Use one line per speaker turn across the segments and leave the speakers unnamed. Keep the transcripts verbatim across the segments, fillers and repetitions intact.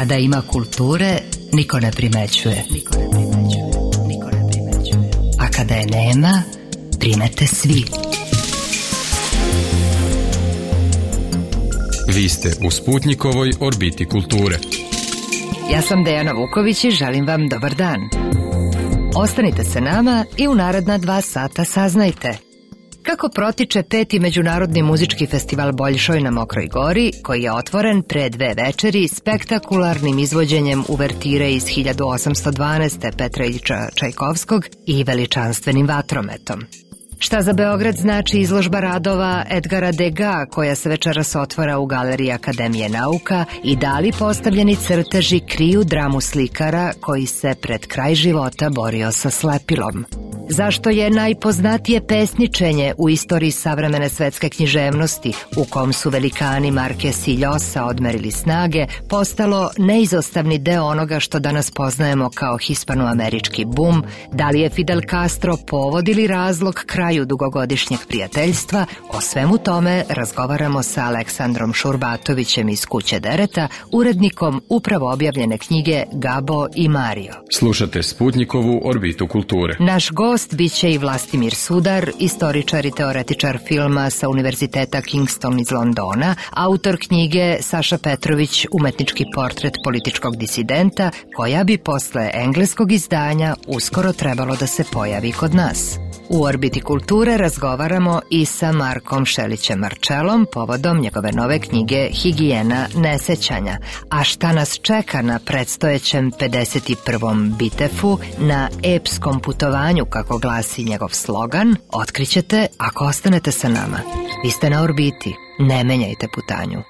Kada ima kulture, niko ne primećuje. Niko ne primećuje. Niko ne primećuje. A kada je nema, primete svi.
Vi ste u Sputnjikovoj orbiti kulture.
Ja sam Dejana Vuković i želim vam dobar dan. Ostanite sa nama i u naredna dva sata saznajte kako protiče peti Međunarodni muzički festival Boljšoj na Mokroj Gori, koji je otvoren pre dve večeri spektakularnim izvođenjem uvertire iz hiljadu osamsto dvanaeste. Petra Iljča Čajkovskog i veličanstvenim vatrometom. Šta za Beograd znači izložba radova Edgara Degas, koja se večeras otvara u Galeriji Akademije nauka, i da li postavljeni crteži kriju dramu slikara koji se pred kraj života borio sa slepilom? Zašto je najpoznatije pesničenje u istoriji savremene svetske književnosti, u kom su velikani Marquez i Llosa odmerili snage, postalo neizostavni deo onoga što danas poznajemo kao hispanoamerički bum? Da li je Fidel Castro povod ili razlog kraju dugogodišnjeg prijateljstva? O svemu tome razgovaramo sa Aleksandrom Šurbatovićem iz Kuće Dereta, urednikom upravo objavljene knjige Gabo i Mario.
Slušate Sputnjikovu orbitu kulture.
Naš gost biće i Vlastimir Sudar, istoričar i teoretičar filma sa Univerziteta Kingston iz Londona, autor knjige Saša Petrović, umetnički portret političkog disidenta, koja bi posle engleskog izdanja uskoro trebalo da se pojavi kod nas. U orbiti kulture razgovaramo i sa Markom Šelićem Marčelom povodom njegove nove knjige Higijena nesećanja. A šta nas čeka na predstojećem pedeset prvom Bitefu, na epskom putovanju, kako glasi njegov slogan, otkrićete ako ostanete sa nama. Vi ste na orbiti, ne menjajte putanju.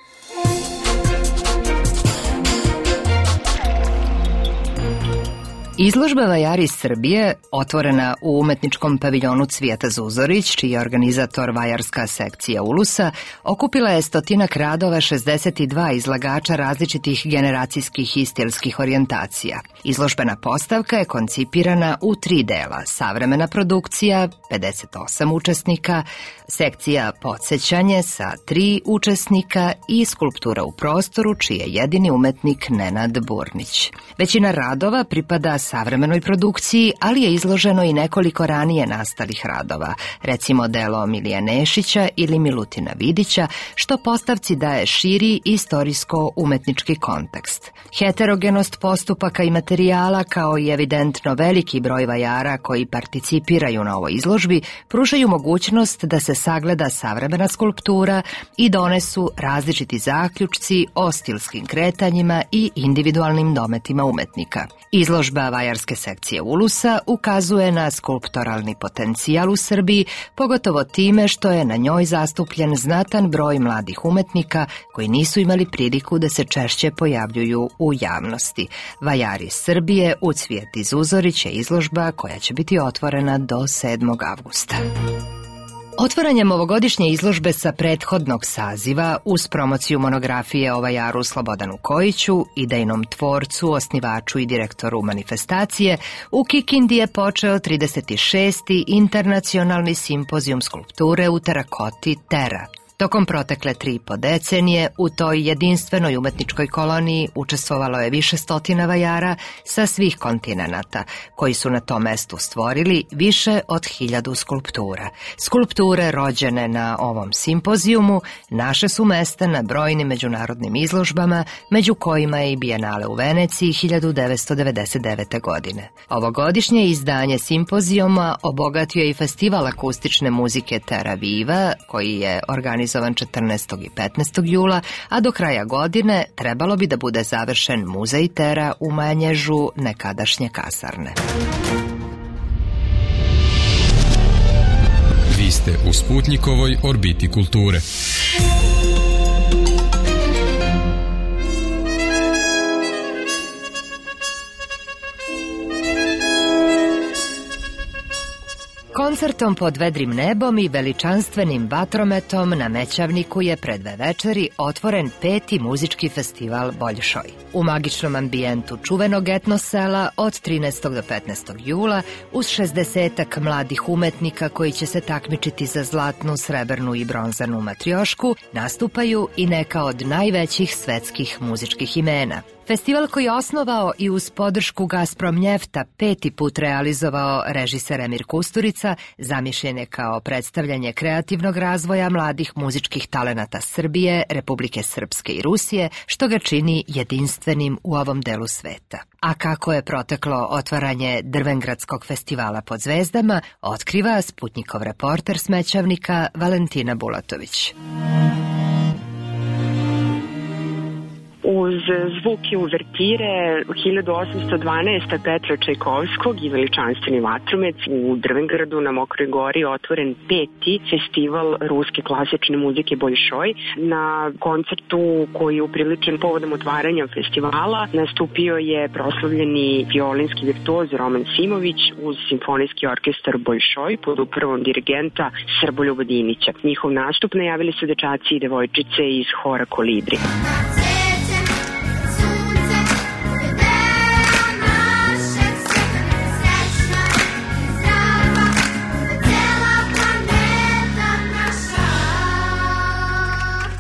Izložba Vajari iz Srbije, otvorena u umetničkom paviljonu Cvijeta Zuzorić, čiji je organizator vajarska sekcija Ulusa, okupila je stotinak radova šezdeset dva izlagača različitih generacijskih i stilskih orijentacija. Izložbena postavka je koncipirana u tri dela: savremena produkcija, pedeset osam učesnika, sekcija podsjećanje sa tri učesnika i skulptura u prostoru, čiji je jedini umetnik Nenad Burnić. Većina radova pripada savremenoj produkciji, ali je izloženo i nekoliko ranije nastalih radova, recimo delo Milija Nešića ili Milutina Vidića, što postavci daje širi istorijsko-umetnički kontekst. Heterogenost postupaka i materijala, kao i evidentno veliki broj vajara koji participiraju na ovoj izložbi, pružaju mogućnost da se sagleda savremena skulptura i donesu različiti zaključci o stilskim kretanjima i individualnim dometima umetnika. Izložba vajarske sekcije Ulusa ukazuje na skulptoralni potencijal u Srbiji, pogotovo time što je na njoj zastupljen znatan broj mladih umetnika koji nisu imali priliku da se češće pojavljuju u javnosti. Vajari Srbije u Cvijeti Zuzorić je izložba koja će biti otvorena do sedmog avgusta. Otvaranjem ovogodišnje izložbe sa prethodnog saziva, uz promociju monografije o vajaru Slobodanu Kojiću, idejnom tvorcu, osnivaču i direktoru manifestacije, u Kikindi je počeo trideset šesti internacionalni simpozijum skulpture u terakoti Tera. Tokom protekle tri i po decenije u toj jedinstvenoj umetničkoj koloniji učestvovalo je više stotina vajara sa svih kontinenata, koji su na tom mestu stvorili više od hiljadu skulptura. Skulpture rođene na ovom simpozijumu naše su mesta na brojnim međunarodnim izložbama, među kojima je i Bijenale u Veneciji hiljadu devetsto devedeset devete. godine. Ovogodišnje izdanje simpozijuma obogatio je i festival akustične muzike Terra Viva, koji je organizovan četrnaestog i petnaestog jula, a do kraja godine trebalo bi da bude završen muzej Tera u Manježu, nekadašnje kasarne.
Vi ste u Sputnjikovoj orbiti kulture.
Koncertom pod vedrim nebom i veličanstvenim vatrometom na Mećavniku je pred dve večeri otvoren peti muzički festival Boljšoj. U magičnom ambijentu čuvenog etno sela od trinaestog do petnaestog jula, uz šezdesetak mladih umetnika koji će se takmičiti za zlatnu, srebrnu i bronzanu matriošku, nastupaju i neka od najvećih svetskih muzičkih imena. Festival koji je osnovao i uz podršku Gazprom Njefta peti put realizovao režiser Emir Kusturica, zamišljen je kao predstavljanje kreativnog razvoja mladih muzičkih talenata Srbije, Republike Srpske i Rusije, što ga čini jedinstvenim u ovom delu sveta. A kako je proteklo otvaranje Drvengradskog festivala pod zvezdama, otkriva Sputnjikov reporter Smećavnika Valentina Bulatović.
Uz zvuk i uvertire hiljadu osamsto dvanaeste. Petra Čajkovskog i Veličanstveni vatromec u Drvengradu na Mokroj gori otvoren peti festival ruske klasične muzike Boljšoj. Na koncertu koji je upriličen povodom otvaranja festivala nastupio je proslavljeni violinski virtuoz Roman Simović uz simfonijski orkestar Boljšoj pod upravom dirigenta Srboljuba Dinića. Njihov nastup najavili su dečaci i devojčice iz hora Kolibri.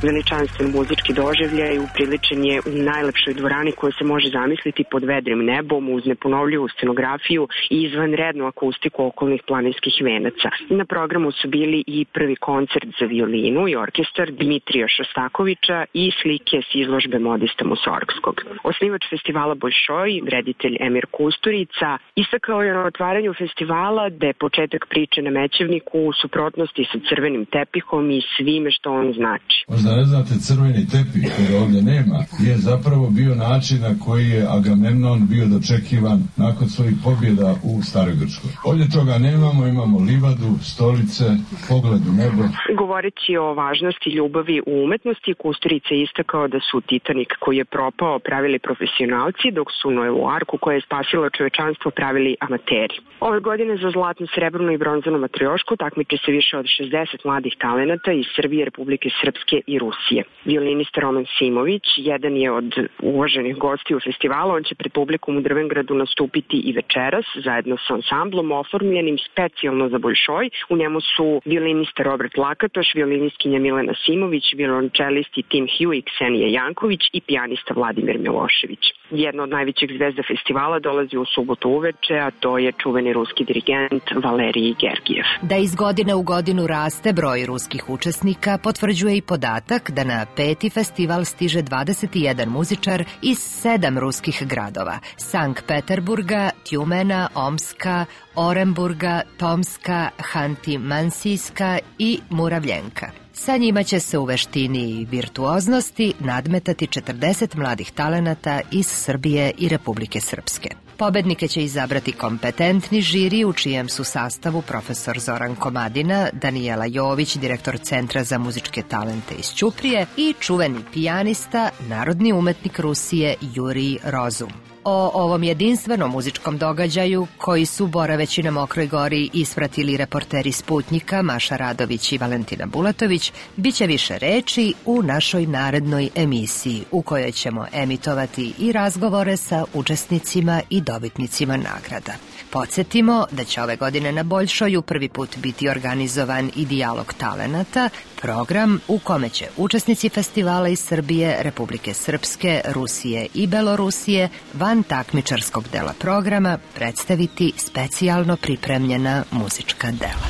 Veličanstven muzički doživljaj upriličen je u najlepšoj dvorani koja se može zamisliti pod vedrim nebom uz neponovljivu scenografiju i izvanrednu akustiku okolnih planinskih venaca. Na programu su bili i prvi koncert za violinu i orkestar Dmitrija Šostakovića i slike s izložbe Modista Musorgskog. Osnivač festivala Boljšoj, reditelj Emir Kusturica, istakao je na otvaranju festivala da je početak priče na Mećevniku u suprotnosti sa crvenim tepihom i svime što on znači.
Da ne znate, crveni tepih koji ovdje nema je zapravo bio način na koji je Agamemnon bio dočekivan nakon svojih pobjeda u Staroj Grčkoj. Ovdje toga nemamo, imamo livadu, stolice, pogled u nebo.
Govoreći o važnosti ljubavi u umetnosti, Kusturica je istakao da su Titanik koji je propao pravili profesionalci, dok su Noevu arku koja je spasila čovečanstvo pravili amateri. Ove godine za zlatnu, srebrnu i bronzanu matriošku takmiče se više od šezdeset mladih talenata iz Srbije, Republike Srpske i Rusije. Violinista Roman Simović jedan je od uvaženih gostiju festivala. On će pred publikom u Drvengradu nastupiti i večeras zajedno sa ansamblom oformljenim specijalno za Boljšoj. U njemu su violinista Robert Lakatoš, violinistkinja Milena Simović, violončelisti Tim Hugh i Ksenija Janković i pijanista Vladimir Milošević. Jedna od najvećih zvezda festivala dolazi u subotu uveče, a to je čuveni ruski dirigent Valerij Gergijev.
Da iz godine u godinu raste broj ruskih učesnika potvrđuje i podatak da na peti festival stiže dvadeset jedan muzičar iz sedam ruskih gradova: Sankt Peterburga, Tjumena, Omska, Oremburga, Tomska, Hanti-Mansijska i Muravljenka. Sa njima će se u veštini i virtuoznosti nadmetati četrdeset mladih talenata iz Srbije i Republike Srpske. Pobednike će izabrati kompetentni žiri u čijem su sastavu profesor Zoran Komadina, Danijela Jović, direktor Centra za muzičke talente iz Ćuprije i čuveni pijanista, narodni umetnik Rusije Jurij Rozum. O ovom jedinstvenom muzičkom događaju, koji su boraveći na Mokroj gori ispratili reporteri Sputnjika Maša Radović i Valentina Bulatović, bit će više reči u našoj narednoj emisiji, u kojoj ćemo emitovati i razgovore sa učesnicima i dobitnicima nagrada. Podsjetimo da će ove godine na Boljšoju prvi put biti organizovan i dijalog talenata, program u kome će učesnici festivala iz Srbije, Republike Srpske, Rusije i Belorusije van takmičarskog dela programa predstaviti specijalno pripremljena muzička dela.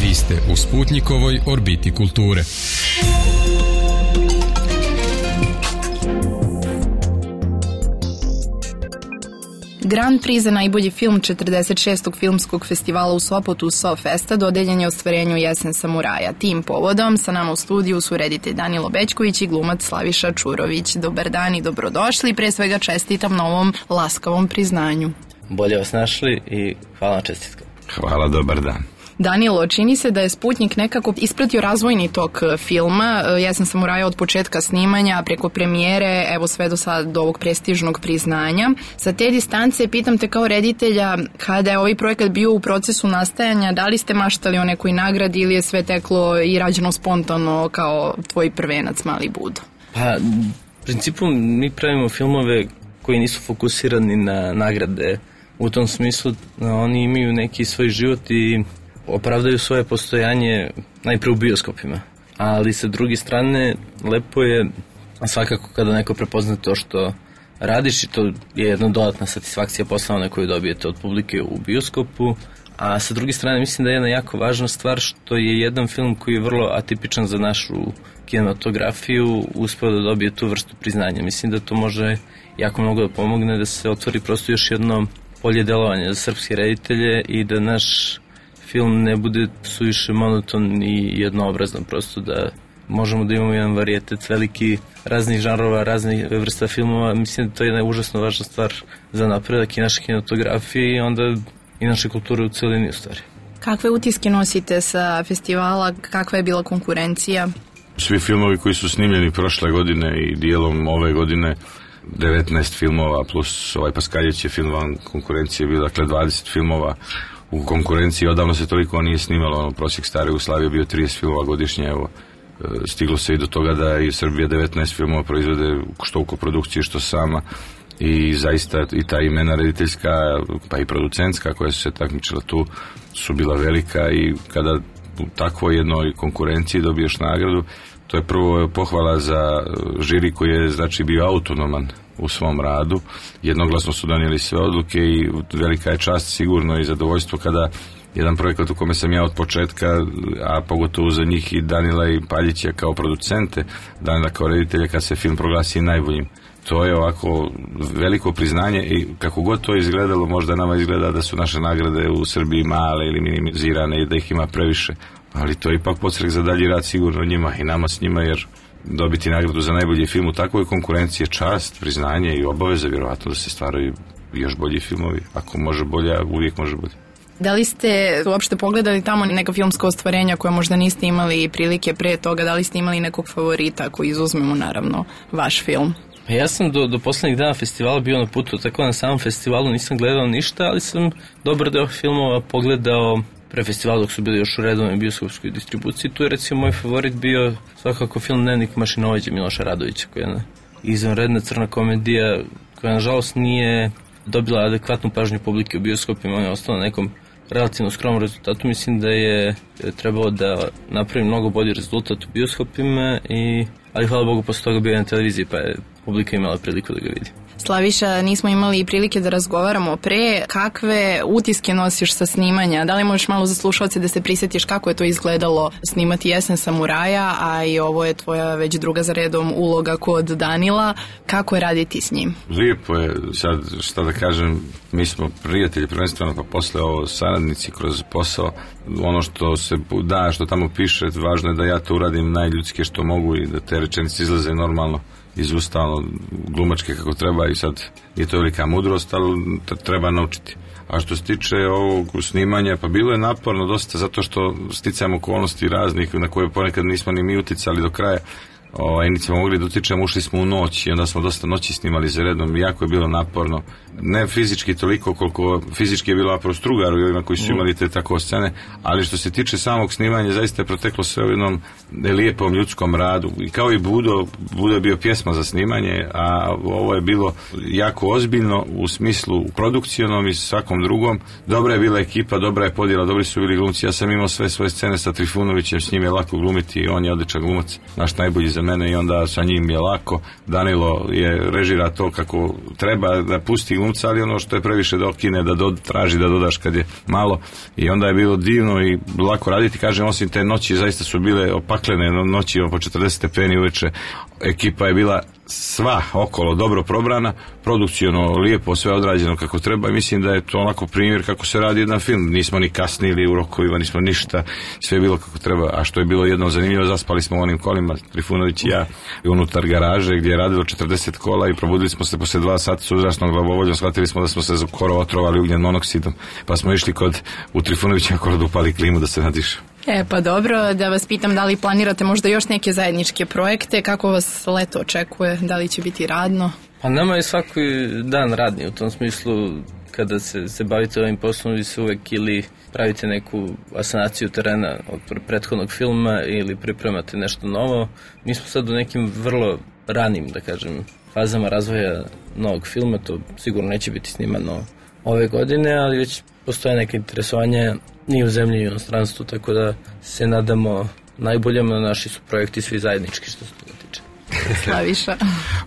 Vi ste u Sputnjikovoj orbiti kulture.
Grand Prix za najbolji film četrdeset šestog filmskog festivala u Sopotu SoFesta dodeljen je ostvarenju Jesen samuraja. Tim povodom sa nama u studiju su reditelj Danilo Bećković i glumac Slaviša Čurović. Dobar dan i dobrodošli. Pre svega čestitam na ovom laskavom priznanju.
Bolje vas našli i hvala na čestitkama.
Hvala, dobar dan.
Danilo, čini se da je Sputnjik nekako ispratio razvojni tok filma. Jesen samuraja od početka snimanja preko premijere, evo sve do sad do ovog prestižnog priznanja. Sa te distance pitam te kao reditelja, kada je ovaj projekat bio u procesu nastajanja, da li ste maštali o nekoj nagradi ili je sve teklo i rađeno spontano kao tvoj prvenac Mali Budo?
Pa, u principu mi pravimo filmove koji nisu fokusirani na nagrade. U tom smislu oni imaju neki svoj život i opravdaju svoje postojanje najpre u bioskopima. Ali sa druge strane, lepo je A svakako kada neko prepozna to što radiš, i to je jedna dodatna satisfakcija posla koju dobijete od publike u bioskopu. A sa druge strane mislim da je jedna jako važna stvar što je jedan film koji je vrlo atipičan za našu kinematografiju uspeo da dobije tu vrstu priznanja. Mislim da to može jako mnogo da pomogne da se otvori prosto još jedno polje delovanja za srpske reditelje i da naš film ne bude suviše monoton i jednoobrazan, prosto da možemo da imamo jedan varijetet veliki raznih žanrova, raznih vrsta filmova. Mislim da to je jedna užasno važna stvar za napredak i naše kinematografije i onda i naše kulture u celini u stvari.
Kakve utiske nosite sa festivala, kakva je bila konkurencija?
Svi filmovi koji su snimljeni prošle godine i dijelom ove godine, devetnaest filmova plus ovaj Paskaljević je film van konkurencije bio, dakle dvadeset filmova u konkurenciji. Odavno se toliko nije snimalo, ono, prosjek stare Jugoslavije bio trideset filmova godišnje, evo stiglo se i do toga da i Srbija devetnaest filmova proizvode što u koprodukciji što sama i zaista i ta imena rediteljska pa i producentska koja su se takmičila tu su bila velika i kada u takvoj jednoj konkurenciji dobiješ nagradu, to je prvo pohvala za žiri koji je znači bio autonoman u svom radu, jednoglasno su donijeli sve odluke i velika je čast sigurno i zadovoljstvo kada jedan projekat u kome sam ja od početka, a pogotovo za njih i Danila i Paljića kao producente, Danila kao reditelja, kad se film proglasi najboljim. To je ovako veliko priznanje i kako god to izgledalo, možda nama izgleda da su naše nagrade u Srbiji male ili minimizirane i da ih ima previše, ali to je ipak podstrek za dalji rad sigurno njima i nama s njima, jer dobiti nagradu za najbolji film u takvoj konkurenciji je čast, priznanje i obaveza vjerovatno da se stvaraju još bolji filmovi. Ako može bolje, uvijek može bolje.
Da li ste uopšte pogledali tamo neka filmska ostvarenja koje možda niste imali prilike pre toga? Da li ste imali nekog favorita koji izuzmemo naravno vaš film?
Ja sam do, do poslednjih dana festivala bio na putu, tako na samom festivalu nisam gledao ništa, ali sam dobar deo filmova pogledao pre festivala dok su bili još u redovnoj bioskopskoj distribuciji. Tu je recimo moj favorit bio svakako film Dnevnik mašinovođe Miloša Radovića, koja je jedna izvanredna crna komedija koja nažalost nije dobila adekvatnu pažnju publike u bioskopima, on je ostao na nekom relativno skromnom rezultatu. Mislim da je trebalo da napravi mnogo bolji rezultat u bioskopima, i, ali hvala Bogu posle toga bio na televiziji pa je publika imala priliku da ga vidi.
Slaviša, nismo imali prilike da razgovaramo pre. Kakve utiske nosiš sa snimanja? Da li možeš malo za slušalce da se prisjetiš kako je to izgledalo snimati Jesen samuraja, a i ovo je tvoja već druga za redom uloga kod Danila. Kako je raditi s njim?
Lijepo je, sad šta da kažem, mi smo prijatelji prvenstveno, pa posle ovo saradnici kroz posao. Ono što se da, što tamo piše, važno je da ja to uradim najljudske što mogu i da te rečenice izlaze normalno iz usta, ono, glumačke kako treba, i sad je to velika mudrost, ali treba naučiti. A što se tiče ovog snimanja, pa bilo je naporno dosta, zato što sticajem okolnosti raznih na koje ponekad nismo ni mi uticali do kraja. Ovaj, nismo mogli da utičemo, ušli smo u noć i onda smo dosta noći snimali za redom, jako je bilo naporno, ne fizički toliko koliko fizički je bilo naporno Strugaru i ovima koji su imali te tako scene, ali što se tiče samog snimanja zaista je proteklo sve u jednom lijepom ljudskom radu, i kao i Budo, Budo je bio pjesma za snimanje, a ovo je bilo jako ozbiljno u smislu produkcionom i svakom drugom. Dobra je bila ekipa, dobra je podjela, dobri su bili glumci, ja sam imao sve svoje scene sa Trifunovićem, s njim je lako glumiti, on je odličan glumac, naš najbolji za mene, i onda sa njim je lako. Danilo je režira to kako treba, da pusti glumca, ali ono što je previše da okine, da do, traži da dodaš kad je malo, i onda je bilo divno i lako raditi. Kažem, osim te noći zaista su bile opaklene noći po četrdeset stepeni uveče, ekipa je bila sva okolo dobro probrana, produkciono lijepo, sve odrađeno kako treba, i mislim da je to onako primjer kako se radi jedan film. Nismo ni kasnili u rokovima, nismo ništa, sve je bilo kako treba. A što je bilo jedno zanimljivo, zaspali smo u onim kolima, Trifunović i ja, unutar garaže gdje je radilo četrdeset kola, i probudili smo se posle dva sata s uzrasnom glavovoljom, shvatili smo da smo se skoro otrovali ugljen monoksidom, pa smo išli kod u Trifunovića kolo da upali klimu da se nadiše.
E pa dobro, da vas pitam da li planirate možda još neke zajedničke projekte, kako vas leto očekuje, da li će biti radno?
Pa nama je svaki dan radni, u tom smislu kada se, se bavite ovim poslom, vi se uvek ili pravite neku asanaciju terena od prethodnog filma ili pripremate nešto novo. Mi smo sad u nekim vrlo ranim, da kažem, fazama razvoja novog filma, to sigurno neće biti snimano ove godine, ali već postoje neke interesovanje ni u zemlji i u inostranstvu, tako da se nadamo najboljem, na naši su projekti svi zajednički što se toga tiče.
Slaviša.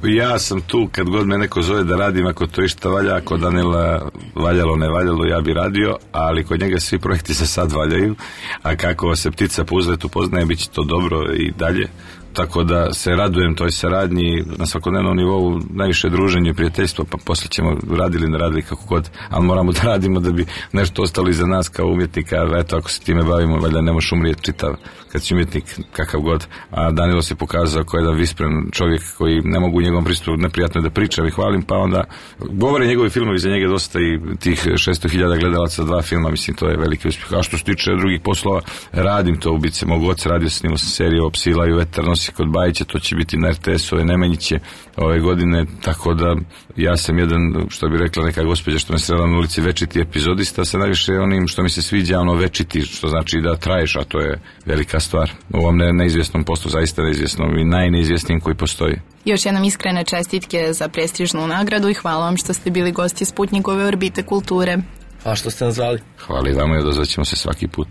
Ja sam tu kad god me neko zove da radim, ako to išta valja, ako Danila valjalo ne valjalo, ja bi radio, ali kod njega svi projekti se sad valjaju, a kako se ptica po uzletu poznaje, bit će to dobro i dalje. Tako da se radujem toj saradnji na svakodnevnom nivou, najviše druženje i prijateljstvo, pa poslije ćemo radili, ne radili kako god, ali moramo da radimo da bi nešto ostalo iza nas kao umjetnika, eto ako se time bavimo, valjda ne možeš umrijeti čitav kad si umjetnik kakav god, a Danilo se pokazao kao jedan vispren čovjek koji ne mogu u njegovom pristupu neprijatno da pričam i hvalim, pa onda govore njegovi filmovi za njega dosta i tih šesto hiljada gledalaca dva filma, mislim to je veliki uspjeh. A što se tiče drugih poslova, radim to, ubice mog oca, radio sam, snimao sam seriju o Psila i vetar nosi kod Bajića, to će biti na er te esu-ove Nemanjiće ove godine, tako da ja sam jedan, što bi rekla neka gospođa što me srela na ulici, večiti epizodista sa najviše onim što mi se sviđa, ono večiti, što znači da traješ, a to je velika stvar. U ovom ne, neizvjesnom poslu, zaista neizvjesnom i najneizvjesnijim koji postoji.
Još jednom iskrene čestitke za prestižnu nagradu i hvala vam što ste bili gosti Sputnikove orbite kulture.
Hvala što ste nas zvali.
Hvala i vama i odazvaćemo se svaki put.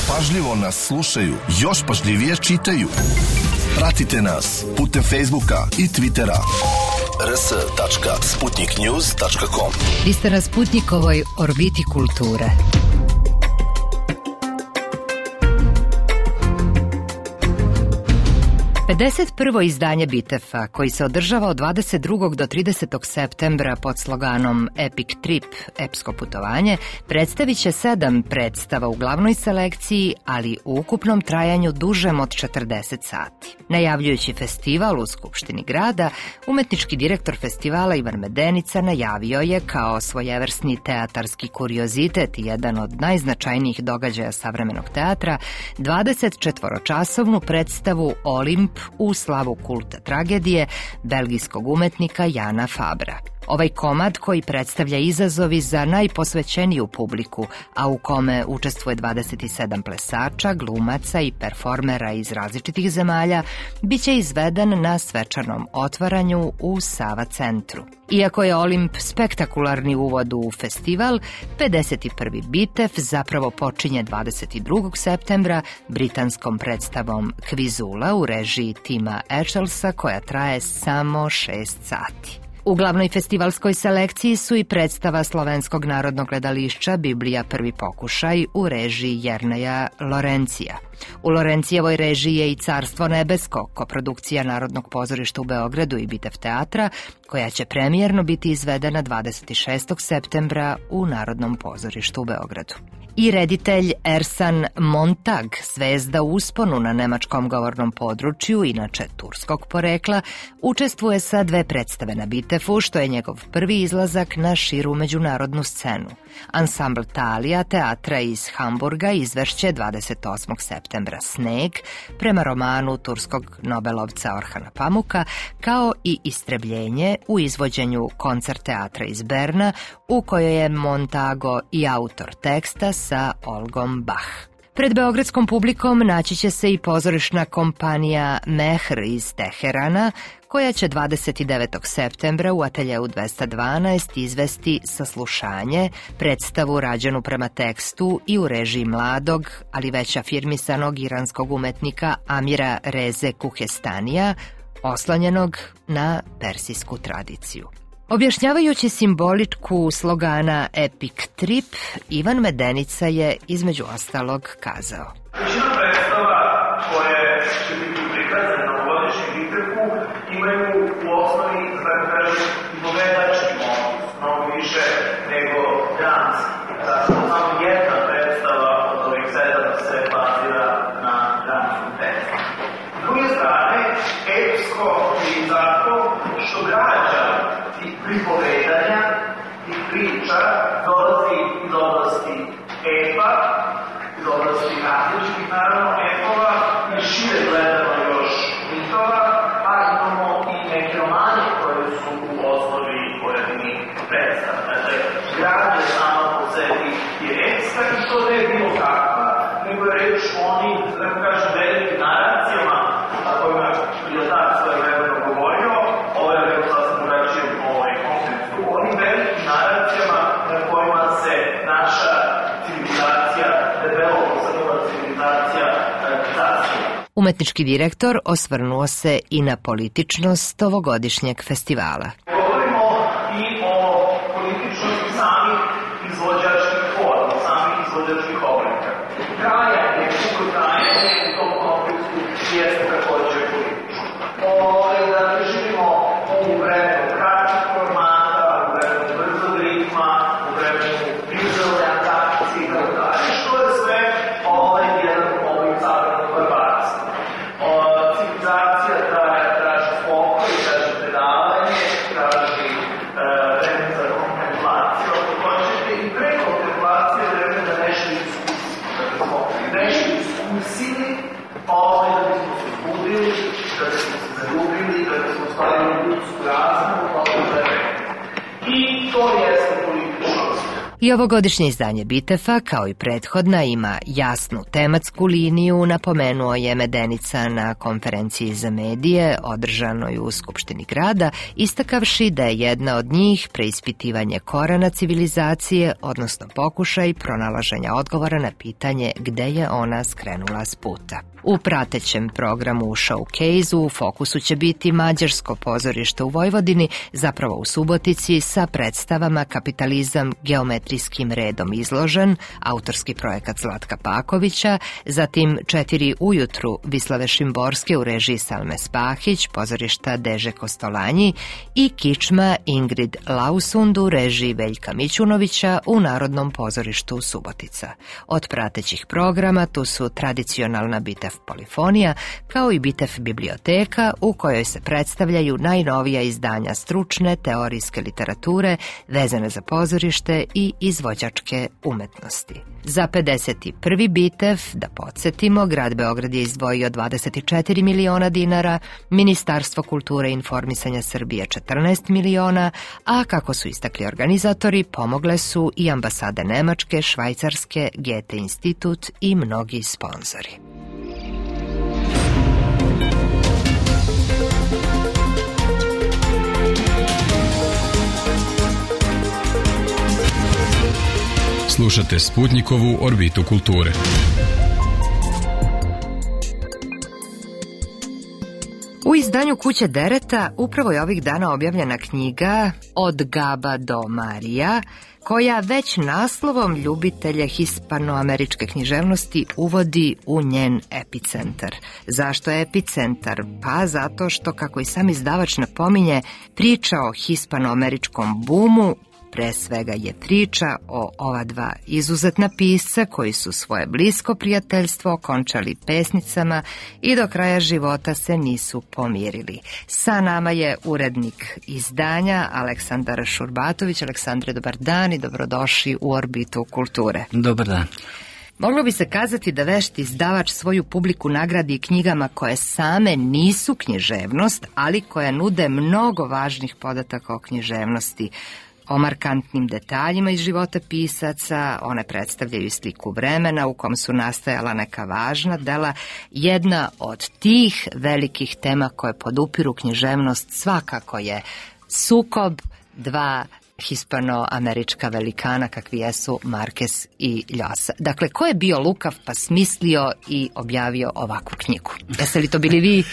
Pažljivo nas slušaju, još pažljivije čitaju. Pratite nas putem Facebooka i Twittera. r s tačka sputnik news tačka com.
Vi ste na Sputnikovoj orbiti kulture. pedeset prvo izdanje Bitefa, koji se održava od dvadeset drugog do tridesetog septembra pod sloganom Epic Trip, epsko putovanje, predstavit će sedam predstava u glavnoj selekciji, ali u ukupnom trajanju dužem od četrdeset sati. Najavljujući festival u Skupštini grada, umetnički direktor festivala Ivan Medenica najavio je kao svojevrsni teatarski kuriozitet i jedan od najznačajnijih događaja savremenog teatra dvadesetčetvoročasovnu predstavu Olimp u slavu kulta tragedije belgijskog umetnika Jana Fabra. Ovaj komad koji predstavlja izazovi za najposvećeniju publiku, a u kome učestvuje dvadeset sedam plesača, glumaca i performera iz različitih zemalja, bit će izveden na svečanom otvaranju u Sava centru. Iako je Olimp spektakularni uvod u festival, pedeset prvi Bitef zapravo počinje dvadeset drugog septembra britanskom predstavom Kvizula u režiji Tima Echelsa, koja traje samo šest sati. U glavnoj festivalskoj selekciji su i predstava Slovenskog narodnog gledališća Biblija prvi pokušaj u režiji Jerneja Lorencija. U Lorencijevoj režiji je i Carstvo nebesko, koprodukcija Narodnog pozorišta u Beogradu i Bitev teatra, koja će premijerno biti izvedena dvadeset šestog septembra u Narodnom pozorištu u Beogradu. I reditelj Ersan Montag, zvezda u usponu na nemačkom govornom području, inače turskog porekla, učestvuje sa dve predstave na Bitefu, što je njegov prvi izlazak na širu međunarodnu scenu. Ansambl Talija teatra iz Hamburga izvešće dvadeset osmog septembra Sneg, prema romanu turskog nobelovca Orhana Pamuka, kao i Istrebljenje u izvođenju koncert teatra iz Berna, u kojoj je Montago i autor teksta sa Olgom Bach. Pred beogradskom publikom naći će se i pozorišna kompanija Mehr iz Teherana, koja će dvadeset devetog septembra u ateljeu dvesta dvanaest izvesti Saslušanje, predstavu rađenu prema tekstu i u režiji mladog, ali već afirmisanog iranskog umetnika Amira Reze Kuhestanija, oslanjenog na persijsku tradiciju. Objašnjavajući simboličku slogana Epic Trip, Ivan Medenica je između ostalog kazao:
Većina predstava koje će biti prikazane na ovogodišnjem Bitefu imaju u osnovi, da kažem, povedački motiv, mnogo više nego dramski. Zato samo jedna predstava od ovih sedam se bazira na dramskom tekstu. S druge strane, epsko je zato što građa tih pripovedanja i priča dolazi iz oblasti epa, iz oblasti različitih, naravno, epova i šire gledano još mitova, a imamo i neke romane koje su u osnovi pojedinih predstava. Dakle, građa sama po sebi je epska i što ne je bilo kakva, nego je reč o onim, da ne kažem, velikim naracijama, a kojima je tak svoje vremeno govorio, ovo je vrlo sasvim
Umetnički direktor osvrnuo se i na političnost ovogodišnjeg festivala.
Govorimo i o političnosti samih izvođačkih forma, samih izvođačkih oblika. Trajanje, kako trajanje u tom konfliktu jeste također politično. Dakle, živimo u vremenu kratkih formata, u vremenu brzog ritma, u vremenu vizualne atrakcije i tako dalje, što je sve ovaj jedan oblik savremenog barbarstva. Civilizacija traži pokoj, traži predavanje, traži vreme za kontemplaciju, ako hoćete, i pre kontemplacije vreme da nešto iskusimo, da bismo nešto iskusili, ovaj da bismo se budili, da bismo se zaljubili, da bismo stavili ljudsku razmu, ovo vreme. I to jeste političnost.
I ovogodišnje izdanje Bitefa, kao i prethodna, ima jasnu tematsku liniju, napomenuo je Medenica na konferenciji za medije održanoj u Skupštini grada, istakavši da je jedna od njih preispitivanje korena civilizacije, odnosno pokušaj pronalaženja odgovora na pitanje gde je ona skrenula s puta. U pratećem programu u showcase-u u fokusu će biti mađarsko pozorište u Vojvodini, zapravo u Subotici, sa predstavama Kapitalizam geometrijskim redom izložen, autorski projekat Zlatka Pakovića, zatim Četiri ujutru Vislave Šimborske u režiji Salme Spahić, pozorišta Deže Kostolanji, i Kičma Ingrid Lausund u režiji Veljka Mićunovića u Narodnom pozorištu Subotica. Od pratećih programa tu su tradicionalna Bitef Polifonija, kao i Bitef biblioteka, u kojoj se predstavljaju najnovija izdanja stručne teorijske literature vezane za pozorište i izvođačke umetnosti. Za pedeset prvi Bitef, da podsjetimo, grad Beograd je izdvojio dvadeset četiri miliona dinara, Ministarstvo kulture i informisanja Srbije četrnaest miliona, a kako su istakli organizatori, pomogle su i ambasade Nemačke, Švajcarske, Goethe institut i mnogi sponzori.
Slušate Sputnikovu orbitu kulture.
U izdanju Kuće Dereta upravo je ovih dana objavljena knjiga Od Gaba do Marija, koja već naslovom ljubitelja hispanoameričke književnosti uvodi u njen epicentar. Zašto je epicentar? Pa zato što, kako i sam izdavač napominje, priča o hispanoameričkom bumu pre svega je priča o ova dva izuzetna pisca koji su svoje blisko prijateljstvo okončali pesnicama i do kraja života se nisu pomirili. Sa nama je urednik izdanja Aleksandar Šurbatović. Aleksandre, dobar dan i dobrodošli u orbitu kulture.
Dobar dan.
Moglo bi se kazati da vešti izdavač svoju publiku nagradi knjigama koje same nisu književnost, ali koje nude mnogo važnih podataka o književnosti, o markantnim detaljima iz života pisaca. One predstavljaju sliku vremena u kom su nastajala neka važna dela. Jedna od tih velikih tema koje podupiru književnost svakako je sukob dva hispanoamerička velikana kakvi jesu Marquez i Llosa. Dakle, ko je bio lukav pa smislio i objavio ovakvu knjigu? Jeste li to bili vi?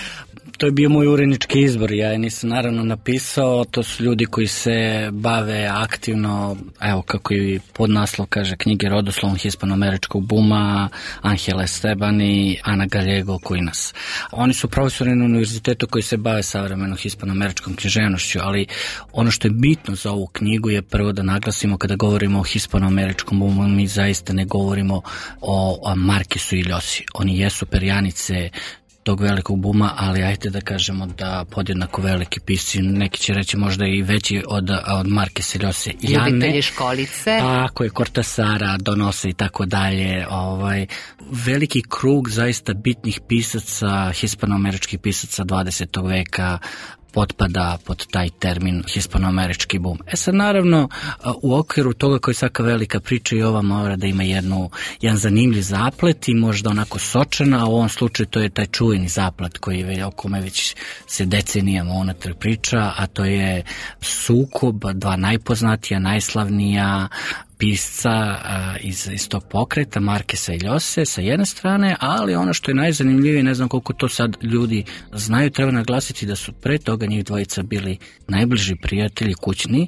To je bio moj urednički izbor, ja je nisam naravno napisao, to su ljudi koji se bave aktivno, evo kako i podnaslov kaže, knjige rodoslovom hispanoameričkog buma, Angel Esteban i Ana Gallego Quinas. Oni su profesori na univerzitetu koji se bave savremenom hispanoameričkom književnošću, ali ono što je bitno za ovu knjigu je prvo da naglasimo kada govorimo o hispanoameričkom bumu, mi zaista ne govorimo o Marquezu i Llosi. Oni jesu perjanice tog velikog buma, ali ajte da kažemo da podjednako veliki pisci, neki će reći možda i veći od, od Marqueza i Llose.
Ljubitelji školice.
Tako je, Cortasara, Donose i tako dalje. Ovaj, veliki krug zaista bitnih pisaca, hispanoameričkih pisaca dvadesetog veka, potpada pod taj termin hispanoamerički bum. E sad, naravno, u okviru toga koji svaka velika priča i ova mora da ima jednu, jedan zanimljiv zaplet i možda onako sočana, a u ovom slučaju to je taj čuveni zaplet koji o kome već se decenijama unatrag priča, a to je sukob dva najpoznatija, najslavnija pisca iz, iz tog pokreta, Markesa i Ljose sa jedne strane, ali ono što je najzanimljivije, ne znam koliko to sad ljudi znaju, treba naglasiti da su pre toga njih dvojica bili najbliži prijatelji kućni,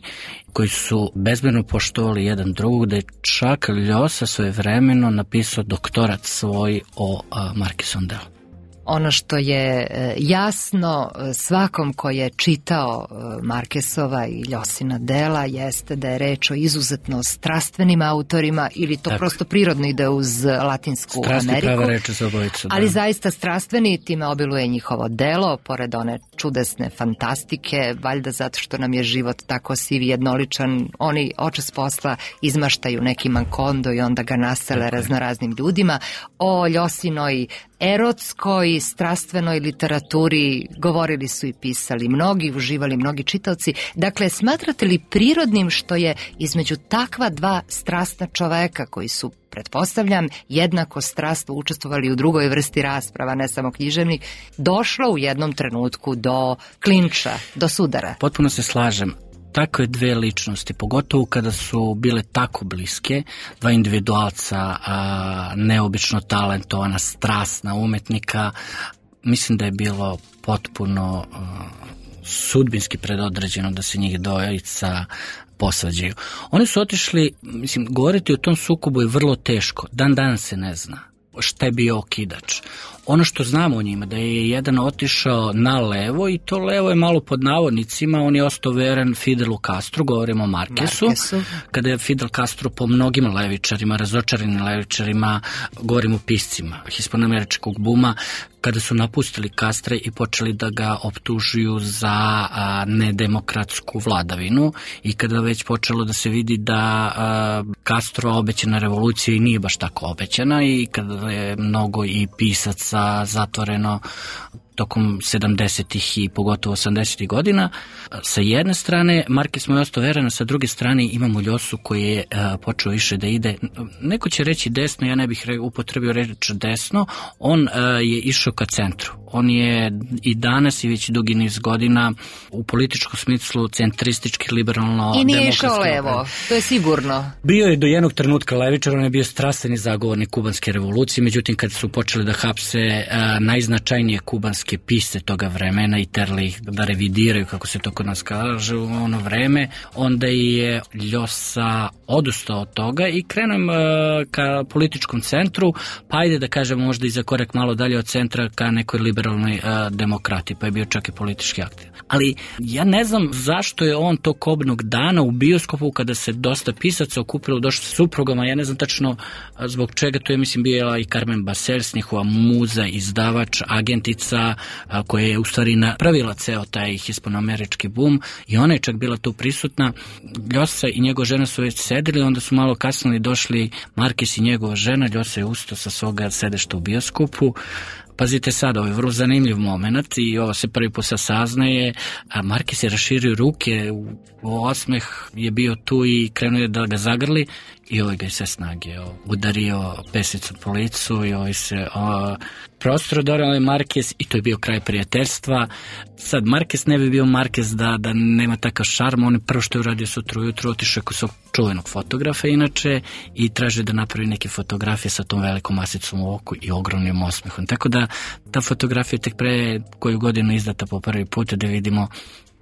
koji su bezmjerno poštovali jedan drugog, da je čak Ljosa svojevremeno napisao doktorat svoj o Markesovom delu.
Ono što je jasno svakom ko je čitao Markesova i Ljosina dela jeste da je reč o izuzetno strastvenim autorima ili to
Tako.
prosto prirodno ide uz Latinsku
Strasti
Ameriku.
prava reč za obojicu, da.
Ali zaista strastveni, time obiluje njihovo delo, pored one čudesne fantastike, valjda zato što nam je život tako siv i jednoličan, oni očas posla izmaštaju neki mankondo i onda ga nasele raznoraznim ljudima. O Ljosinoj erotskoj, strastvenoj literaturi govorili su i pisali mnogi, uživali mnogi čitaoci. Dakle, smatrate li prirodnim što je između takva dva strastna čoveka koji su, pretpostavljam, jednako strastno učestvovali u drugoj vrsti rasprava, ne samo književnih, došlo u jednom trenutku do klinča, do sudara?
Potpuno se slažem. Takve dve ličnosti, pogotovo kada su bile tako bliske, dva individualca, a, neobično talentovana, strasna umetnika, mislim da je bilo potpuno a, sudbinski predodređeno da se njih dvojica posvađaju. Oni su otišli, mislim, govoriti o tom sukobu je vrlo teško, dan danas se ne zna šta je bio okidač. Ono što znamo o njima, da je jedan otišao na levo i to levo je malo pod navodnicima, on je ostao veren Fidelu Castru, govorimo o Markesu,
Markesu.
Kada je Fidel Castro po mnogim levičarima, razočaranim levičarima, govorimo o piscima hispanoameričkog buma, kada su napustili Castra i počeli da ga optužuju za a, nedemokratsku vladavinu i kada već počelo da se vidi da a, Castro obećana revolucija i nije baš tako obećana i kada je mnogo i pisaca zatvoreno tokom sedamdesetih i pogotovo osamdesetih godina. Sa jedne strane, Markes mu je ostao veran, sa druge strane imamo Ljosu koji je uh, počeo više da ide, neko će reći desno, ja ne bih re, upotrebio reč desno, on uh, je išao ka centru. On je i danas i već dugi niz godina u političkom smislu centristički, liberalno
I nije išao levo, to je sigurno.
Bio je do jednog trenutka levičar, on je bio strastveni zagovornik kubanske revolucije, međutim kad su počeli da hapse uh, najznačajnije kubanske pisce toga vremena i terali ih da revidiraju, kako se to kod nas kaže, u ono vreme, onda je Ljosa odustao od toga i krenuo uh, ka političkom centru, pa ajde da kažemo možda i za korak malo dalje od centra ka nekoj liberalnoj uh, demokrati, pa je bio čak i politički aktiv. Ali ja ne znam zašto je on tog kobnog dana u bioskopu kada se dosta pisaca okupilo, došlo sa suprugama, ja ne znam tačno zbog čega, to je mislim bio i Carmen Basels, njihova muza, izdavač, agentica, koja je u stvari napravila ceo taj hispanoamerički bum i ona je čak bila tu prisutna. Ljosa i njegova žena su već sedeli, onda su malo kasnije došli Markes i njegova žena, Ljosa je ustao sa svoga sedešta u bioskopu. Pazite sad, ovo je vrlo zanimljiv moment i ovo se prvi put saznaje, a Markes je raširio ruke, u osmeh je bio tu i krenuo je da ga zagrli i ovaj ga je sve snage o, udario pesicom po licu i ovaj se o, prostro dorao je Markes i to je bio kraj prijateljstva. Sad, Markes ne bi bio Markes da, da nema takav šarm, on je prvo što je uradio sutra ujutru, otišao kod svog čuvenog fotografa inače i traže da napravi neke fotografije sa tom velikom masicom u oku i ogromnim osmehom. Tako da ta fotografija tek pre koju godinu izdata po prvi put da vidimo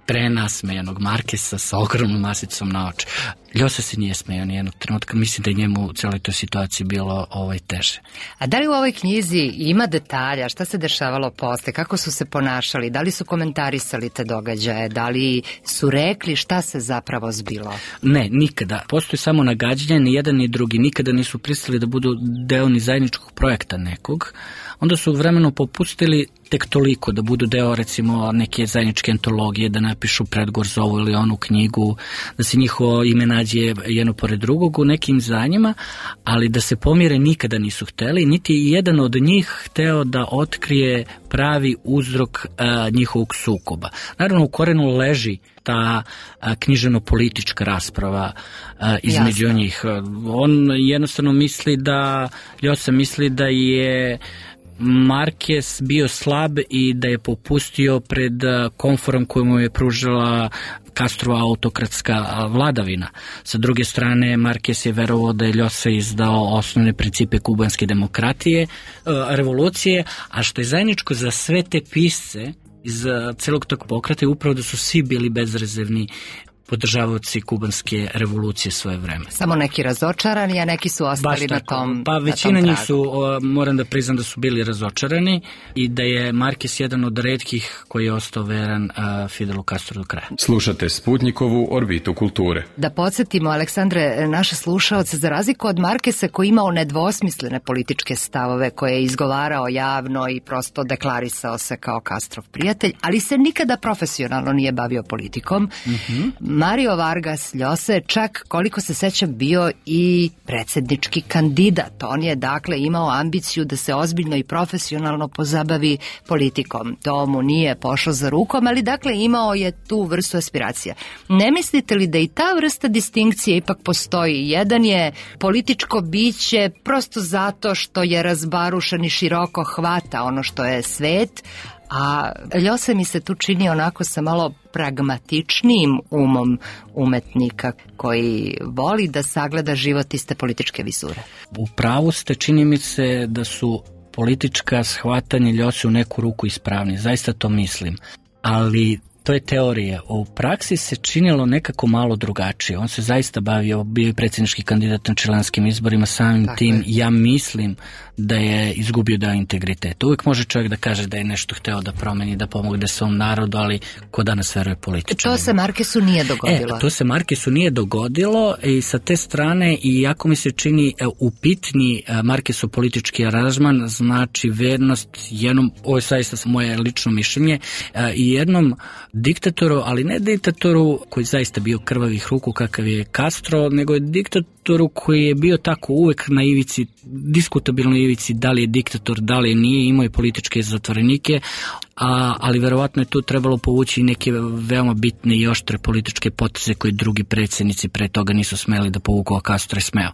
prenasmejanog Markesa sa ogromnom masicom na oči. Ljosa se nije smejao nijednog trenutka, mislim da je njemu u celoj toj situaciji bilo ovaj teže.
A da li u ovoj knjizi ima detalja, šta se dešavalo posle, kako su se ponašali, da li su komentarisali te događaje, da li su rekli šta se zapravo zbilo?
Ne, nikada. Postoji samo nagađanje, ni jedan ni drugi, nikada nisu pristali da budu deo ni zajedničkog projekta nekog. Onda su vremeno popustili tek toliko da budu deo recimo neke zajedničke antologije, da napišu predgovor za ovu ili onu knjigu, da se njihovo ime nađe jedno pored drugog u nekim izdanjima, ali da se pomire nikada nisu hteli, niti jedan od njih hteo da otkrije pravi uzrok a, njihovog sukoba. Naravno u korenu leži ta a, književno-politička rasprava a, između
Jasno.
njih. On jednostavno misli da, Ljosa misli da je Marquez bio slab i da je popustio pred komforom koju mu je pružila Castrova autokratska vladavina. Sa druge strane, Marquez je verovao da je Ljosa izdao osnovne principe kubanske demokratije, revolucije, a što je zajedničko za sve te pisce iz celog tog pokreta je upravo da su svi bili bezrezervni podržavaoci kubanske revolucije svoje vreme.
Samo neki razočarani, a neki su ostali na tom
Pa većina njih su, moram da priznam da su bili razočarani i da je Marquez jedan od retkih koji je ostao veran uh, Fidelu Castro do kraja.
Slušate Sputnikovu orbitu kulture.
Da podsjetimo, Aleksandre, naše slušaoce, za razliku od Markesa koji imao nedvosmislene političke stavove koje je izgovarao javno i prosto deklarisao se kao Castrov prijatelj, ali se nikada profesionalno nije bavio politikom.
Mm-hmm.
Mario Vargas Llosa je čak, koliko se sećam, bio i predsjednički kandidat. On je dakle imao ambiciju da se ozbiljno i profesionalno pozabavi politikom. To mu nije pošlo za rukom, ali dakle imao je tu vrstu aspiracija. Ne mislite li da i ta vrsta distinkcije ipak postoji? Jedan je političko biće prosto zato što je razbarušen i široko hvata ono što je svet, a Llosa mi se tu čini onako sa malo pragmatičnijim umom umetnika koji voli da sagleda život iste političke vizure.
U pravu ste, čini mi se da su politička shvatanja Ljose u neku ruku ispravni, zaista to mislim, ali to je teorija. U praksi se činilo nekako malo drugačije. On se zaista bavio, bio je predsjednički kandidat na čilanskim izborima, samim Tako tim je. Ja mislim da je izgubio deo integriteta. Uvijek može čovjek da kaže da je nešto hteo da promeni, da pomogne svom narodu, ali ko danas veruje političarima.
To se Marquesu nije dogodilo.
E, to se Marquesu nije dogodilo i sa te strane, i jako mi se čini upitni Marquesu politički aranžman, znači vernost jednom, ovo je zaista moje lično mišljenje, i jednom diktatoru, ali ne diktatoru koji zaista bio krvavih ruku kakav je Castro, nego je diktatoru koji je bio tako uvek na ivici, diskutabilnoj ivici, da li je diktator, da li nije, imao i političke zatvorenike, a, ali verovatno je tu trebalo povući neke veoma bitne i oštre političke poteze koje drugi predsjednici pre toga nisu smeli da povuku, a Castro je smeo.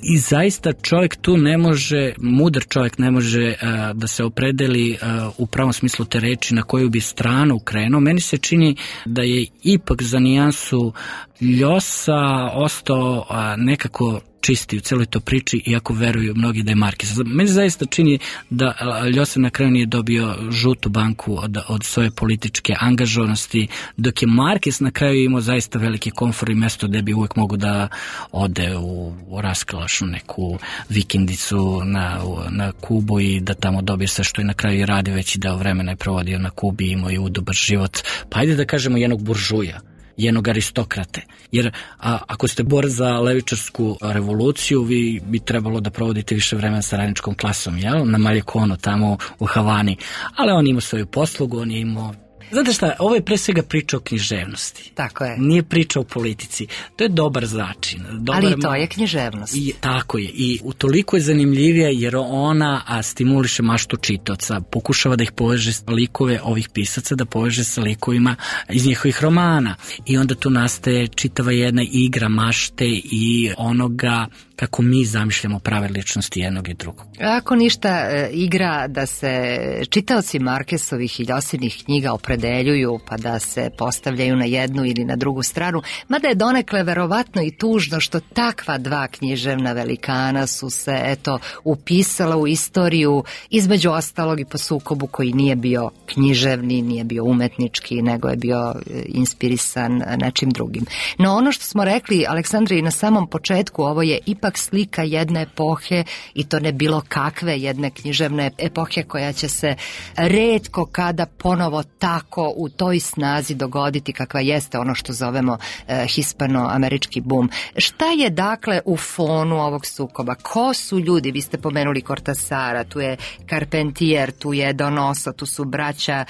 I zaista čovjek tu ne može, mudar čovjek ne može uh, da se opredeli uh, u pravom smislu te reči na koju bi stranu krenuo. Meni se čini da je ipak za nijansu Llosa ostao uh, nekako čisti u celoj to priči, iako veruju mnogi da je Marquez. Meni zaista čini da Llosa na kraju nije dobio žutu banku od, od svoje političke angažovanosti, dok je Marquez na kraju imao zaista veliki komfor i mesto gde bi uvek mogu da ode u, u raskalašnu neku vikendicu na, na Kubu i da tamo dobije sve što je na kraju i radi, veći deo vremena je provodio na Kubi, imao i udobar život. Pa ajde da kažemo jednog buržuja, jednog aristokrate. Jer a, ako ste bor za levičarsku revoluciju, vi bi trebalo da provodite više vremena sa radničkom klasom, jel? Na Maljekonu, tamo u Havani. Ali on ima svoju poslugu, on je imao... Znate šta, ovo je pre svega priča o književnosti.
Tako je.
Nije priča o politici. To je dobar začin. Dobar
Ali i to je književnost.
I, tako je. I utoliko je zanimljivija jer ona a, stimuliše maštu čitaoca. Pokušava da ih poveže s likove ovih pisaca, da poveže sa likovima iz njihovih romana. I onda tu nastaje čitava jedna igra mašte i onoga kako mi zamišljamo prave ličnosti jednog i drugog.
Ako ništa, igra da se čitaoci Marquesovih i Ljosinih knjiga opredeljuju pa da se postavljaju na jednu ili na drugu stranu, mada je donekle verovatno i tužno što takva dva književna velikana su se eto upisala u istoriju, između ostalog i po sukobu koji nije bio književni, nije bio umetnički, nego je bio inspirisan nečim drugim. No ono što smo rekli, Aleksandre, i na samom početku, ovo je ipak slika jedne epohe i to ne bilo kakve jedne književne epohe koja će se retko kada ponovo tako u toj snazi dogoditi kakva jeste ono što zovemo eh, hispano-američki bum. Šta je dakle u fonu ovog sukoba? Ko su ljudi? Vi ste pomenuli Cortasara, tu je Carpentier, tu je Donoso, tu su braća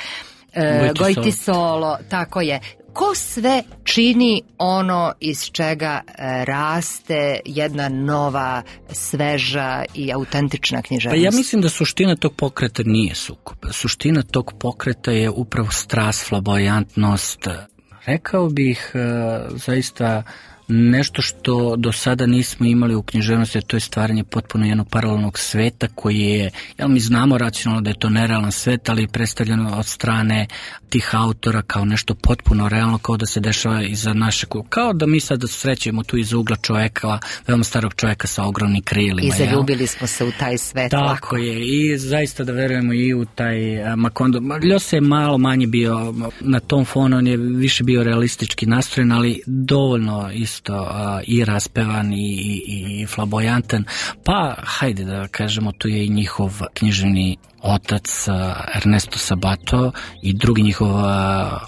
eh, Goytisolo, tako je. Ko sve čini ono iz čega raste jedna nova, sveža i autentična književnost?
Pa ja mislim da suština tog pokreta nije sukob. Suština tog pokreta je upravo strast, flamboyantnost. Rekao bih zaista nešto što do sada nismo imali u književnosti, to je stvaranje potpuno jednog paralelnog sveta koji je, jel mi znamo racionalno da je to nerealan svet, ali je predstavljeno od strane tih autora kao nešto potpuno realno, kao da se dešava iza našeg, kao da mi sad srećemo tu iza ugla čoveka, veoma starog čoveka sa ogromnim krilima.
I zaljubili smo se u taj svet.
Tako
lako.
je, i zaista da verujemo i u taj Macondo. Ljose je malo manje bio na tom fonu, on je više bio realistički nastrojen, ali dovoljno isto uh, i raspevan i, i, i flamboyantan. Pa, hajde da kažemo, tu je i njihov književni otac uh, Ernesto Sabato i drugi njihov uh,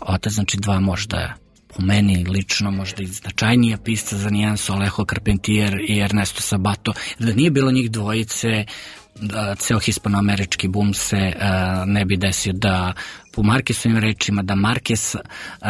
otac, znači dva možda po meni lično možda i značajnija pisca za nijansu, Alejo Carpentier i Ernesto Sabato. Da nije bilo njih dvojice, da ceo hispanoamerički bum se uh, ne bi desio, da po Marquezovim rečima, da Marquez uh,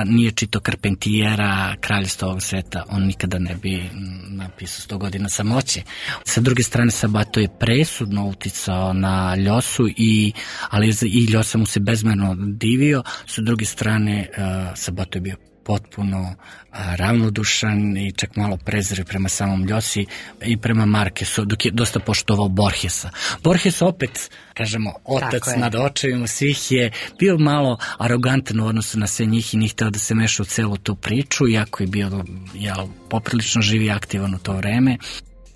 nije čitao Carpentiera, Kraljevstva ovog sveta, on nikada ne bi napisao sto godina samoće. Sa druge strane, Sabato je presudno uticao na Ljosu, i, ali i Ljosa mu se bezmerno divio. Sa druge strane, uh, Sabato je bio potpuno a, ravnodušan i čak malo prezir prema samom Ljosi i prema Marquezu, dok je dosta poštovao Borgesa. Borges opet, kažemo, otac nad očevima svih, je bio malo arogantan u odnosu na sve njih i nije hteo da se meša u celu tu priču, iako je bio jel, poprilično živ i aktivan u to vreme.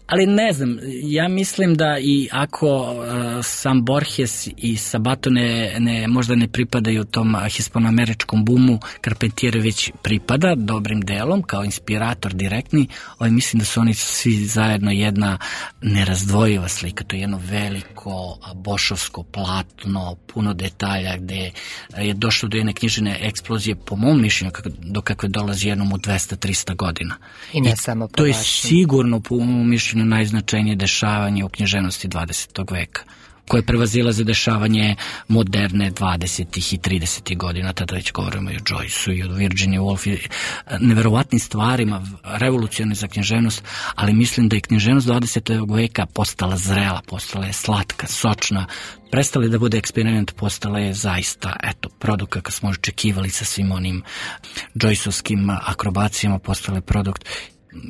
Ali ne znam, ja mislim da i ako uh, sam Borges i Sabato ne, ne, možda ne pripadaju tom hispanoameričkom bumu, Carpentier već pripada dobrim delom kao inspirator direktni, ali mislim da su oni svi zajedno jedna nerazdvojiva slika, to je jedno veliko bošovsko platno, puno detalja gde je došlo do jedne književne eksplozije, po mom mišljenju, do kakve dolazi jednom u dvesta do trista godina.
I ne I samo po
to je
vašem.
Sigurno po mom mišljenju najznačajnije dešavanje u književnosti dvadesetog veka, koje prevazilaze dešavanje moderne dvadesetih i tridesetih godina, tada već govorimo i o Joyceu i o Virginia Woolf i neverovatnim stvarima, revolucionarne za književnost, ali mislim da je književnost dvadesetog veka postala zrela, postala je slatka, sočna, prestala je da bude eksperiment, postala je zaista, eto, produkt kakav smo očekivali sa svim onim Joyceovskim akrobacijama, postala je produkt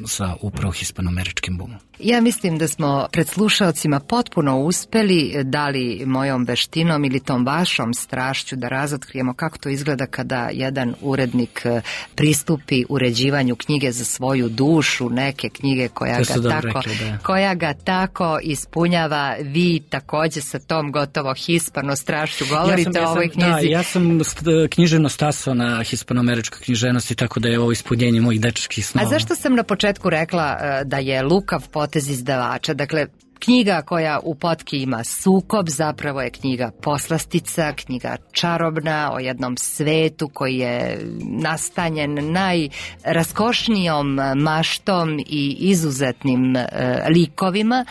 sa upravo hispanoameričkim bumom.
Ja mislim da smo pred slušaocima potpuno uspeli, da li mojom veštinom ili tom vašom strašću, da razotkrijemo kako to izgleda kada jedan urednik pristupi uređivanju knjige za svoju dušu, neke knjige koja ga tako,
rekli, da.
koja ga tako ispunjava. Vi takođe sa tom gotovo hispano strašću govorite ja sam, o ovoj knjizi.
Da, ja sam književno stasao na hispanoameričkoj književnosti, tako da je ovo ispunjenje mojih dečačkih snova.
A zašto sam na početku rekla da je lukav potez izdavača? Dakle, knjiga koja u potki ima sukob, zapravo je knjiga poslastica, knjiga čarobna o jednom svetu koji je nastanjen najraskošnijom maštom i izuzetnim e, likovima.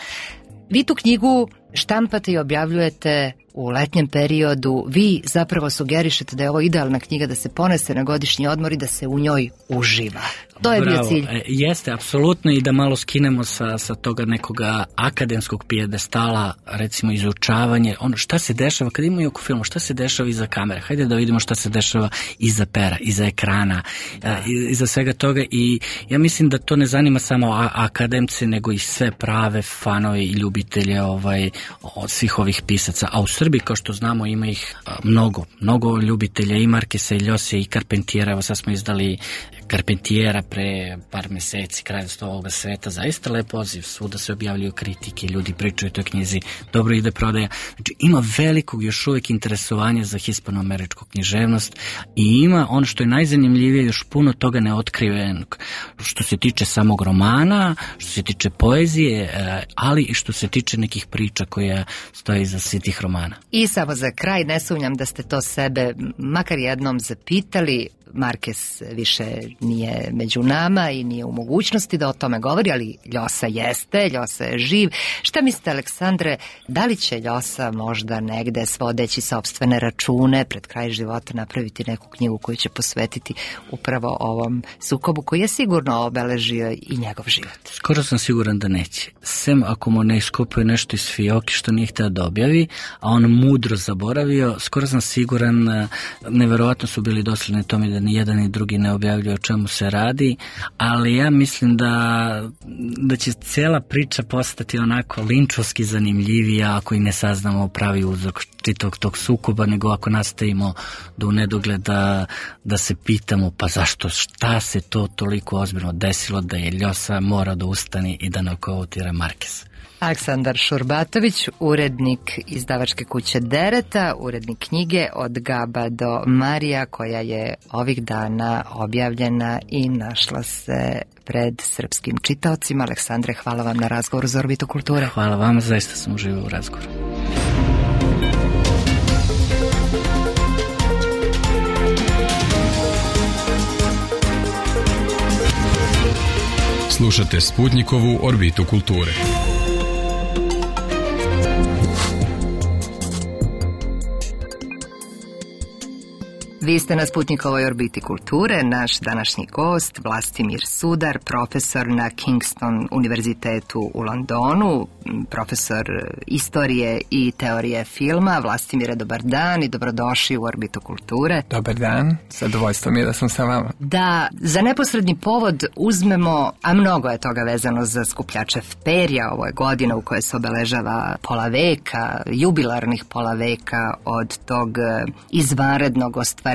Vi tu knjigu štampate i objavljujete u letnjem periodu. Vi zapravo sugerišete da je ovo idealna knjiga da se ponese na godišnji odmor i da se u njoj uživa. To je
Bravo.
bio cilj.
E, jeste, apsolutno, i da malo skinemo sa, sa toga nekoga akademskog pijedestala, recimo izučavanje, ono šta se dešava, kad imaju oko filmu, šta se dešava iza kamere, hajde da vidimo šta se dešava iza pera, iza ekrana, da. iza svega toga, i ja mislim da to ne zanima samo a, akademce, nego i sve prave fanove i ljubitelje ovaj, od svih ovih pisaca, a u Srbiji, kao što znamo, ima ih a, mnogo, mnogo ljubitelja i Marqueza i Ljose i Carpentiera. Evo sad smo izdali Carpentiera pre par meseci, Kraljevstvo ovoga sveta, zaista lep poziv, svuda se objavljuju kritike, ljudi pričaju o toj knjizi, dobro ide prodaja. Znači, ima velikog još uvijek interesovanja za hispanoameričku književnost i ima ono što je najzanimljivije, još puno toga neotkrivenog, što se tiče samog romana, što se tiče poezije, ali i što se tiče nekih priča koje stoje iza svih tih romana.
I samo za kraj, ne sumnjam da ste to sebe makar jednom zapitali. Marquez više nije među nama i nije u mogućnosti da o tome govori, ali Ljosa jeste, Ljosa je živ. Šta mislite, Aleksandre, da li će Ljosa možda negde svodeći sopstvene račune pred kraj života napraviti neku knjigu koju će posvetiti upravo ovom sukobu koji je sigurno obeležio i njegov život?
Skoro sam siguran da neće. Sem ako mu ne iskopuje nešto iz fioke što nije htio da objavi, a on mudro zaboravio, skoro sam siguran, neverovatno su bili dosledni tome da ni jedan ni drugi ne objavljuje o čemu se radi, ali ja mislim da, da će cijela priča postati onako linčovski zanimljivija ako i ne saznamo pravi uzrok čitog tog sukoba, nego ako nastavimo do nedogled da, da se pitamo pa zašto, šta se to toliko ozbiljno desilo da je Ljosa mora da ustani i da nokautira Markeza.
Aleksandar Šurbatović, urednik izdavačke kuće Dereta, urednik knjige Od Gaba do Marija, koja je ovih dana objavljena i našla se pred srpskim čitaocima. Aleksandre, hvala vam na razgovoru za Orbitu kulture.
Hvala vam, zaista sam uživao u razgovoru.
Slušate Sputnikovu Orbitu kulture.
Vi ste na Sputnikovoj Orbiti kulture. Naš današnji gost, Vlastimir Sudar, profesor na Kingston univerzitetu u Londonu, profesor istorije i teorije filma. Vlastimire, dobar dan i dobrodošli u Orbitu kulture.
Dobar dan, zadovoljstvo mi je da sam sa vama.
Da, za neposredni povod uzmemo, a mnogo je toga vezano za skupljače perja, ovo je godina u kojoj se obeležava pola veka, jubilarnih pola veka od tog izvanrednog ostvarenja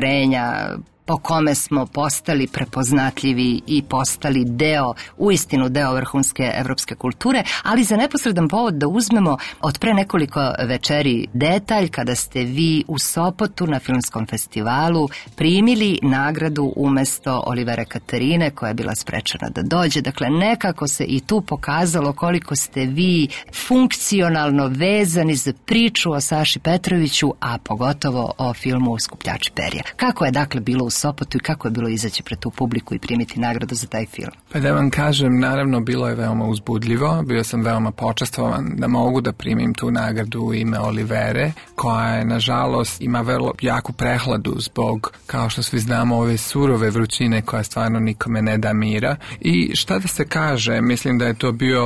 po kome smo postali prepoznatljivi i postali deo, uistinu deo vrhunske evropske kulture, ali za neposredan povod da uzmemo od pre nekoliko večeri detalj kada ste vi u Sopotu na filmskom festivalu primili nagradu umesto Olivera Katarine koja je bila sprečena da dođe. Dakle, nekako se i tu pokazalo koliko ste vi funkcionalno vezani za priču o Saši Petroviću, a pogotovo o filmu Skupljači perja. Kako je dakle bilo u Sopotu i kako je bilo izaći pred tu publiku i primiti nagradu za taj film?
Pa da vam kažem, naravno bilo je veoma uzbudljivo, bio sam veoma počastvovan da mogu da primim tu nagradu u ime Olivere, koja je nažalost ima vrlo jaku prehladu zbog, kao što svi znamo, ove surove vrućine koja stvarno nikome ne da mira. I šta da se kaže, mislim da je to bio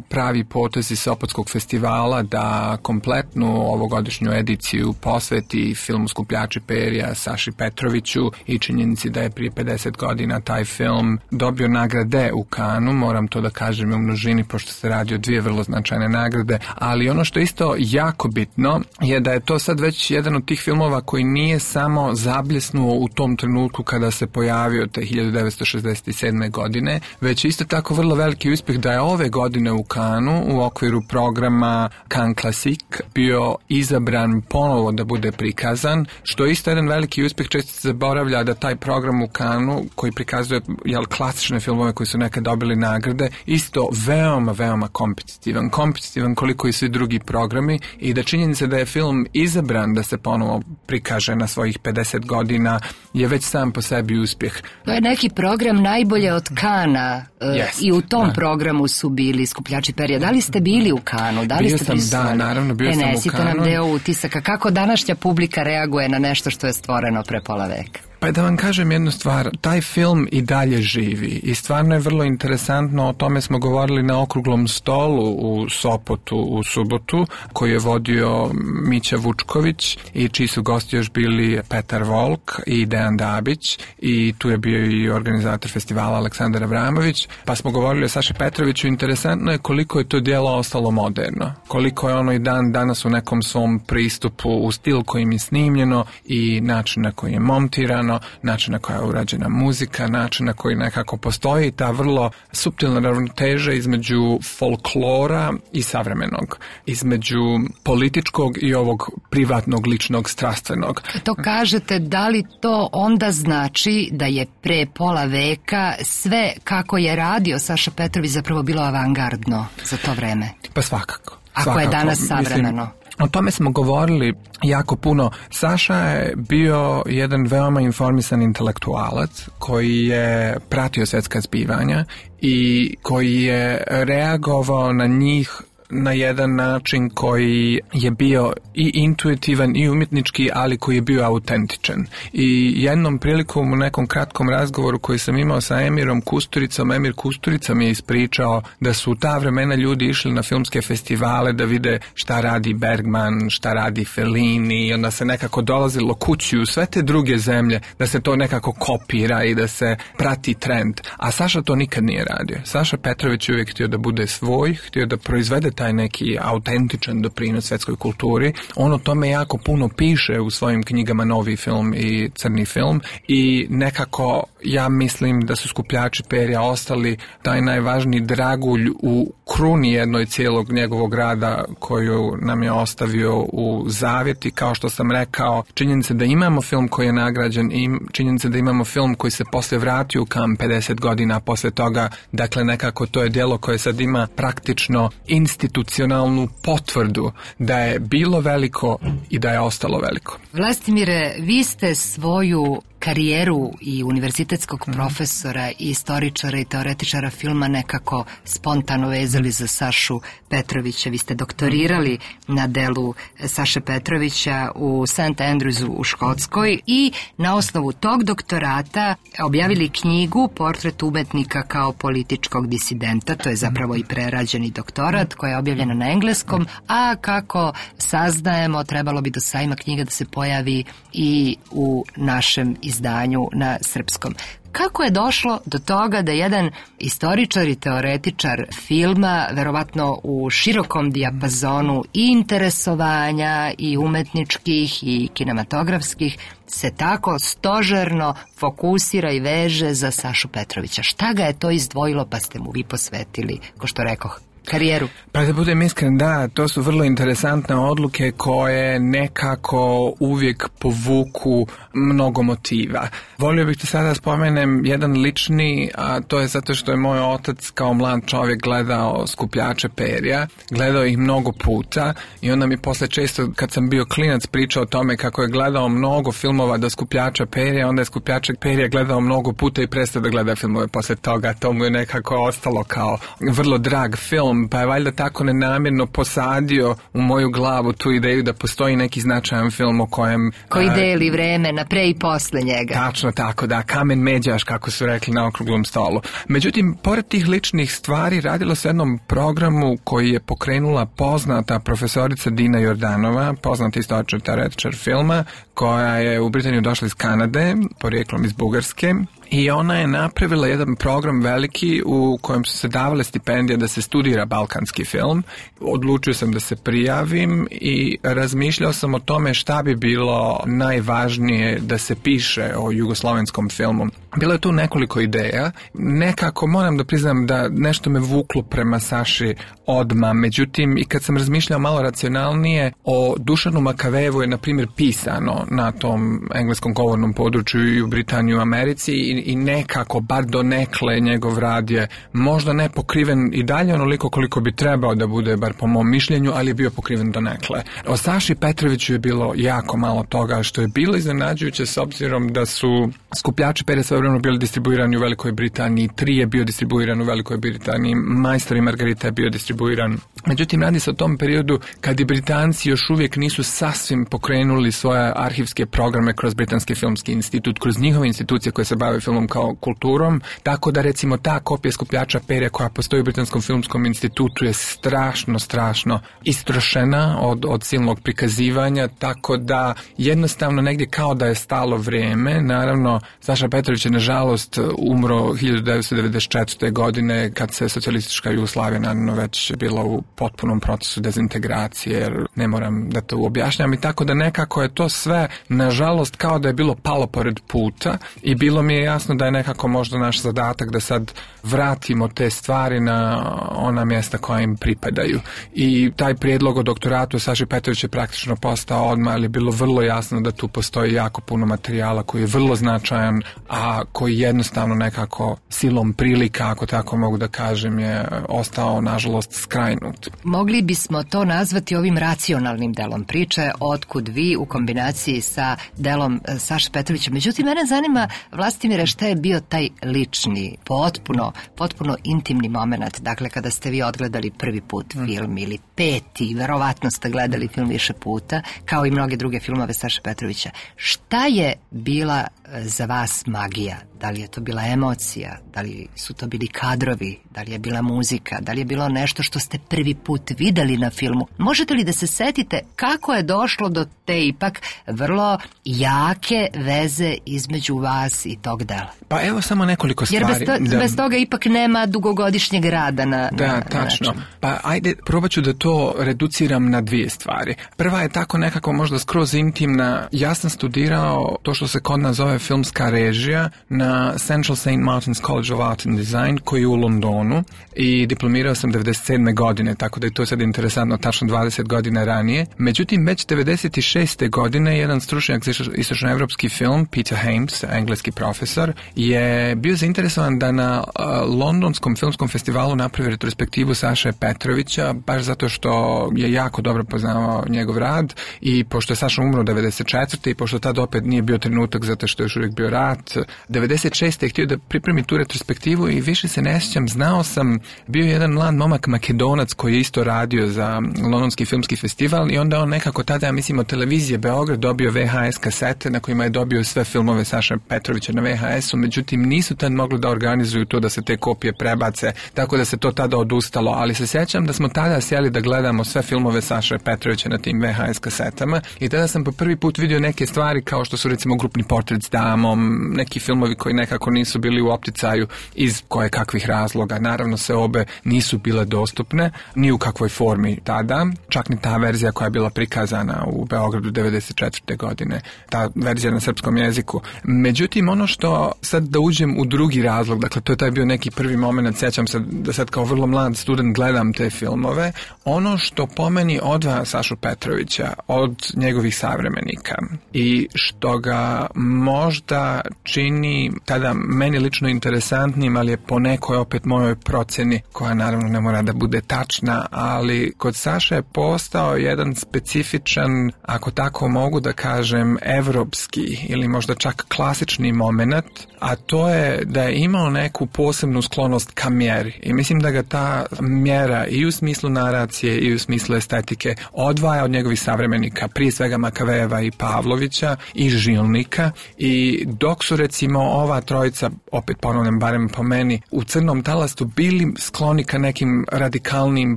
pravi potez iz Sopotskog festivala da kompletnu ovogodišnju ediciju posveti filmu Skupljači perja Saši Petroviću i činjenici da je prije pedeset godina taj film dobio nagrade u Kanu, moram to da kažem u množini pošto se radi o dvije vrlo značajne nagrade, ali ono što je isto jako bitno je da je to sad već jedan od tih filmova koji nije samo zabljesnuo u tom trenutku kada se pojavio te hiljadu devetsto šezdeset sedme. godine, već isto tako vrlo veliki uspjeh da je ove godine u Kanu u okviru programa Cannes Classic bio izabran ponovo da bude prikazan, što je isto jedan veliki uspjeh. Često se zaboravlja da taj program u Kanu koji prikazuje jel, klasične filmove koji su nekad dobili nagrade, isto veoma, veoma kompetitivan. Kompetitivan koliko i svi drugi programi i da činjenica da je film izabran da se ponovo prikaže na svojih pedeset godina je već sam po sebi uspjeh.
To je neki program najbolje od Kana
Jest,
i u tom
da.
programu su bili Skupljači perja. Da li ste bili u Kanu? Da li
bio
ste
sam,
prisustvovali?
da, naravno, bio
Prenesite
sam u Kanu.
nam deo utisaka. Kako današnja publika reaguje na nešto što je stvoreno pre pola veka?
Pa da vam kažem jednu stvar, taj film i dalje živi i stvarno je vrlo interesantno, o tome smo govorili na okruglom stolu u Sopotu u subotu, koji je vodio Mića Vučković i čiji su gosti još bili Petar Volk i Dejan Dabić i tu je bio i organizator festivala Aleksandar Avramović, pa smo govorili o Saši Petroviću. Interesantno je koliko je to djelo ostalo moderno, koliko je ono i dan danas u nekom svom pristupu u stil kojim je snimljeno i način na koji je montirano, način na koja je urađena muzika, način na koji nekako postoji ta vrlo suptilna ravnoteža između folklora i savremenog, između političkog i ovog privatnog, ličnog, strastvenog.
To kažete, da li to onda znači da je pre pola veka sve kako je radio Saša Petrović zapravo bilo avangardno za to vreme?
Pa svakako.
Ako
svakako.
je danas savremeno.
Mislim, o tome smo govorili jako puno. Saša je bio jedan veoma informisan intelektualac koji je pratio svjetska zbivanja i koji je reagovao na njih na jedan način koji je bio i intuitivan i umjetnički, ali koji je bio autentičan. I jednom prilikom u nekom kratkom razgovoru koji sam imao sa Emirom Kusturicom, Emir Kusturica mi je ispričao da su u ta vremena ljudi išli na filmske festivale da vide šta radi Bergman, šta radi Fellini, i onda se nekako dolazilo kući u sve te druge zemlje da se to nekako kopira i da se prati trend. A Saša to nikad nije radio. Saša Petrović je uvijek htio da bude svoj, htio da proizvede taj neki autentičan doprinos svetskoj kulturi. On o tome jako puno piše u svojim knjigama Novi film i Crni film i nekako ja mislim da su Skupljači perja ostali taj najvažniji dragulj u kruni jednoj cijelog njegovog rada koju nam je ostavio u zavjeti. Kao što sam rekao, činjenica da imamo film koji je nagrađen i činjenica da imamo film koji se posle vratio u Cannes pedeset godina posle toga, dakle nekako to je djelo koje sad ima praktično institucionalnu potvrdu da je bilo veliko i da je ostalo veliko.
Vlastimire, vi ste svoju karijeru i univerzitetskog profesora i istoričara i teoretičara filma nekako spontano vezali za Sašu Petrovića. Vi ste doktorirali na delu Saše Petrovića u Saint Andrewsu u Škotskoj i na osnovu tog doktorata objavili knjigu Portret umetnika kao političkog disidenta. To je zapravo i prerađeni doktorat koja je objavljena na engleskom, a kako saznajemo trebalo bi do sajma knjiga da se pojavi i u našem izdanju na srpskom. Kako je došlo do toga da jedan istoričar i teoretičar filma, verovatno u širokom dijapazonu i interesovanja i umetničkih i kinematografskih, se tako stožerno fokusira i veže za Sašu Petrovića? Šta ga je to izdvojilo pa ste mu vi posvetili, ko što rekoh, karijeru?
Pa da budem iskren, da, to su vrlo interesantne odluke koje nekako uvijek povuku mnogo motiva. Volio bih ti sada spomenem jedan lični, a to je zato što je moj otac kao mlad čovjek gledao Skupljače perja, gledao ih mnogo puta i onda mi posle često kad sam bio klinac pričao o tome kako je gledao mnogo filmova do Skupljača perja, onda je Skupljače perja gledao mnogo puta i prestao da gleda filmove posle toga. To mu je nekako ostalo kao vrlo drag film, pa je valjda tako nenamjerno posadio u moju glavu tu ideju da postoji neki značajan film o kojem...
Koji deli vreme na pre i posle njega.
Tačno tako, da, kamen međaš, kako su rekli na okruglom stolu. Međutim, pored tih ličnih stvari, radilo se jednom programu koji je pokrenula poznata profesorica Dina Jordanova, poznata istoričar teoretičar filma, koja je u Britaniju došla iz Kanade, porijeklom iz Bugarske. I ona je napravila jedan program veliki u kojem su se davale stipendije da se studira balkanski film. Odlučio sam da se prijavim i razmišljao sam o tome šta bi bilo najvažnije da se piše o jugoslovenskom filmu. Bilo je tu nekoliko ideja. Nekako moram da priznam da nešto me vuklo prema Saši odma. Međutim, i kad sam razmišljao malo racionalnije, o Dušanu Makavejevu je, na primjer, pisano na tom engleskom govornom području i u Britaniji i u Americi i, i nekako, bar donekle, njegov rad je možda ne pokriven i dalje onoliko koliko bi trebao da bude, bar po mom mišljenju, ali je bio pokriven donekle. O Saši Petroviću je bilo jako malo toga, što je bilo iznenađujuće s obzirom da su Skupljači perja svojevremeno bili distribuirani u Velikoj Britaniji, Tri je bio distribuiran u Velikoj Britaniji, Majstor i Margarita je bio distribuiran. Međutim, radi se o tom periodu kad i Britanci još uvijek nisu sasvim pokrenuli svoje arhivske programe kroz Britanski filmski institut, kroz njihove institucije koje se bave filmom kao kulturom, tako da recimo ta kopija Skupljača perja koja postoji u Britanskom filmskom institutu je strašno, strašno istrošena od, od silnog prikazivanja, tako da jednostavno negdje kao da je stalo vrijeme. Naravno, Saša Petrović je nažalost umro hiljadu devetsto devedeset četvrte. godine kad se socijalistička Jugoslavija naravno već bila u potpunom procesu dezintegracije, jer ne moram da to objašnjam, i tako da nekako je to sve nažalost kao da je bilo palo pored puta i bilo mi je jasno da je nekako možda naš zadatak da sad vratimo te stvari na ona mjesta koja im pripadaju. I taj prijedlog o doktoratu Saši Petrović je praktično postao odmah, ali je bilo vrlo jasno da tu postoji jako puno materijala koji je vrlo značajan, a koji jednostavno nekako silom prilika, ako tako mogu da kažem, je ostao nažalost skrajnut. put.
Mogli bismo to nazvati ovim racionalnim delom priče, Otkud vi, u kombinaciji sa delom Saše Petrovića. Međutim, mene zanima, Vlastimire, šta je bio taj lični, potpuno, potpuno intimni moment, dakle, kada ste vi odgledali prvi put mm. film ili peti, verovatno ste gledali film više puta, kao i mnoge druge filmove Saše Petrovića. Šta je bila za vas magija? Da li je to bila emocija? Da li su to bili kadrovi? Da li je bila muzika? Da li je bilo nešto što ste prvi put videli na filmu? Možete li da se setite kako je došlo do te ipak vrlo jake veze između vas i tog dela?
Pa evo samo nekoliko stvari.
Jer bez, to,
da,
bez toga ipak nema dugogodišnjeg rada na,
da,
na,
tačno.
način.
Pa ajde, probat ću da to reduciram na dvije stvari. Prva je tako nekako možda skroz intimna. Ja sam studirao to što se kod nas zove filmska režija na Central Saint Martin's College of Art and Design, koji je u Londonu, i diplomirao sam devedeset sedme godine, tako da je to sad interesantno, tačno dvadeset godina ranije. Međutim, već devedeset šeste godine jedan stručnjak za istočnoevropski film, Peter Hames, engleski profesor, je bio zainteresovan da na uh, Londonskom filmskom festivalu napravi retrospektivu Saše Petrovića, baš zato što je jako dobro poznavao njegov rad, i pošto je Saša umro devedeset četvrte i pošto tad opet nije bio trenutak zato što je još uvijek bio rat, devedeset šeste je htio da pripremi tu retrospektivu i više se ne sjećam, znao sam, bio je jedan mlad momak Makedonac koji je isto radio za Londonski filmski festival i onda on nekako tada, ja mislim, od televizije Beograd dobio ve ha es kasete na kojima je dobio sve filmove Saše Petrovića na ve ha esu, međutim nisu tad mogli da organizuju to da se te kopije prebace, tako da se to tada odustalo, ali se sjećam da smo tada sjeli da gledamo sve filmove Saše Petrovića na tim ve ha es kasetama i tada sam po prvi put vidio neke stvari kao što su recimo Grupni portret s damom, neki filmovi koji nekako nisu bili u opticaju iz koje kakvih razloga. Naravno se obe nisu bile dostupne ni u kakvoj formi tada, čak ni ta verzija koja je bila prikazana u Beogradu devedeset četvrte godine, ta verzija na srpskom jeziku. Međutim, ono što sad da uđem u drugi razlog, dakle to je taj bio neki prvi moment, sjećam se da sad kao vrlo mlad student gledam te filmove, ono što po meni odvaja Sašu Petrovića od njegovih savremenika i što ga možda čini tada meni lično interesantnim, ali je po nekoj opet mojoj procjeni, koja naravno ne mora da bude tačna, ali kod Saše je postao jedan specifičan, ako tako mogu da kažem, evropski ili možda čak klasični moment, a to je da je imao neku posebnu sklonost ka mjeri. I mislim da ga ta mjera i u smislu naracije i u smislu estetike odvaja od njegovih savremenika, prije svega Makavejeva i Pavlovića i Žilnika, i dok su recimo ova trojica, opet ponavljam, barem po meni, u Crnom talastu bili skloni ka nekim radikalnim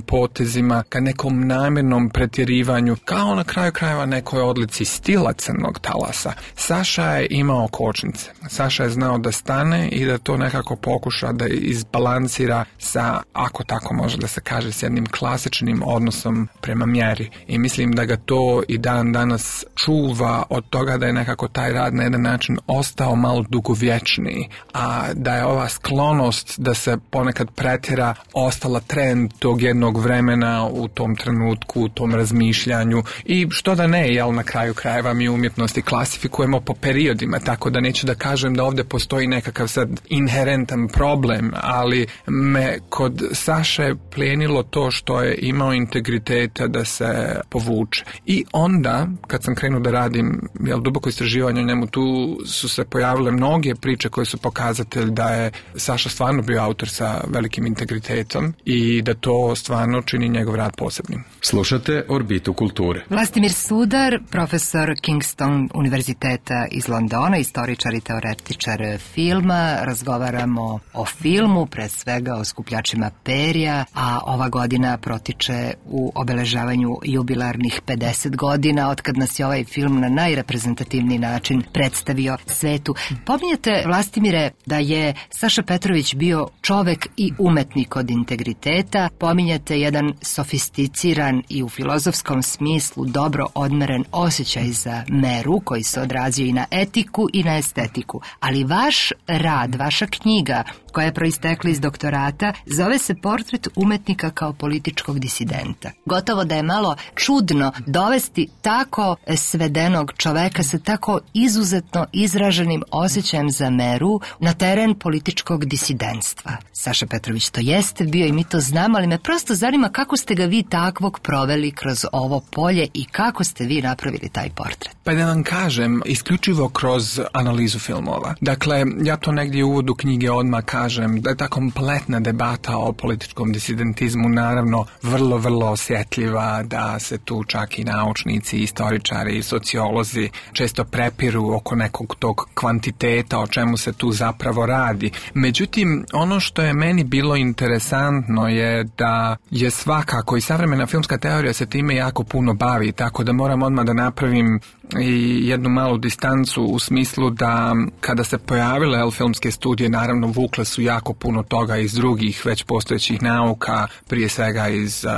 potezima, ka nekom namjernom pretjerivanju, kao na kraju krajeva nekoj odlici stila Crnog talasa. Saša je imao kočnice. Saša je znao da stane i da to nekako pokuša da izbalansira sa, ako tako može da se kaže, s jednim klasičnim odnosom prema mjeri. I mislim da ga to i dan danas čuva od toga da je nekako taj rad na jedan način ostao malo dugovječniji, a da je ova sklonost da se ponekad pretjera ostala trend tog jednog vremena u tom trenutku, u tom razmišljanju, i što da ne, jel na kraju krajeva mi umjetnosti klasifikujemo po periodima, tako da neću da kažem da ovdje postoji nekakav sad inherentan problem, ali me kod Saše plijenilo to što je imao integriteta da se povuče. I onda, kad sam krenuo da radim jel, duboko istraživanje o njemu, tu su se pojavile mnoge priče koje su pokazatelj da je Saša stvarno bio autor sa velikim integritetom i da to stvarno čini njegov rad posebnim.
Slušate Orbitu kulture.
Vlastimir Sudar, profesor Kingston univerziteta iz Londona, istoričar i teoretičar filma. Razgovaramo o filmu, pre svega o Skupljačima perja, a ova godina protiče u obeležavanju jubilarnih pedeset godina od kad nas je ovaj film na najreprezentativniji način predstavio svetu. Pominjete, Vlastimire, da je Saša Petrović bio čovek i umetnik od integriteta. Pominjate jedan sofisticiran i u filozofskom smislu dobro odmeren osjećaj za meru koji se odrazio i na etiku i na estetiku. Ali vaš rad, vaša knjiga koja je proistekla iz doktorata, zove se Portret umetnika kao političkog disidenta. Gotovo da je malo čudno dovesti tako svedenog čoveka sa tako izuzetno izraženim osjećajem za meru na teren političkog disidentstva. Saša Petrović to jeste bio i mi to znamo, ali me prosto zanima kako ste ga vi takvog proveli kroz ovo polje i kako ste vi napravili taj portret.
Pa da vam kažem, isključivo kroz analizu filmova. Dakle, ja to negdje u uvodu knjige odmah kažem da je ta kompletna debata o političkom disidentizmu naravno vrlo, vrlo osjetljiva, da se tu čak i naučnici, istoričari i sociolozi često prepiru oko nekog tog kvantiteta, o čemu se tu zapravo radi. Međutim, ono što je meni bilo interesantno je da je svakako i savremena filmska teorija se time jako puno bavi, tako da moram odmah da napravim i jednu malu distancu u smislu da kada se pojavile el, filmske studije, naravno vukle su jako puno toga iz drugih već postojećih nauka, prije svega iz uh,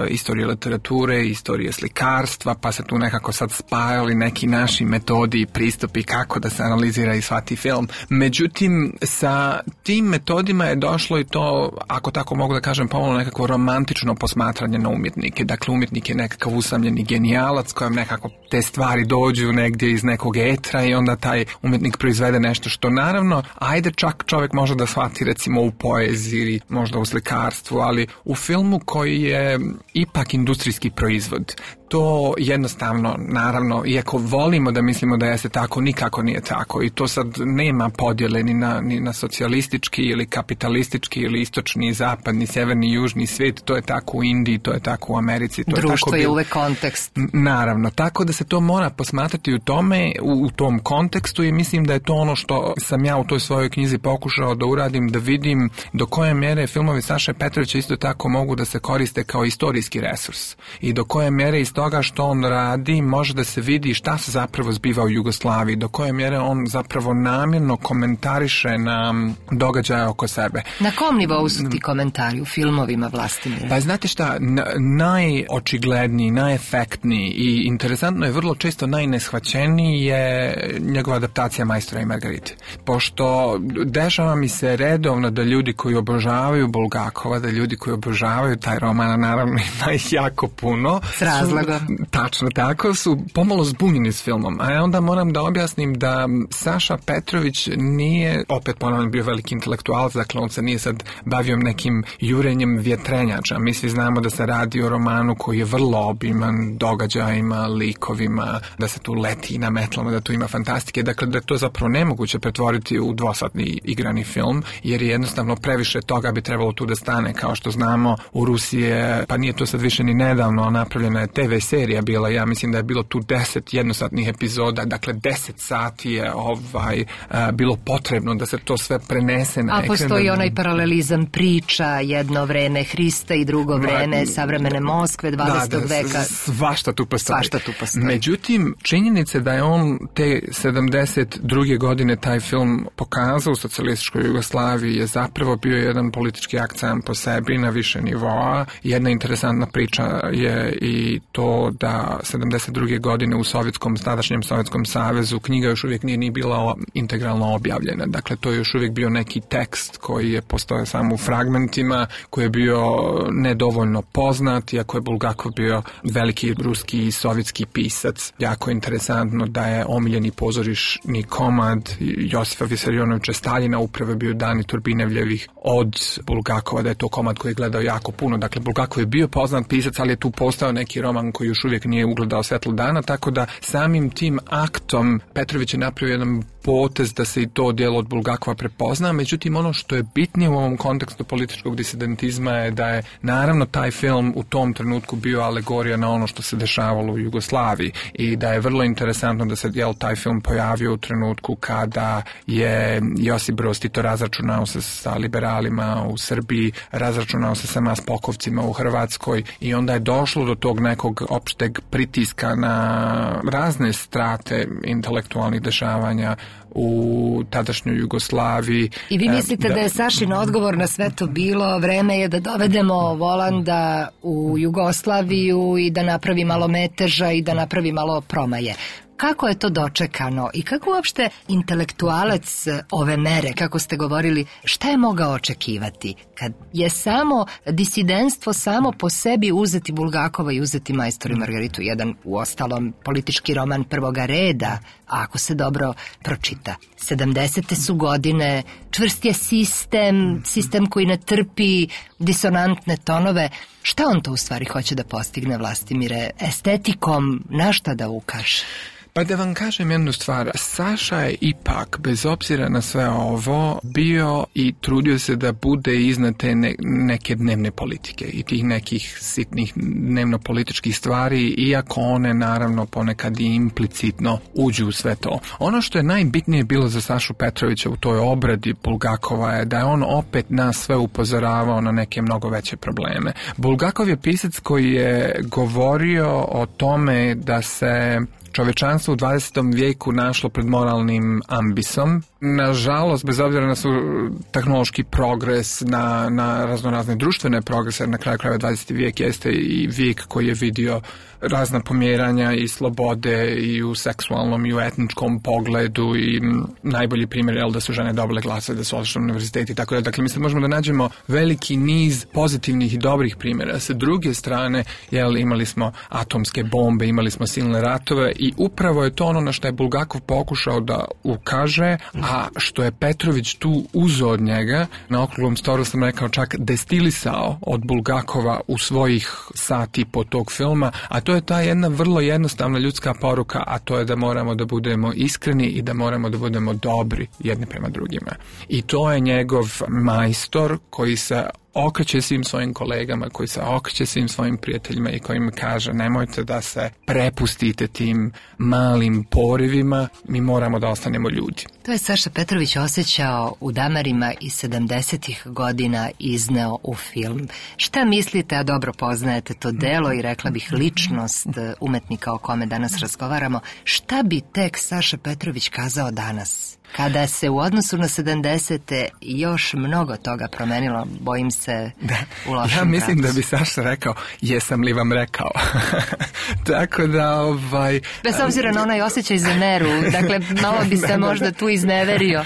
istorije literature, istorije slikarstva, pa se tu nekako sad spajali neki naši metodi i pristupi kako da se analizira i shvati film. Međutim, sa tim metodima je došlo i to, ako tako mogu da kažem, pomalo nekako romantično posmatranje na umjetnike. Dakle, umjetnik je nekakav usamljeni genijalac kojem nekako te stvari dođu negdje iz nekog etra i onda taj umjetnik proizvede nešto što naravno, ajde čak čovjek može da shvati recimo u poeziji ili možda u slikarstvu, ali u filmu koji je ipak industrijski proizvod. To jednostavno, naravno, iako volimo da mislimo da jeste tako, nikako nije tako i to sad nema podjele ni na, ni na socijalistički ili kapitalistički ili istočni, zapadni, sjeverni, južni svijet, to je tako u Indiji, to je tako u Americi. To
Društvo
je, tako
je
bil...
uvek kontekst.
Naravno, tako da se to mora posmatrati u tome, u, u tom kontekstu i mislim da je to ono što sam ja u toj svojoj knjizi pokušao da uradim, da vidim do koje mjere filmovi Saše Petrovića isto tako mogu da se koriste kao istorijski resurs i do koje mjere iz toga što on radi može da se vidi šta se zapravo zbiva u Jugoslaviji, do koje mjere on zapravo namjerno komentariše na događaje oko sebe.
Na kom nivou su ti komentari u filmovima, Vlastimira?
Pa znate šta, najočigledniji, najefektniji i interesantno je vrlo često najneshvaćeniji je njegova adaptacija Majstora i Margarite. Pošto dešava mi se redovno da ljudi koji obožavaju Bulgakova, da ljudi koji obožavaju taj roman, naravno ima ih jako puno.
S razlogom.
Tačno tako, su pomalo zbunjeni s filmom. A onda moram da objasnim da Saša Petrović nije, opet ponavljam, bio veliki intelektualac, dakle on se nije sad bavio nekim jurenjem vjetrenjača. Mi svi znamo da se radi o romanu koji je vrlo obiman događajima, likovima, da se tu leti na metlama, da tu ima fantastike. Dakle, da je to zapravo nemoguće pretvoriti u dvosatni igrani film, jer je jednostavno previše toga bi trebalo tu da stane. Kao što znamo, u Rusije, pa nije to sad više ni nedavno, napravljena je te ve serija bila, ja mislim da je bilo tu deset jednosatnih epizoda, dakle deset sati je ovaj, a, bilo potrebno da se to sve prenese na
ekran.
ekran.
A postoji onaj paralelizam priča, jedno vreme Hrista i drugo vreme savremene Moskve, dvadesetog
da, da,
veka.
Svašta tu postoji.
Svašta tu postoji.
Međutim, činjenica da je on te sedamdeset druge godine taj film pokazao u socijalističkoj Jugoslaviji je zapravo bio jedan politički akt sam po sebi na više nivoa. Jedna interesantna priča je i to da sedamdeset druge godine u sovjetskom, tadašnjem Sovjetskom savezu knjiga još uvijek nije ni bila integralno objavljena. Dakle, to je još uvijek bio neki tekst koji je postojao samo u fragmentima, koji je bio nedovoljno poznat, iako je Bulgakov bio veliki ruski i sovjetski pisac. Jako interesantno da je omiljeni pozorišni komad Josifa Visarionovića Staljina upravo bio Dani Turbinevljevih od Bulgakova, da je to komad koji je gledao jako puno. Dakle, Bulgakov je bio poznat pisac, ali je tu postao neki roman koji još uvijek nije ugledao svetlo dana, tako da samim tim aktom Petrović je napravio jedan potez da se i to djelo od Bulgakova prepozna. Međutim, ono što je bitnije u ovom kontekstu političkog disidentizma je da je naravno taj film u tom trenutku bio alegorija na ono što se dešavalo u Jugoslaviji i da je vrlo interesantno da se jel, taj film pojavio u trenutku kada je Josip Broz Tito razračunao se sa liberalima u Srbiji, razračunao se sa maspokovcima u Hrvatskoj i onda je došlo do tog nekog opšteg pritiska na razne strate intelektualnih dešavanja u tadašnjoj Jugoslaviji.
I vi mislite da, da je Sašin odgovor na sve to bilo vreme je da dovedemo Volanda u Jugoslaviju i da napravi malo meteža i da napravi malo promaje? kako je to dočekano i kako uopšte intelektualac ove mere, kako ste govorili, šta je mogao očekivati kad je samo disidentstvo samo po sebi uzeti Bulgakova i uzeti Majstor i Margaritu, jedan u ostalom politički roman prvoga reda, a ako se dobro pročita. sedamdesete su godine, čvrst je sistem, sistem koji ne trpi disonantne tonove. Šta on to u stvari hoće da postigne, Vlastimire? Estetikom na šta da ukaže?
Pa da vam kažem jednu stvar, Saša je ipak, bez obzira na sve ovo, bio i trudio se da bude iznad te ne, neke dnevne politike i tih nekih sitnih dnevno-političkih stvari, iako one naravno ponekad i implicitno uđu u sve to. Ono što je najbitnije bilo za Sašu Petrovića u toj obradi Bulgakova je da je on opet nas sve upozoravao na neke mnogo veće probleme. Bulgakov je pisac koji je govorio o tome da se čovečanstvo u dvadesetom vijeku našlo pred moralnim ambisom. Nažalost, bez obzira na su tehnološki progres, na, na raznorazne društvene progrese, na kraju krajeva dvadeseti vijek jeste i vijek koji je vidio razna pomjeranja i slobode i u seksualnom i u etničkom pogledu i najbolji primjer je da su žene dobile glasove, da su otišle na univerziteti i tako da. Dakle, mislim, možemo da nađemo veliki niz pozitivnih i dobrih primjera. Sa druge strane, jel, imali smo atomske bombe, imali smo silne ratove i upravo je to ono na što je Bulgakov pokušao da ukaže, a što je Petrović tu uzeo od njega, na okruglom stolu sam rekao čak destilisao od Bulgakova u svojih sati po tog filma, a to je ta jedna vrlo jednostavna ljudska poruka, a to je da moramo da budemo iskreni i da moramo da budemo dobri jedni prema drugima. I to je njegov majstor koji se okreće svim svojim kolegama, koji se okreće svim svojim prijateljima i koji im kaže nemojte da se prepustite tim malim porivima, mi moramo da ostanemo ljudi.
To je Saša Petrović osjećao u Damarima iz sedamdesetih godina izneo u film. Šta mislite, a dobro poznajete to delo i rekla bih ličnost umetnika o kome danas razgovaramo, šta bi tek Saša Petrović kazao danas? Kada se u odnosu na sedamdesete još mnogo toga promenilo, bojim se
da,
u lošem
ja mislim
pravcu.
Da bi Saša rekao, jesam li vam rekao? Tako da, ovaj...
Bez obzira na onaj osjećaj za meru, dakle, malo bi se da, možda da, tu izneverio.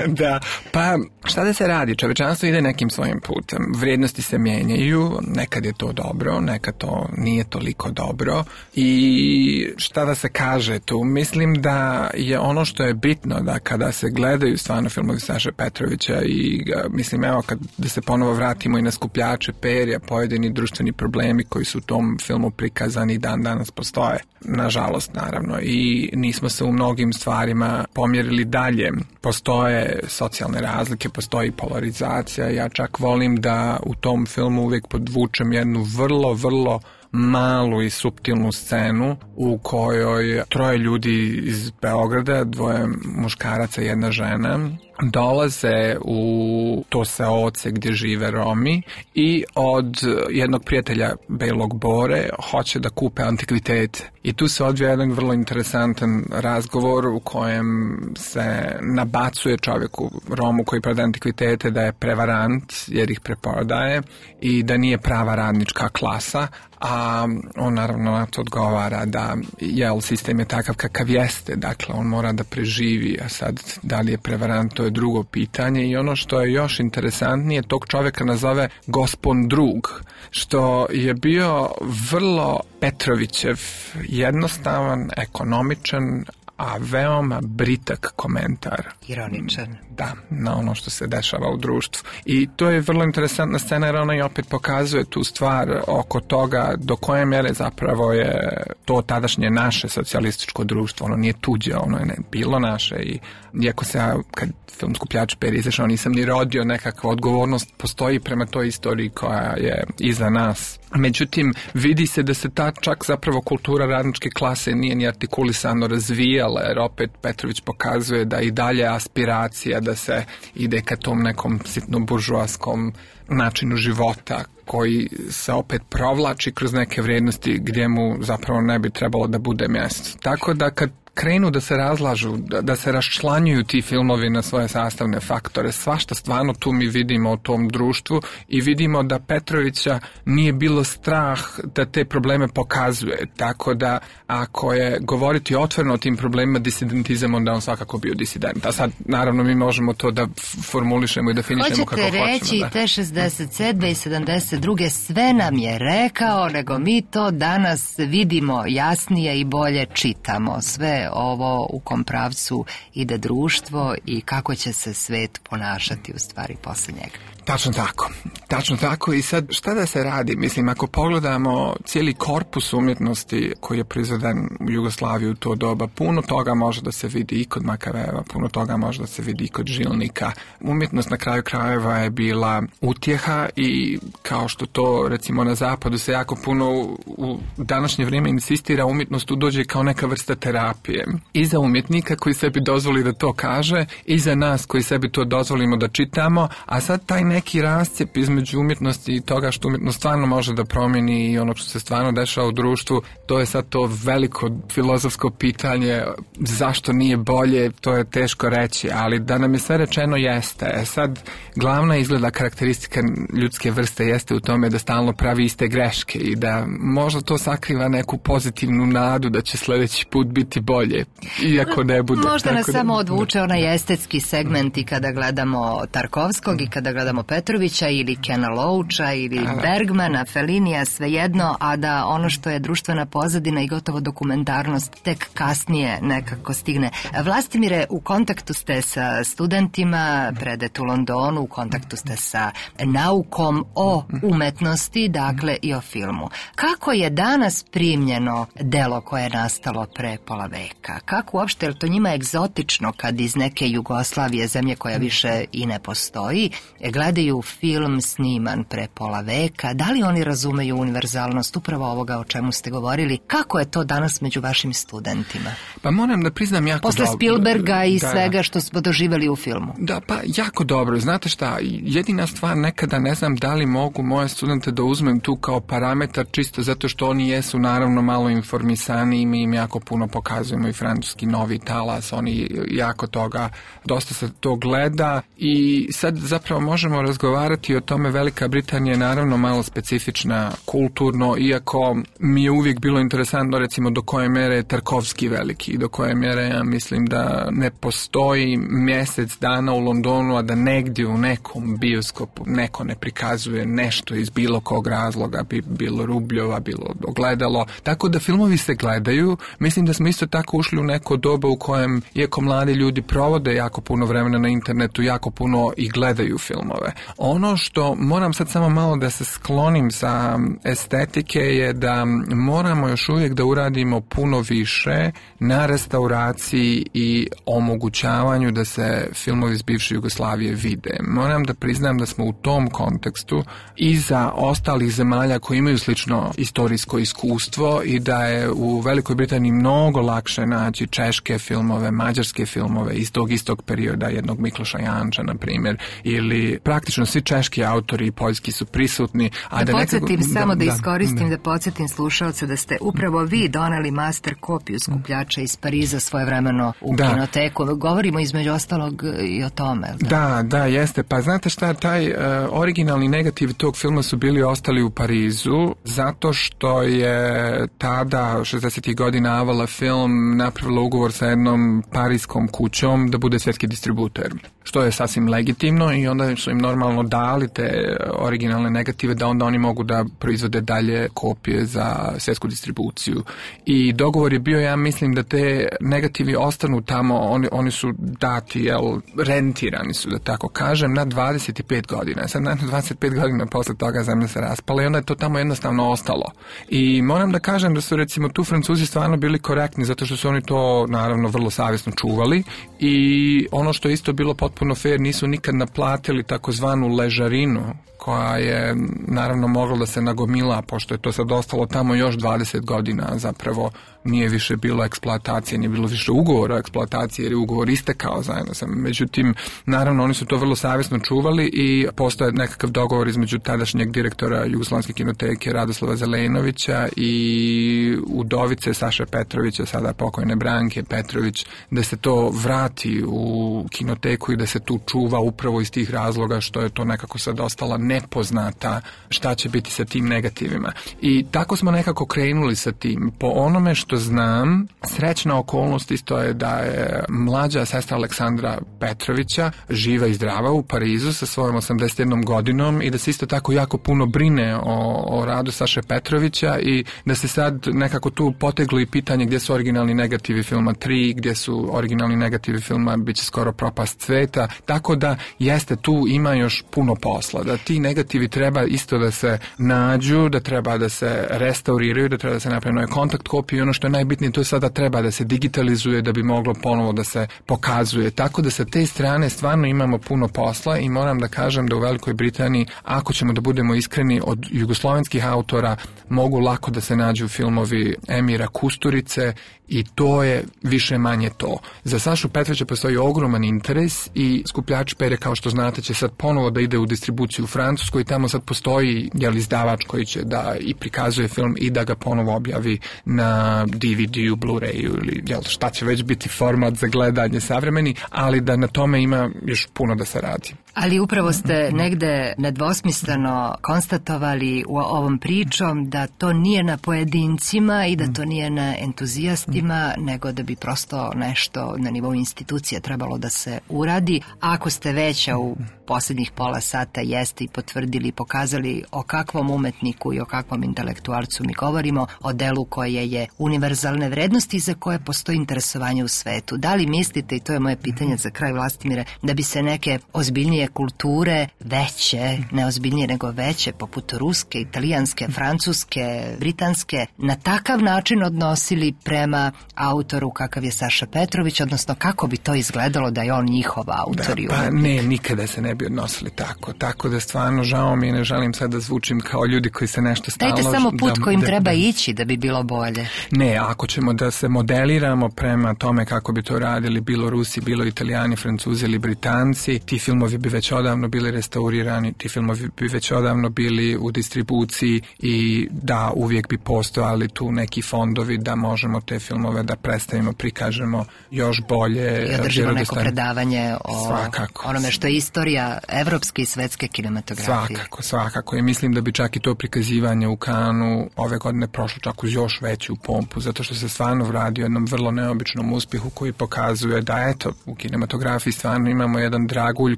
Da, pa šta da se radi? Čovečanstvo ide nekim svojim putem. Vrijednosti se mijenjaju, nekad je to dobro, nekad to nije toliko dobro. I šta da se kaže tu? Mislim da je ono što je bitno, da kada se gledaju stvarno filmovi Saše Petrovića i mislim, evo, kad da se ponovo vratimo i na Skupljače perja, pojedini društveni problemi koji su u tom filmu prikazani i dan danas postoje. Nažalost, naravno. I nismo se u mnogim stvarima pomjerili dalje. Postoje socijalne razlike, postoji polarizacija. Ja čak volim da u tom filmu uvijek podvučem jednu vrlo, vrlo malu i suptilnu scenu u kojoj troje ljudi iz Beograda, dvoje muškaraca i jedna žena, dolaze u to seoce gdje žive Romi i od jednog prijatelja Belog Bore hoće da kupe antikvitete. I tu se odvija jedan vrlo interesantan razgovor u kojem se nabacuje čovjeku Romu koji prodaje antikvitete da je prevarant jer ih preprodaje i da nije prava radnička klasa, a on naravno na to odgovara da jel, sistem je takav kakav jeste, dakle on mora da preživi, a sad da li je prevarant, to je drugo pitanje. I ono što je još interesantnije, tog čovjeka nazove gospon drug, što je bio vrlo Petrovićev, jednostavan, ekonomičan, a veoma britak komentar.
Ironičan.
Da, na ono što se dešava u društvu. I to je vrlo interesantna scena jer ona i opet pokazuje tu stvar oko toga do koje mjere zapravo je to tadašnje naše socijalističko društvo. Ono nije tuđe, ono je ne, bilo naše i iako se ja, kad film Skupljač perja izašao, nisam ni rodio, nekakva odgovornost postoji prema toj istoriji koja je iza nas. Međutim, vidi se da se ta čak zapravo kultura radničke klase nije ni artikulisano razvijala, jer opet Petrović pokazuje da i dalje aspiracija da se ide ka tom nekom sitno buržoaskom načinu života koji se opet provlači kroz neke vrijednosti gdje mu zapravo ne bi trebalo da bude mjesto. Tako da kad krenu da se razlažu, da, da se raščlanjuju ti filmovi na svoje sastavne faktore. Svašta stvarno tu mi vidimo u tom društvu i vidimo da Petrovića nije bilo strah da te probleme pokazuje. Tako da ako je govoriti otvoreno o tim problemima disidentizam, onda on svakako bio disident. A sad, naravno, mi možemo to da formulišemo i da finišemo kako hoćemo.
Hoćete reći,
da.
te šezdeset sedme i sedamdeset druge sve nam je rekao, nego mi to danas vidimo jasnije i bolje čitamo. Sve ovo u kom pravcu ide društvo i kako će se svet ponašati u stvari posle njega.
Tačno tako, tačno tako i sad šta da se radi? Mislim, ako pogledamo cijeli korpus umjetnosti koji je proizveden u Jugoslaviji u to doba, puno toga može da se vidi i kod Makaveva, puno toga može da se vidi i kod Žilnika. Umjetnost na kraju krajeva je bila utjeha i kao što to recimo na zapadu se jako puno u, u današnje vrijeme insistira, umjetnost tu dođe kao neka vrsta terapije. I za umjetnika koji sebi dozvoli da to kaže i za nas koji sebi to dozvolimo da čitamo, a sad taj neki rascijep između umjetnosti i toga što umjetnost stvarno može da promijeni i ono što se stvarno dešava u društvu, to je sad to veliko filozofsko pitanje zašto nije bolje, to je teško reći, ali da nam je sve rečeno jeste. E sad, glavna izgleda karakteristika ljudske vrste jeste u tome da stalno pravi iste greške i da možda to sakriva neku pozitivnu nadu da će sljedeći put biti bolje, iako ne bude.
Možda nas
da,
samo odvuče onaj estetski segment i kada gledamo Tarkovskog i kada gledamo Petrovića ili Kena Loacha ili Bergmana, Fellinija, svejedno, a da ono što je društvena pozadina i gotovo dokumentarnost tek kasnije nekako stigne. Vlastimire, u kontaktu ste sa studentima, predete u Londonu, u kontaktu ste sa naukom o umetnosti, dakle i o filmu. Kako je danas primljeno delo koje je nastalo pre pola veka? Kako uopšte, je li to njima egzotično kad iz neke Jugoslavije, zemlje koja više i ne postoji, gledaju film sniman pre pola veka? Da li oni razumeju univerzalnost upravo ovoga o čemu ste govorili? Kako je to danas među vašim studentima?
Pa moram da priznam jako
Posle
dobro.
Spielberga i
da,
svega što smo doživjeli u filmu.
Da, pa jako dobro. Znate šta, jedina stvar nekada ne znam da li mogu moje studente da uzmem tu kao parametar čisto zato što oni jesu naravno malo informisani i mi im jako puno pokazujemo i francuski novi talas, oni jako toga, dosta se to gleda i sad zapravo možemo razgovarati o tome. Velika Britanija je naravno malo specifična kulturno, iako mi je uvijek bilo interesantno recimo do koje mjere je Tarkovski veliki i do koje mjere ja mislim da ne postoji mjesec dana u Londonu, a da negdje u nekom bioskopu neko ne prikazuje nešto iz bilo kog razloga, bi bilo Rubljova, bilo Ogledalo. Tako da filmovi se gledaju. Mislim da smo isto tako ušli u neko doba u kojem, iako mladi ljudi provode jako puno vremena na internetu, jako puno i gledaju filmove. Ono što moram sad samo malo da se sklonim sa estetike je da moramo još uvijek da uradimo puno više na restauraciji i omogućavanju da se filmovi iz bivše Jugoslavije vide. Moram da priznam da smo u tom kontekstu iza ostalih zemalja koji imaju slično istorijsko iskustvo i da je u Velikoj Britaniji mnogo lakše naći češke filmove, mađarske filmove iz tog istog perioda, jednog Mikloša Janča, na primjer, ili praktično svi češki autori i poljski su prisutni. A
da,
da
podsjetim
nekako,
samo da,
da
iskoristim,
da,
da podsjetim slušalce da ste upravo vi doneli master kopiju skupljača iz Pariza svojevremeno u
da.
kinoteku. Govorimo između ostalog i o tome.
Da, da, da jeste. Pa znate šta, taj uh, originalni negativ tog filma su bili ostali u Parizu zato što je tada šezdesetih godina Avala Film napravila ugovor sa jednom parijskom kućom da bude svjetski distributer, što je sasvim legitimno i onda su im normalno dali te originalne negative da onda oni mogu da proizvode dalje kopije za svjetsku distribuciju. I dogovor je bio, ja mislim, da te negativi ostanu tamo, oni, oni su dati, jel, rentirani su, da tako kažem, na dvadeset pet godina. Sad na dvadeset pet godina posle toga zemlja se raspala i onda je to tamo jednostavno ostalo. I moram da kažem da su recimo tu Francuzi stvarno bili korektni zato što su oni to naravno vrlo savjesno čuvali i ono što je isto bilo potpuno fair, nisu nikad naplatili takozvanu ležarinu koja je naravno mogla da se nagomila, pošto je to sad ostalo tamo još dvadeset godina zapravo nije više bilo eksploatacije, nije bilo više ugovora o eksploataciji jer je ugovor istekao zajedno sa. Međutim, naravno oni su to vrlo savjesno čuvali i postoje nekakav dogovor između tadašnjeg direktora Jugoslovenske kinoteke Radoslava Zelenovića i udovice Saše Petrovića, sada pokojne Branke Petrović, da se to vrati u kinoteku i da se tu čuva upravo iz tih razloga što je to nekako sad ostala nepoznata šta će biti sa tim negativima. I tako smo nekako krenuli sa tim. Po onome što znam, srećna okolnost isto je da je mlađa sestra Aleksandra Petrovića živa i zdrava u Parizu sa svojom osamdeset jednom godinom i da se isto tako jako puno brine o, o radu Saše Petrovića i da se sad nekako tu poteglo i pitanje gdje su originalni negativi filma tri, gdje su originalni negativi filma Biće skoro propast sveta, tako da jeste tu ima još puno posla, da ti negativi treba isto da se nađu, da treba da se restauriraju, da treba da se napravi nove kontakt kopije i ono što je najbitnije to je sada treba da se digitalizuje da bi moglo ponovo da se pokazuje, tako da sa te strane stvarno imamo puno posla i moram da kažem da u Velikoj Britaniji, ako ćemo da budemo iskreni, od jugoslovenskih autora mogu lako da se nađu filmovi Emira Kusturice i to je više manje to. Za Sašu Petrovića postoji ogroman interes i Skupljač pere, kao što znate, će sad ponovo da ide u distribuciju u Francuskoj i tamo sad postoji jel, izdavač koji će da i prikazuje film i da ga ponovo objavi na D V D-u, Blu-rayu ili jel, šta će već biti format za gledanje savremeni, ali da na tome ima još puno da se radi.
Ali upravo ste negde nedvosmisleno konstatovali u ovom pričom da to nije na pojedincima i da to nije na entuzijastima, nego da bi prosto nešto na nivou institucije trebalo da se uradi. Ako ste već u posljednjih pola sata jeste i potvrdili i pokazali o kakvom umetniku i o kakvom intelektualcu mi govorimo, o delu koje je univerzalne vrednosti i za koje postoji interesovanje u svetu. Da li mislite, i to je moje pitanje za kraj, Vlastimire, da bi se neke ozbiljnije kulture, veće, ne ozbiljnije nego veće, poput ruske, italijanske, francuske, britanske, na takav način odnosili prema autoru kakav je Saša Petrović, odnosno kako bi to izgledalo da je on njihov autor?
Da, pa ne, nikada se ne bi odnosili tako. Tako da stvarno žao mi i ne želim sad da zvučim kao ljudi koji se nešto stalno...
Dajte samo put
da,
kojim
da,
treba
da,
ići da bi bilo bolje.
Ne, ako ćemo da se modeliramo prema tome kako bi to radili bilo Rusi, bilo Italijani, Francuzi ili Britanci, ti filmovi bi već odavno bili restaurirani, ti filmovi bi već odavno bili u distribuciji i da uvijek bi postojali tu neki fondovi da možemo te filmove da predstavimo, prikažemo još bolje.
I održimo neko predavanje o
svakako.
Onome što je istorija evropske i svetske kinematografije.
Svakako, svakako. I mislim da bi čak i to prikazivanje u Kanu ove godine prošlo čak uz još veću pompu, zato što se stvarno radi o jednom vrlo neobičnom uspjehu koji pokazuje da eto, u kinematografiji stvarno imamo jedan dragulj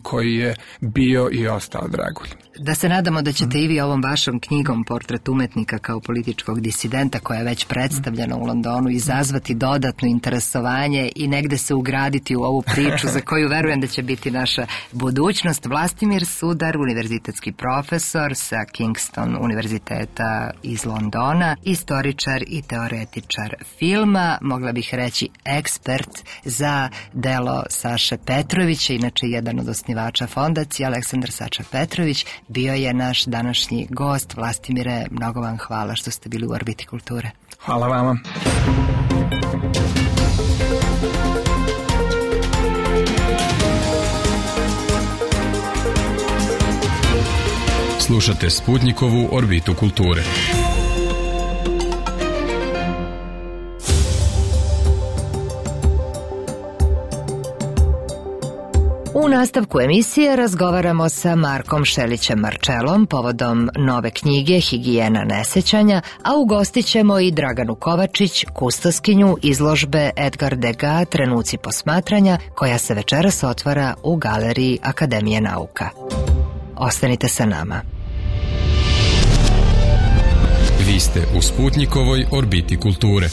koji je bio i ostao dragulj.
Da se nadamo da ćete i vi ovom vašom knjigom Portret umetnika kao političkog disidenta, koja je već predstavljena u Londonu, izazvati dodatno interesovanje i negde se ugraditi u ovu priču za koju verujem da će biti naša budućnost. Vlastimir Sudar, univerzitetski profesor sa Kingston univerziteta iz Londona, istoričar i teoretičar filma, mogla bih reći ekspert za delo Saše Petrovića, inače jedan od osnivača fondacije. Aleksandar Saša Petrović bio je naš današnji gost. Vlastimire, mnogo vam hvala što ste bili u Orbiti kulture.
Hvala vama.
Slušate Sputnikovu Orbitu kulture.
U nastavku emisije razgovaramo sa Markom Šelićem Marčelom povodom nove knjige Higijena nesećanja, a ugostit ćemo i Draganu Kovačić, kustoskinju izložbe Edgar Degas Trenuci posmatranja, koja se večeras otvara u Galeriji Akademije nauka. Ostanite sa nama.
Vi ste u Sputnikovoj Orbiti kulture.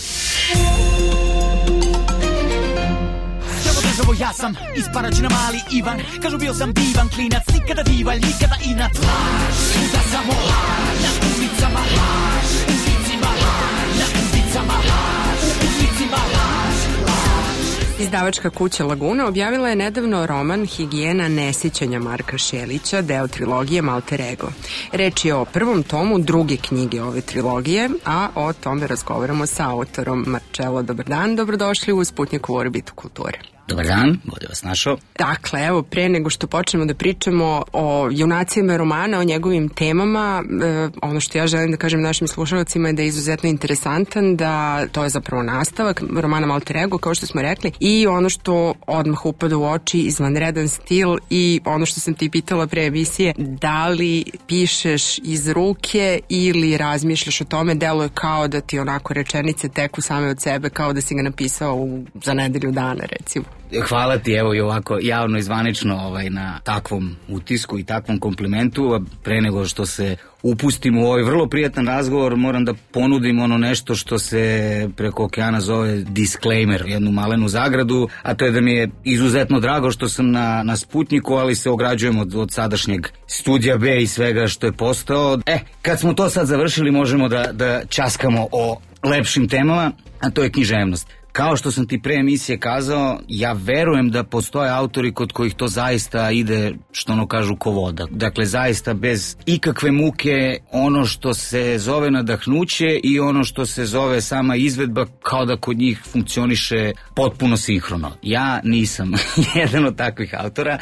Ja sam isparačina mali Ivan, kažu bio sam divan klinac, nikada divalj, nikada inat. Laž, da samo laž, na ulicama laž, u ulicima laž, na ulicama laž, u ulicima laž, laž.
Izdavačka kuća Laguna objavila je nedavno roman Higijena nesjećanja Marka Šelića, deo trilogije Malter Ego. Reč je o prvom tomu druge knjige ove trilogije, a o tome razgovaramo sa autorom. Marcello, dobar dan, dobrodošli u Sputnikovu orbitu kulture.
Dobar dan, bolje vas našao.
Dakle, evo, pre nego što počnemo da pričamo o junacima romana, o njegovim temama, e, ono što ja želim da kažem našim slušalcima je da je izuzetno interesantan, da to je zapravo nastavak romana Malter Ego, kao što smo rekli, i ono što odmah upada u oči, izvanredan stil i ono što sam ti pitala pre emisije, da li pišeš iz ruke ili razmišljaš o tome, deluje kao da ti onako rečenice teku same od sebe, kao da si ga napisao u, za nedelju dana, recimo.
Hvala ti, evo i ovako javno i zvanično ovaj, na takvom utisku i takvom komplimentu, a pre nego što se upustim u ovaj vrlo prijatan razgovor, moram da ponudim ono nešto što se preko okeana zove disclaimer, jednu malenu zagradu, a to je da mi je izuzetno drago što sam na, na Sputniku, ali se ograđujem od, od sadašnjeg studija B i svega što je postao. E, kad smo to sad završili, možemo da, da ćaskamo o lepšim temama, a to je književnost. Kao što sam ti pre emisije kazao, ja verujem da postoje autori kod kojih to zaista ide, što ono kažu, ko voda. Dakle, zaista bez ikakve muke ono što se zove nadahnuće i ono što se zove sama izvedba, kao da kod njih funkcioniše potpuno sinhrono. Ja nisam jedan od takvih autora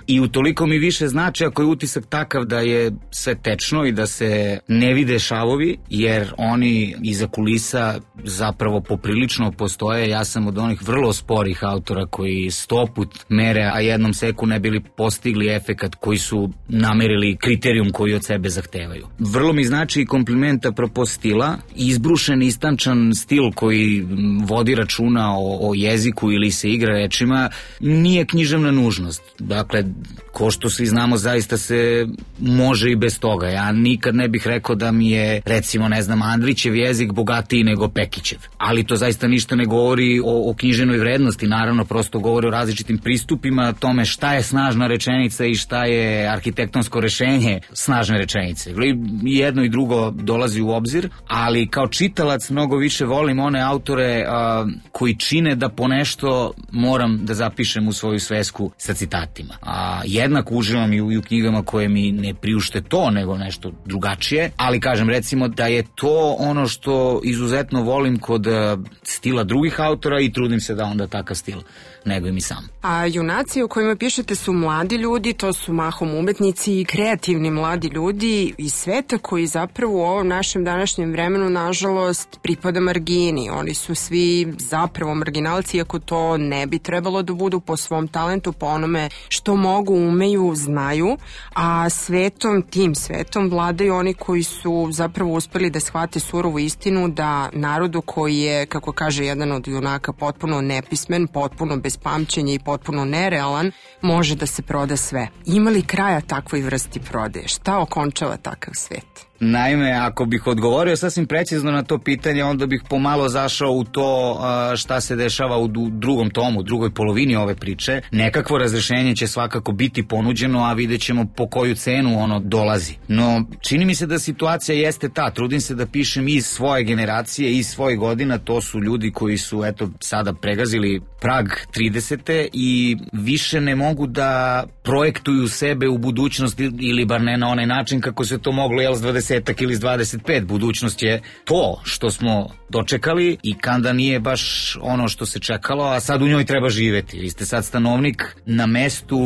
i utoliko mi više znači ako je utisak takav da je sve tečno i da se ne vide šavovi, jer oni iza kulisa zapravo poprilično postoje. Ja sam od onih vrlo sporih autora koji sto put mere, a jednom seku ne bili postigli efekat koji su namerili kriterijum koji od sebe zahtevaju. Vrlo mi znači i kompliment apropo stila, izbrušen, istančan stil koji vodi računa o, o jeziku ili se igra rečima, nije književna nužnost. Dakle, ko što svi znamo, zaista se može i bez toga. Ja nikad ne bih rekao da mi je, recimo, ne znam, Andrićev jezik bogatiji nego Pekićev. Ali to zaista ništa ne govori o, o književnoj vrednosti, naravno, prosto govori o različitim pristupima, tome šta je snažna rečenica i šta je arhitektonsko rešenje snažne rečenice. Jedno i drugo dolazi u obzir, ali kao čitalac mnogo više volim one autore a, koji čine da ponešto moram da zapišem u svoju svesku sa citatima. A jednako uživam i u, i u knjigama koje mi ne priušte to, nego nešto drugačije, ali kažem, recimo da je to ono što izuzetno volim kod a, stila drugih autora i trudim se da onda takav stil negujem i sam.
A junaci o kojima pišete su mladi ljudi, to su mahom umetnici i kreativni mladi ljudi iz sveta koji zapravo u ovom našem današnjem vremenu, nažalost, pripada margini. Oni su svi zapravo marginalci, iako to ne bi trebalo da budu po svom talentu, po onome što mogu, umeju, znaju, a svetom, tim svetom vladaju oni koji su zapravo uspeli da shvate surovu istinu da narodu koji je, kako kaže jedan od junaka, potpuno nepismen, potpuno bez pamćenja i potpuno nerealan, može da se proda sve. Ima li kraja takvoj vrsti prodaje? Šta okončava takav svet?
Naime, ako bih odgovorio sasvim precizno na to pitanje, onda bih pomalo zašao u to šta se dešava u drugom tomu, u drugoj polovini ove priče. Nekakvo razrešenje će svakako biti ponuđeno, a vidjet ćemo po koju cenu ono dolazi. No, čini mi se da situacija jeste ta. Trudim se da pišem iz svoje generacije, iz svojih godina. To su ljudi koji su, eto, sada pregazili prag tridesete i više ne mogu da projektuju sebe u budućnost ili bar ne na onaj način kako se to moglo, jel, s dvadesetak ili s dvadeset pet. Budućnost je to što smo dočekali i kanda nije baš ono što se čekalo, a sad u njoj treba živeti. Vi ste sad stanovnik na mestu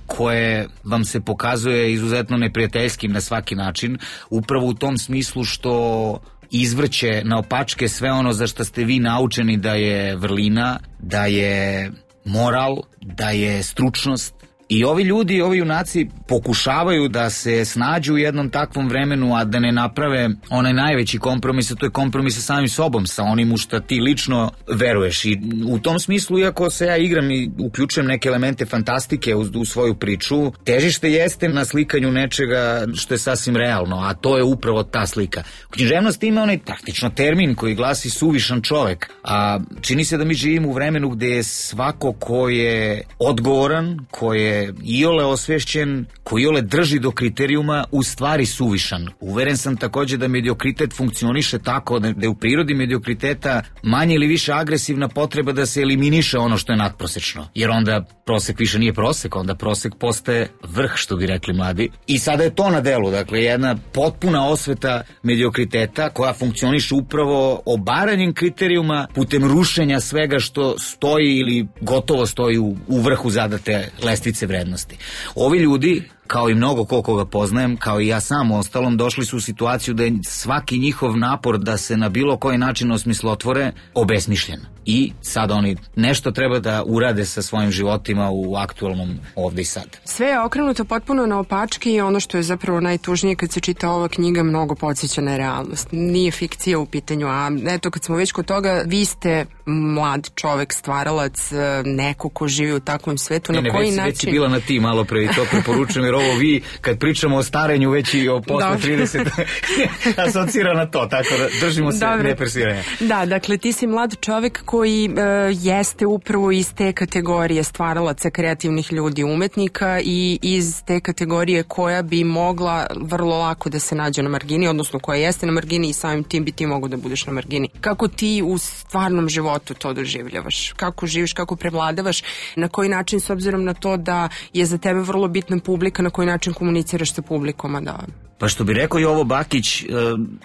koje vam se pokazuje izuzetno neprijateljskim na svaki način, upravo u tom smislu što izvrće na opačke sve ono za što ste vi naučeni da je vrlina, da je moral, da je stručnost. I ovi ljudi, ovi junaci pokušavaju da se snađu u jednom takvom vremenu, a da ne naprave onaj najveći kompromis, a to je kompromis sa samim sobom, sa onim u šta ti lično veruješ. I u tom smislu, iako se ja igram i uključujem neke elemente fantastike u, u svoju priču, težište jeste na slikanju nečega što je sasvim realno, a to je upravo ta slika. U književnosti ima onaj praktično termin koji glasi suvišan čovek, a čini se da mi živimo u vremenu gde je svako ko je odgovoran, ko je
je iole osvešćen, koji iole drži do kriterijuma, u stvari suvišan. Uveren sam takođe da mediokritet funkcioniše tako, da je u prirodi mediokriteta manje ili više agresivna potreba da se eliminiše ono što je nadprosečno. Jer onda prosek više nije prosek, onda prosek postaje vrh, što bi rekli mladi. I sada je to na delu, dakle jedna potpuna osveta mediokriteta koja funkcioniše upravo obaranjem kriterijuma putem rušenja svega što stoji ili gotovo stoji u, u vrhu zadate lestvice vrednosti. Ovi ljudi, kao i mnogo ko koga poznajem, kao i ja sam u ostalom, došli su u situaciju da je svaki njihov napor da se na bilo koji način osmislotvore obesmišljen. I sad oni nešto treba da urade sa svojim životima u aktualnom ovde i sad.
Sve je okrenuto potpuno na opačke i ono što je zapravo najtužnije kad se čita ova knjiga, mnogo podsjeća na realnost. Nije fikcija u pitanju, a eto kad smo već kod toga, vi ste mlad čovek, stvaralac, neko ko živi u takvom svetu,
ne,
na koji
već,
način...
Već si bila na ti malo pre i to preporučujem, jer ovo vi, kad pričamo o starenju, već i o posle trideset asocira na to, tako da držimo se Dobre. nepersiranja.
Da, dakle, ti si mlad čovek koji e, jeste upravo iz te kategorije stvaralaca, kreativnih ljudi, umetnika i iz te kategorije koja bi mogla vrlo lako da se nađe na margini, odnosno koja jeste na margini i samim tim bi ti mogo da budeš na margini. Kako ti u stvarnom životu to doživljavaš? Kako živiš, kako prevladavaš? Na koji način, s obzirom na to da je za tebe vrlo bitna publika, na koji način komuniciraš sa publikom, a da...
Pa što bi rekao Jovo Bakić,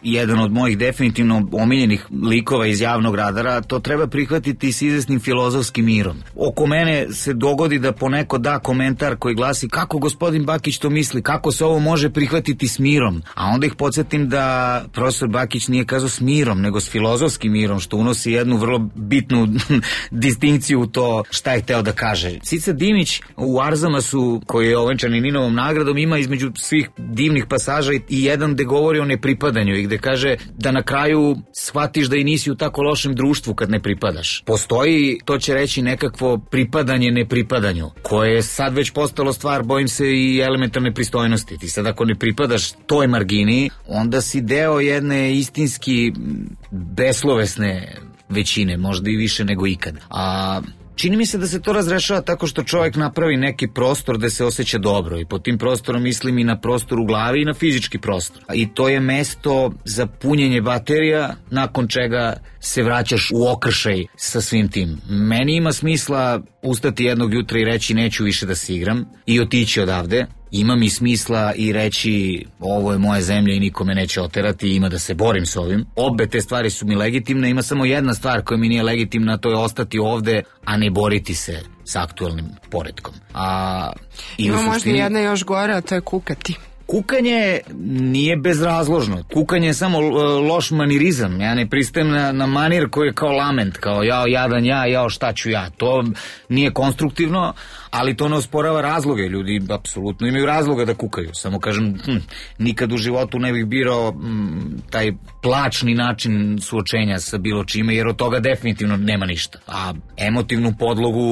jedan od mojih definitivno omiljenih likova iz javnog radara, to treba prihvatiti s izvesnim filozofskim mirom. Oko mene se dogodi da poneko da komentar koji glasi kako gospodin Bakić to misli, kako se ovo može prihvatiti s mirom. A onda ih podsjetim da profesor Bakić nije kazao s mirom, nego s filozofskim mirom, što unosi jednu vrlo bitnu distinkciju u to šta je hteo da kaže. Cica Dimić u Arzamasu, koji je ovenčan i Ninovom nagradom, ima između svih divnih pasaža i jedan gde govori o nepripadanju i gde kaže da na kraju shvatiš da i nisi u tako lošem društvu kad ne pripadaš. Postoji, to će reći, nekakvo pripadanje nepripadanju, koje je sad već postalo stvar, bojim se, i elementarne pristojnosti. Ti sad ako ne pripadaš toj margini, onda si deo jedne istinski beslovesne većine, možda i više nego ikad. A čini mi se da se to razrešava tako što čovjek napravi neki prostor da se osjeća dobro, i pod tim prostorom mislim i na prostor u glavi i na fizički prostor. I to je mesto za punjenje baterija, nakon čega se vraćaš u okršaj sa svim tim. Meni ima smisla ustati jednog jutra i reći neću više da se igram i otići odavde. Ima mi smisla i reći ovo je moja zemlja i niko me neće oterati, ima da se borim s ovim. Obe te stvari su mi legitimne, ima samo jedna stvar koja mi nije legitimna, to je ostati ovde, a ne boriti se s aktualnim poretkom. A,
ima možda suštini... jedna još gore, a to je kukati.
Kukanje nije bezrazložno. Kukanje je samo loš manirizam. Ja ne pristajem na, na manir koji je kao lament, kao jao jadan ja, jao šta ću ja. To nije konstruktivno, ali to ne osporava razloge. Ljudi apsolutno imaju razloga da kukaju. Samo kažem, hm, nikad u životu ne bih birao hm, taj plačni način suočenja sa bilo čime, jer od toga definitivno nema ništa. A emotivnu podlogu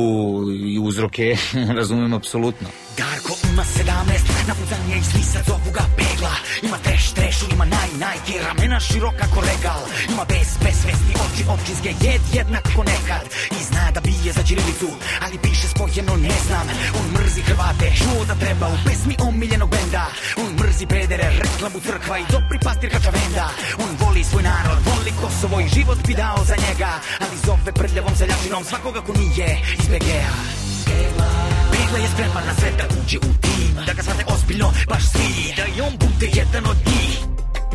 i uzroke razumem apsolutno.
Darko ima sedamnaest, napucan je iz lisa, zovu ga pegla. Ima treš, trešu, ima naj, najke, ramena široka ko regal. Ima bez, besvesni oči, općinske, jed jednako nekad. I zna da bije za ćirilicu, ali piše spojeno ne znam. On mrzi Hrvate, čuo da treba u pesmi omiljenog benda. On mrzi pedere, reklamu crkva i dobri pastir Kačavenda. On voli svoj narod, voli Kosovo i život bi dao za njega. Ali zove prljavom seljačinom svakoga ko nije iz B G-a. Pegla je spreman na sve da uđe u tim, da ga shvate ozbiljno, baš svi, da i on bude jedan od njih.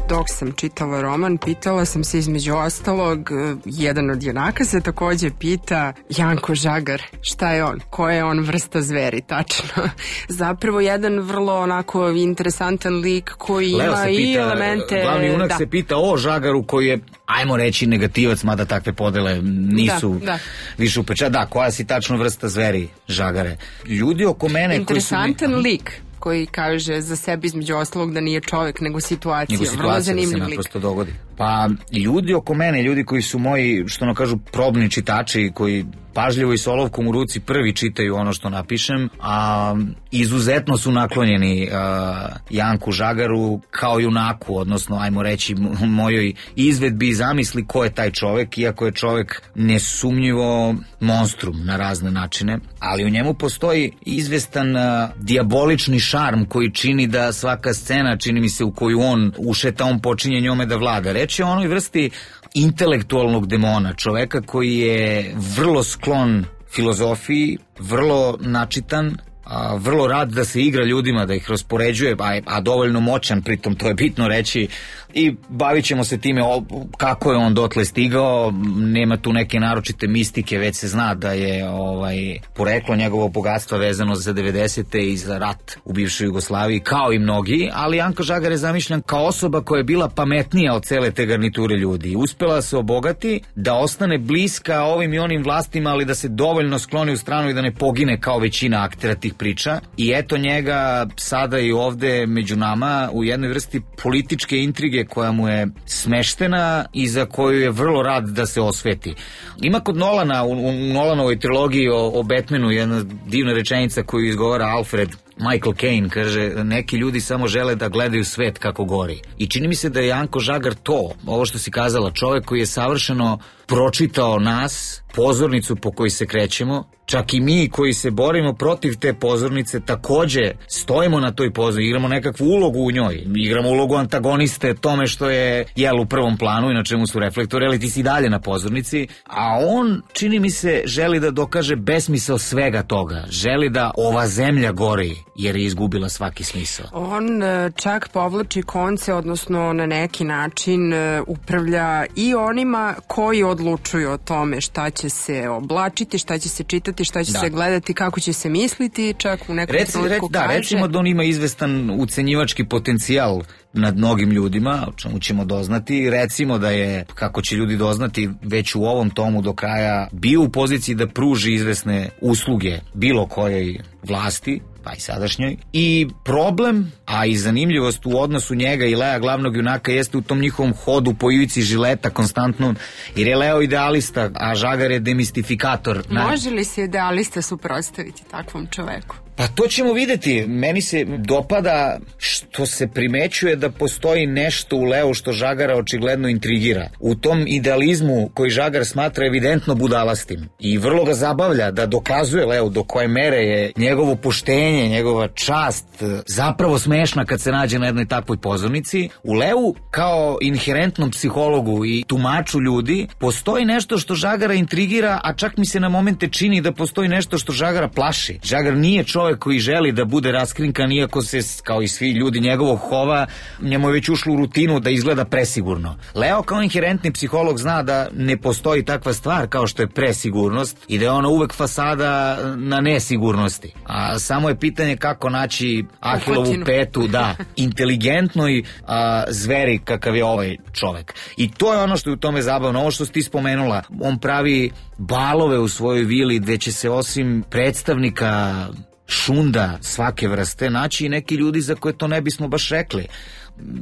Dok sam čitala roman, pitala sam se između ostalog, jedan od junaka se takođe pita, Janko Žagar, šta je on? Koja je on vrsta zveri, tačno? Zapravo jedan vrlo onako interesantan lik koji
Leo
ima
pita,
i elemente...
Glavni junak
da.
se pita o Žagaru koji je, ajmo reći, negativac, mada takve podele nisu
da, da.
više upečati. Da, koja si tačno vrsta zveri, Žagare? Ljudi oko mene...
Interesantan
koji su...
lik koji kaže za sebe između ostalog da nije čovjek nego situacija.
Nego situacija da se naprosto dogodi. Pa ljudi oko mene, ljudi koji su moji, što ono kažu, probni čitači, koji pažljivo i s olovkom u ruci prvi čitaju ono što napišem, a izuzetno su naklonjeni a, Janku Žagaru kao junaku, odnosno ajmo reći mojoj izvedbi i zamisli ko je taj čovek, iako je čovek nesumnjivo monstrum na razne načine, ali u njemu postoji izvestan a, dijabolični šarm koji čini da svaka scena, čini mi se, u koju on ušeta, on počinje njome da vlada. Reč je o onoj vrsti intelektualnog demona, čoveka koji je vrlo sklon filozofiji, vrlo načitan, a, vrlo rad da se igra ljudima, da ih raspoređuje, a, a dovoljno moćan, pritom to je bitno reći, i bavit ćemo se time o, kako je on dotle stigao. Nema tu neke naročite mistike, već se zna da je ovaj poreklo njegovog bogatstva vezano za devedesete i za rat u bivšoj Jugoslaviji, kao i mnogi, ali Janko Žagar je zamišljen kao osoba koja je bila pametnija od cele te garniture ljudi. Uspela se obogati, da ostane bliska ovim i onim vlastima, ali da se dovoljno skloni u stranu i da ne pogine kao većina aktera tih priča. I eto njega sada i ovde među nama u jednoj vrsti političke intrige koja mu je smeštena i za koju je vrlo rad da se osveti. Ima kod Nolana, u, u Nolanovoj trilogiji o, o Batmanu, jedna divna rečenica koju izgovara Alfred Michael Caine, kaže, neki ljudi samo žele da gledaju svet kako gori. I čini mi se da je Janko Žagar to, ovo što si kazala, čovek koji je savršeno pročitao nas, pozornicu po kojoj se krećemo, čak i mi koji se borimo protiv te pozornice takođe stojimo na toj pozornici, igramo nekakvu ulogu u njoj, igramo ulogu antagoniste tome što je jel u prvom planu i na čemu su reflektori, ali ti si dalje na pozornici, a on, čini mi se, želi da dokaže besmisao svega toga, želi da ova zemlja gori jer je izgubila svaki smisao.
On čak povlači konce, odnosno na neki način upravlja i onima koji odlučuju o tome šta će se oblačiti, šta će se čitati, šta će da. se gledati, kako će se misliti, čak u nekom
Reci,
trenutku
da,
kaže.
Recimo da on ima izvestan ucenjivački potencijal nad mnogim ljudima, o čemu ćemo doznati. Recimo da je, kako će ljudi doznati, već u ovom tomu do kraja bio u poziciji da pruži izvesne usluge bilo kojoj vlasti, pa i sadašnjoj. I problem, a i zanimljivost u odnosu njega i Lea, glavnog junaka, jeste u tom njihovom hodu po ivici žileta konstantnom, jer je Leo idealista, a Žagar je demistifikator.
Može li se idealista suprotstaviti takvom čoveku?
Pa to ćemo videti. Meni se dopada što se primećuje da postoji nešto u Leu što Žagara očigledno intrigira. U tom idealizmu koji Žagar smatra evidentno budalastim i vrlo ga zabavlja da dokazuje Leu do koje mere je njegovo poštenje, njegova čast zapravo smešna kad se nađe na jednoj takvoj pozornici. U Leu kao inherentnom psihologu i tumaču ljudi postoji nešto što Žagara intrigira, a čak mi se na momente čini da postoji nešto što Žagara plaši. Žagar nije čovjek koji želi da bude raskrinkan, iako se, kao i svi ljudi njegovog hova, njemu je već ušlo u rutinu da izgleda presigurno. Leo kao inherentni psiholog zna da ne postoji takva stvar kao što je presigurnost i da je ona uvek fasada na nesigurnosti. A samo je pitanje kako naći Ahilovu petu, da, inteligentnoj a, zveri kakav je ovaj čovek. I to je ono što je u tome zabavno. Ovo što si ti spomenula, on pravi balove u svojoj vili gde će se osim predstavnika šunda svake vrste naći i neki ljudi za koje to ne bismo baš rekli.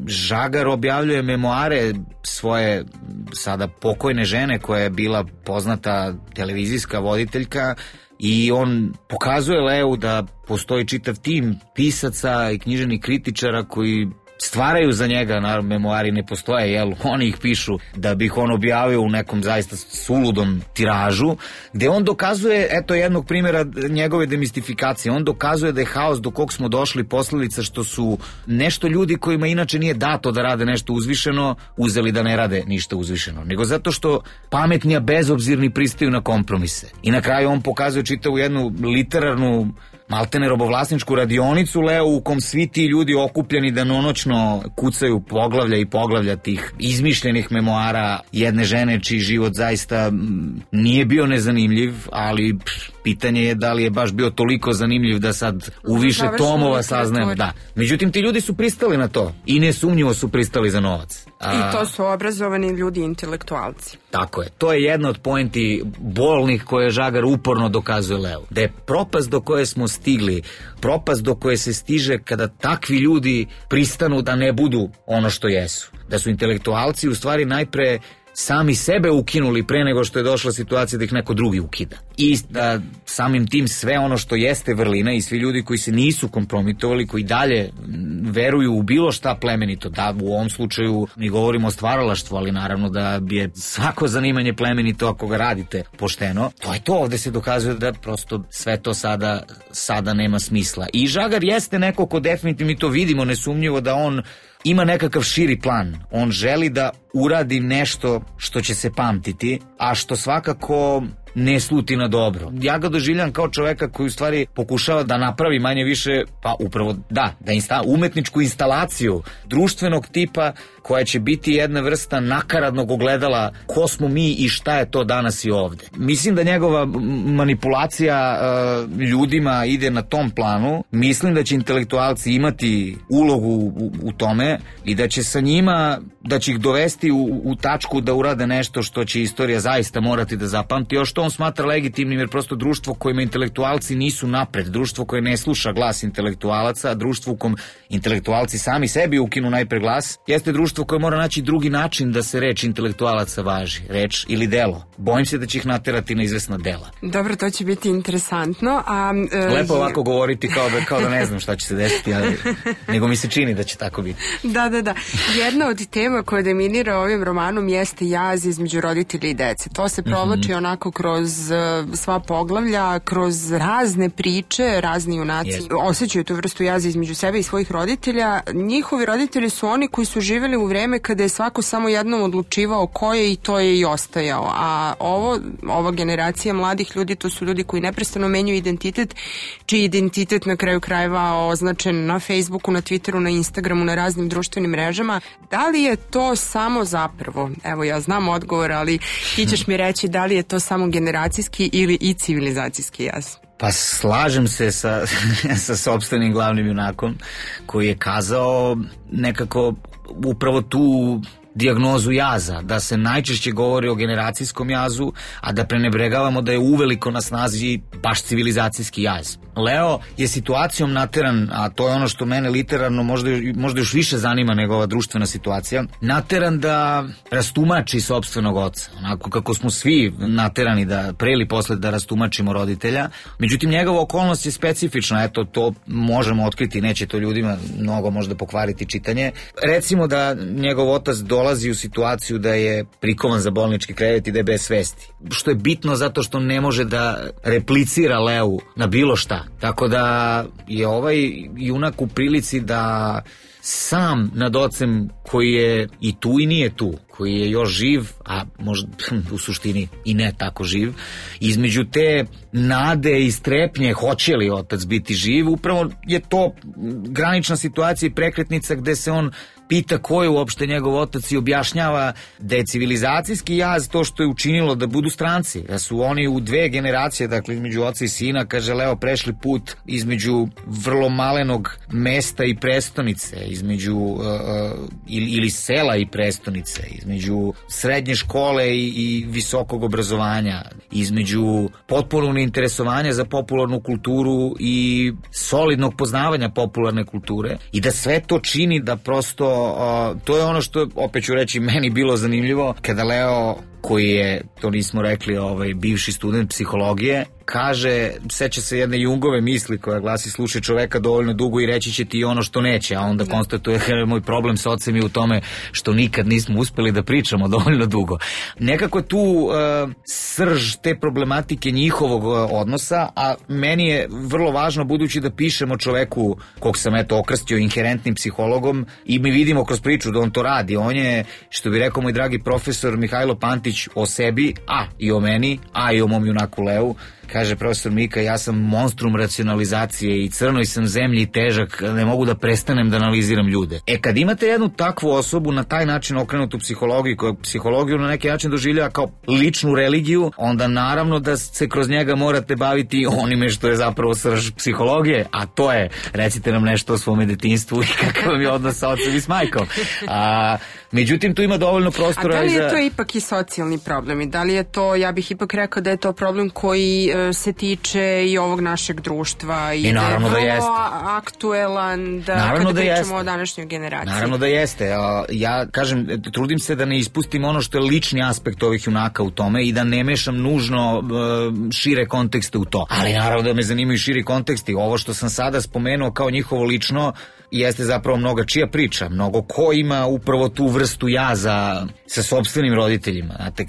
Žagar objavljuje memoare svoje sada pokojne žene koja je bila poznata televizijska voditeljka i on pokazuje Leu da postoji čitav tim pisaca i književnih kritičara koji stvaraju za njega, naravno memoari ne postoje, jel, oni ih pišu da bi ih on objavio u nekom zaista suludom tiražu, gde on dokazuje, eto jednog primjera njegove demistifikacije, on dokazuje da je haos do kog smo došli posledica što su nešto ljudi kojima inače nije dato da rade nešto uzvišeno, uzeli da ne rade ništa uzvišeno, nego zato što pametni, a bezobzirni pristaju na kompromise. I na kraju on pokazuje čitavu jednu literarnu maltene robovlasničku radionicu Leo u kom svi ti ljudi okupljeni danonoćno kucaju poglavlja i poglavlja tih izmišljenih memoara jedne žene čiji život zaista nije bio nezanimljiv, ali pff, pitanje je da li je baš bio toliko zanimljiv da sad u više tomova saznajemo. Da. Međutim, ti ljudi su pristali na to i nesumnjivo su pristali za novac. A...
I to su obrazovani ljudi, intelektualci.
Tako je. To je jedna od poenti bolnih koje Žagar uporno dokazuje Leu. Da je propast do koje smo stigli, propast do koje se stiže kada takvi ljudi pristanu da ne budu ono što jesu. Da su intelektualci u stvari najpre sami sebe ukinuli pre nego što je došla situacija da ih neko drugi ukida. I da samim tim sve ono što jeste vrlina i svi ljudi koji se nisu kompromitovali, koji dalje veruju u bilo šta plemenito, da u ovom slučaju mi govorimo o stvaralaštvu, ali naravno da je svako zanimanje plemenito ako ga radite pošteno, to je to, ovde se dokazuje da prosto sve to sada, sada nema smisla. I Žagar jeste neko ko definitivno, mi to vidimo nesumnjivo da on ima nekakav širi plan. On želi da uradi nešto što će se pamtiti, a što svakako ne sluti na dobro. Ja ga doživljam kao čoveka koji u stvari pokušava da napravi manje više, pa upravo da, da insta, umetničku instalaciju društvenog tipa koja će biti jedna vrsta nakaradnog ogledala ko smo mi i šta je to danas i ovde. Mislim da njegova manipulacija uh, ljudima ide na tom planu. Mislim da će intelektualci imati ulogu u, u tome i da će sa njima, da će ih dovesti u, u tačku da urade nešto što će istorija zaista morati da zapamti, još što on smatra legitimnim, jer prosto društvo kojima intelektualci nisu napred, društvo koje ne sluša glas intelektualaca, društvo u kom intelektualci sami sebi ukinu najpre glas, jeste društvo koje mora naći drugi način da se reč intelektualaca važi, reč ili delo. Bojim se da će ih naterati na izvesna dela.
Dobro, to će biti interesantno. A, e,
Lepo ovako govoriti kao da, kao da ne znam šta će se desiti, ali nego mi se čini da će tako biti.
Da, da, da. Jedna od tema koja dominira ovim romanom jeste jaz između roditelja i dece. To se provlači mm-hmm. onako kroz uh, sva poglavlja, kroz razne priče, razni junaci yes. osjećaju tu vrstu jaza između sebe i svojih roditelja. Njihovi roditelji su oni koji su živjeli u vreme kada je svako samo jednom odlučivao ko je i to je i ostajao. A ovo, ova generacija mladih ljudi, to su ljudi koji neprestano menjaju identitet, čiji identitet na kraju krajeva označen na Facebooku, na Twitteru, na Instagramu, na raznim društvenim mrežama. Da li je to samo zapravo, evo ja znam odgovor, ali ti ćeš mi reći da li je to samo generacijski ili i civilizacijski jaz?
Pa slažem se sa, sa sopstvenim glavnim junakom koji je kazao nekako upravo tu dijagnozu jaza, da se najčešće govori o generacijskom jazu, a da prenebregavamo da je uveliko na snazi baš civilizacijski jaz. Leo je situacijom nateran, a to je ono što mene literarno možda, možda još više zanima nego ova društvena situacija, nateran da rastumači sopstvenog oca, onako kako smo svi naterani da pre ili posle da rastumačimo roditelja. Međutim, njegova okolnost je specifična, eto, to možemo otkriti, neće to ljudima mnogo možda pokvariti čitanje. Recimo da njegov otac dolazi u situaciju da je prikovan za bolnički krevet i da je bez svesti. Što je bitno zato što ne može da replicira Leu na bilo šta. Tako da je ovaj junak u prilici da sam nad ocem koji je i tu i nije tu, koji je još živ, a možda u suštini i ne tako živ, između te nade i strepnje hoće li otac biti živ, upravo je to granična situacija i prekretnica gde se on pita ko je uopšte njegov otac i objašnjava da je civilizacijski jaz to što je učinilo da budu stranci, da su oni u dve generacije, dakle između oca i sina, kaže Leo, prešli put između vrlo malenog mesta i prestonice, između uh, ili, ili sela i prestonice, između srednje škole i, i visokog obrazovanja, između potpunog neinteresovanja za popularnu kulturu i solidnog poznavanja popularne kulture, i da sve to čini da prosto Uh, to je ono što, opet ću reći, meni bilo zanimljivo kada Leo, koji je, to nismo rekli, ovaj, bivši student psihologije, kaže, seća se jedne Jungove misli koja glasi: slušaj čoveka dovoljno dugo i reći će ti ono što neće, a onda konstatuje moj problem s ocem je u tome što nikad nismo uspeli da pričamo dovoljno dugo. Nekako tu uh, srž te problematike njihovog uh, odnosa, a meni je vrlo važno, budući da pišemo čoveku kog sam eto okrstio inherentnim psihologom i mi vidimo kroz priču da on to radi. On je, što bi rekao moj dragi profesor Mihajlo Pantić, o sebi, a i o meni, a i o mom junaku Leu, kaže profesor Mika, ja sam monstrum racionalizacije i crnoj sam zemlji težak, ne mogu da prestanem da analiziram ljude. E kad imate jednu takvu osobu na taj način okrenutu psihologiju, koja psihologiju na neki način doživljava kao ličnu religiju, onda naravno da se kroz njega morate baviti onime što je zapravo srž psihologije, a to je, recite nam nešto o svome detinjstvu i kakav vam je odnos sa ocem i s majkom. A, međutim, tu ima dovoljno prostora.
A da li je
za...
to ipak i socijalni problem i da li je to, ja bih ipak rekao da je to problem koji uh, se tiče i ovog našeg društva i,
I naravno
da je
da jeste.
Aktuelan da,
naravno
kada
da
pričamo
jeste.
o današnjoj generaciji.
Naravno da jeste. Ja kažem, trudim se da ne ispustim ono što je lični aspekt ovih junaka u tome i da ne mešam nužno uh, šire kontekste u to. Ali naravno da me zanimaju širi konteksti. Ovo što sam sada spomenuo kao njihovo lično jeste zapravo mnoga čija priča, mnogo ko ima upravo tu vrstu jaza sa sopstvenim roditeljima. Znate,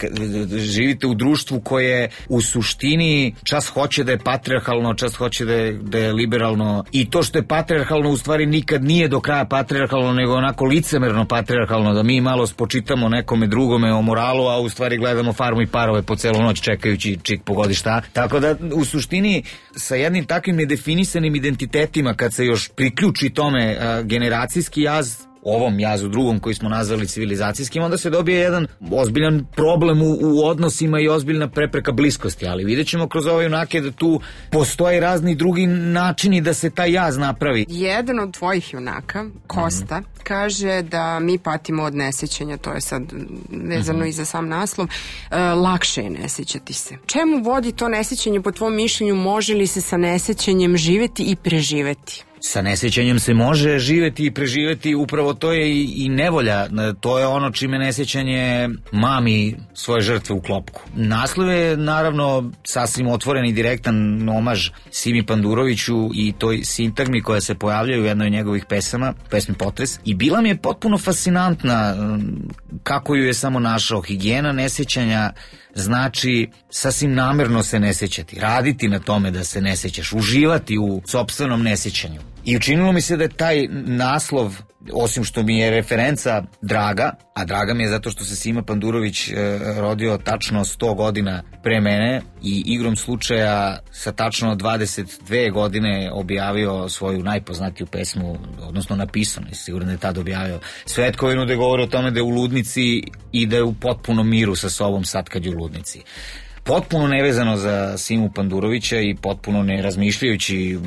živite u društvu koje u suštini čas hoće da je patrijarhalno, čas hoće da je, da je liberalno i to što je patrijarhalno u stvari nikad nije do kraja patrijarhalno, nego onako licemerno patrijarhalno, da mi malo spočitamo nekome drugome o moralu, a u stvari gledamo Farmu i parove po celu noć čekajući čik pogodi šta. Tako da u suštini sa jednim takvim nedefinisanim identitetima kad se još priključi tome a, generacijski jaz, ovom jazu drugom koji smo nazvali civilizacijskim, onda se dobije jedan ozbiljan problem u, u odnosima i ozbiljna prepreka bliskosti, ali vidjet ćemo kroz ove junake da tu postoje razni drugi načini da se taj jaz napravi.
Jedan od tvojih junaka, Kosta, mm-hmm. kaže da mi patimo od nesećanja, to je sad vezano mm-hmm. i za sam naslov, e, lakše je nesećati se. Čemu vodi to nesećanje po tvom mišljenju, može li se sa nesećanjem živeti i preživeti?
Sa nesjećanjem se može živeti i preživeti, upravo to je i, i nevolja, to je ono čime nesjećanje mami svoje žrtve u klopku. Naslov je naravno sasvim otvoren i direktan omaž Simi Panduroviću i toj sintagmi koja se pojavljaju u jednoj od njegovih pesama, pesmi Potres, i bila mi je potpuno fascinantna kako ju je samo našao. Higijena nesjećanja znači sasvim namerno se ne sjećati, raditi na tome da se ne sjećaš, uživati u sopstvenom nesjećanju. I učinilo mi se da je taj naslov, osim što mi je referenca draga, a draga mi je zato što se Sima Pandurović e, rodio tačno sto godina pre mene i igrom slučaja sa tačno dvadeset dve godine objavio svoju najpoznatiju pesmu, odnosno napisano, sigurno da je tad objavio Svetkovinu, da govori o tome da je u ludnici i da je u potpunom miru sa sobom sad kad je u ludnici. Potpuno nevezano za Simu Pandurovića i potpuno ne razmišljajući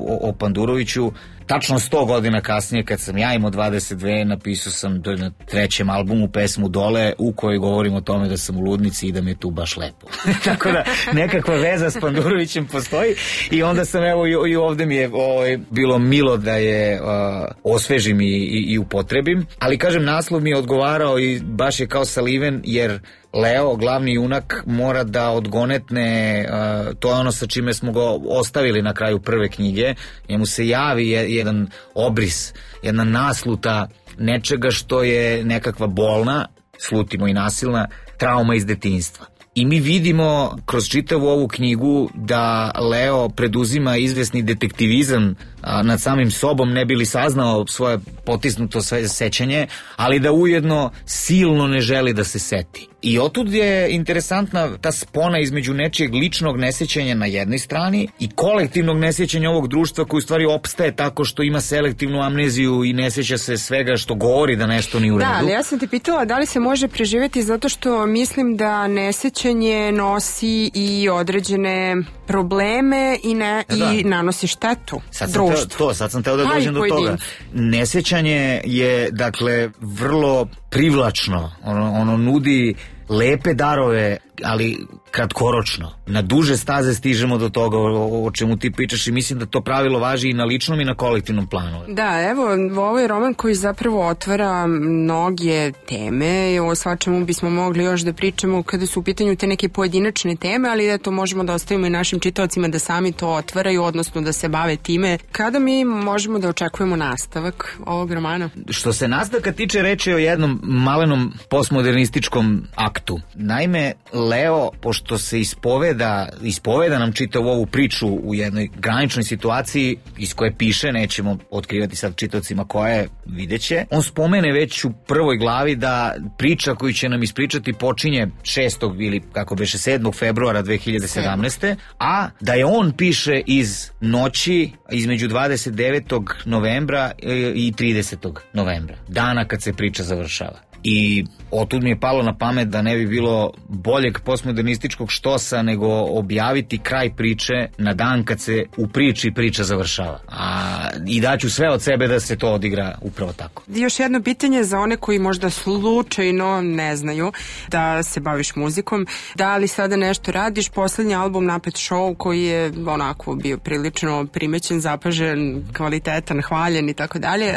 o, o Panduroviću, tačno sto godina kasnije kad sam ja imao dvadeset dve napisao sam na trećem albumu pesmu Dole u kojoj govorim o tome da sam u ludnici i da mi je tu baš lepo. Tako da nekakva veza s Pandurovićem postoji i onda sam evo i, i ovde mi je o, bilo milo da je o, osvežim i, i, i upotrebim, ali kažem naslov mi je odgovarao i baš je kao saliven jer Leo, glavni junak, mora da odgonetne, uh, to je ono sa čime smo ga ostavili na kraju prve knjige, njemu se javi jedan obris, jedna nasluta nečega što je nekakva bolna, slutimo i nasilna, trauma iz detinjstva. I mi vidimo kroz čitavu ovu knjigu da Leo preduzima izvesni detektivizam a, nad samim sobom, ne bi li saznao svoje potisnuto sećanje, ali da ujedno silno ne želi da se seti. I otud je interesantna ta spona između nečijeg ličnog nesjećanja na jednoj strani i kolektivnog nesjećanja ovog društva koji u stvari opstaje tako što ima selektivnu amneziju i ne sjeća se svega što govori da nešto nije u redu.
Da, ali ja sam te pitala da li se može preživjeti zato što mislim da nesjećanje nosi i određene probleme i, ne, da. i nanosi štetu
sad
društvu.
Teo, to, sad sam teo da dođem do toga. Nesjećanje je, dakle, vrlo privlačno. Ono, ono nudi lepe darove, ali kratkoročno. Na duže staze stižemo do toga o, o čemu ti pričaš i mislim da to pravilo važi i na ličnom i na kolektivnom planu.
Da, evo, ovo je roman koji zapravo otvara mnoge teme i o svačemu bismo mogli još da pričamo kada su u pitanju te neke pojedinačne teme, ali da to možemo da ostavimo i našim čitaocima da sami to otvaraju, odnosno da se bave time. Kada mi možemo da očekujemo nastavak ovog romana?
Što se nastavka tiče, reč je o jednom malenom postmodernističkom aktu. Naime, Leo, pošto se ispoveda, ispoveda nam čitavu ovu priču u jednoj graničnoj situaciji iz koje piše, nećemo otkrivati sad čitavcima koja je, videće. On spomene već u prvoj glavi da priča koju će nam ispričati počinje šestog ili kako beše sedmog februara dve hiljade sedamnaeste. a da je on piše iz noći između dvadeset devetog novembra i tridesetog novembra, dana kad se priča završava. I otud mi je palo na pamet da ne bi bilo boljeg postmodernističkog štosa nego objaviti kraj priče na dan kad se u priči priča završava. A, i daću sve od sebe da se to odigra upravo tako.
Još jedno pitanje za one koji možda slučajno ne znaju da se baviš muzikom. Da li sada nešto radiš? Poslednji album Napet Show koji je onako bio prilično primećen, zapažen, kvalitetan, hvaljen i tako dalje.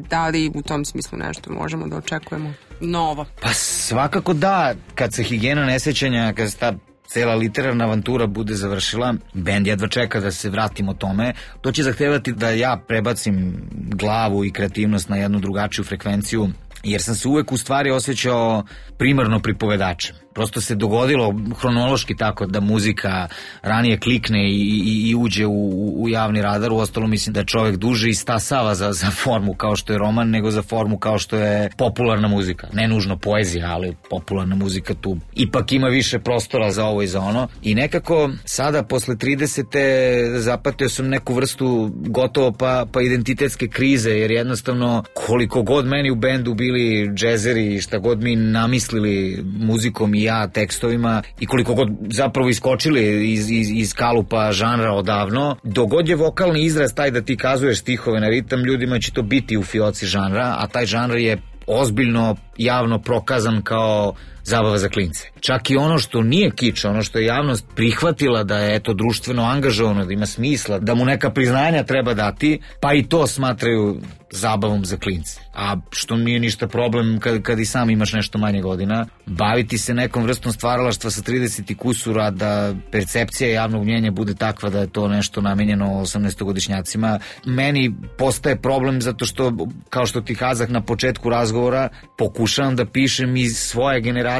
Da li u tom smislu nešto možemo da očekujemo novo?
Pa svakako da, kad se Higijena nesjećanja, kad se ta cela literarna avantura bude završila, bend jedva čeka da se vratimo tome. To će zahtevati da ja prebacim glavu i kreativnost na jednu drugačiju frekvenciju, jer sam se uvek u stvari osjećao primarno pripovedačem. Prosto se dogodilo hronološki tako da muzika ranije klikne i, i, i uđe u, u javni radar. Uostalom mislim da čovek duže istasava za, za formu kao što je roman, nego za formu kao što je popularna muzika. Ne nužno poezija, ali popularna muzika tu ipak ima više prostora za ovo i za ono. I nekako sada posle tridesete zapatio sam neku vrstu gotovo pa, pa identitetske krize, jer jednostavno koliko god meni u bendu bili džezeri i šta god mi namislili muzikom i ja tekstovima i koliko god zapravo iskočili iz, iz, iz kalupa žanra odavno, dogod je vokalni izraz taj da ti kazuješ stihove na ritam, ljudima će to biti u fioci žanra, a taj žanr je ozbiljno javno prokazan kao zabava za klince. Čak i ono što nije kič, ono što je javnost prihvatila da je eto društveno angažovano, da ima smisla, da mu neka priznanja treba dati, pa i to smatraju zabavom za klince. A što nije ništa problem kad, kad i sam imaš nešto manje godina, baviti se nekom vrstom stvaralaštva sa trideset kusura, da percepcija javnog mnjenja bude takva da je to nešto namenjeno osamnaestogodišnjacima, meni postaje problem zato što, kao što ti kazah na početku razgovora, pokušavam da pišem iz svoje generacije.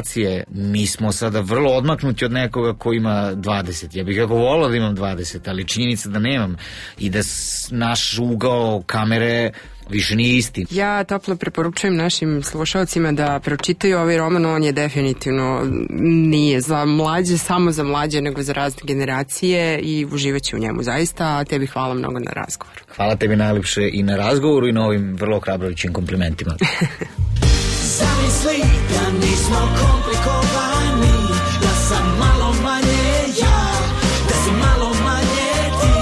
Mi smo sada vrlo odmaknuti od nekoga ko ima dvadeset. Ja bih kako volao da imam dvadeset, ali činjenica da nemam i da naš ugao kamere više nije isti.
Ja toplo preporučujem našim slušalcima da pročitaju ovaj roman, on je definitivno nije za mlađe, samo za mlađe, nego za razne generacije i uživaće u njemu zaista, a tebi hvala mnogo na razgovoru.
Hvala tebi najlepše i na razgovoru i na ovim vrlo hrabrovićim komplimentima.
Zamisli da nismo komplikovani, da sam malo manje ja, da si malo manje ti.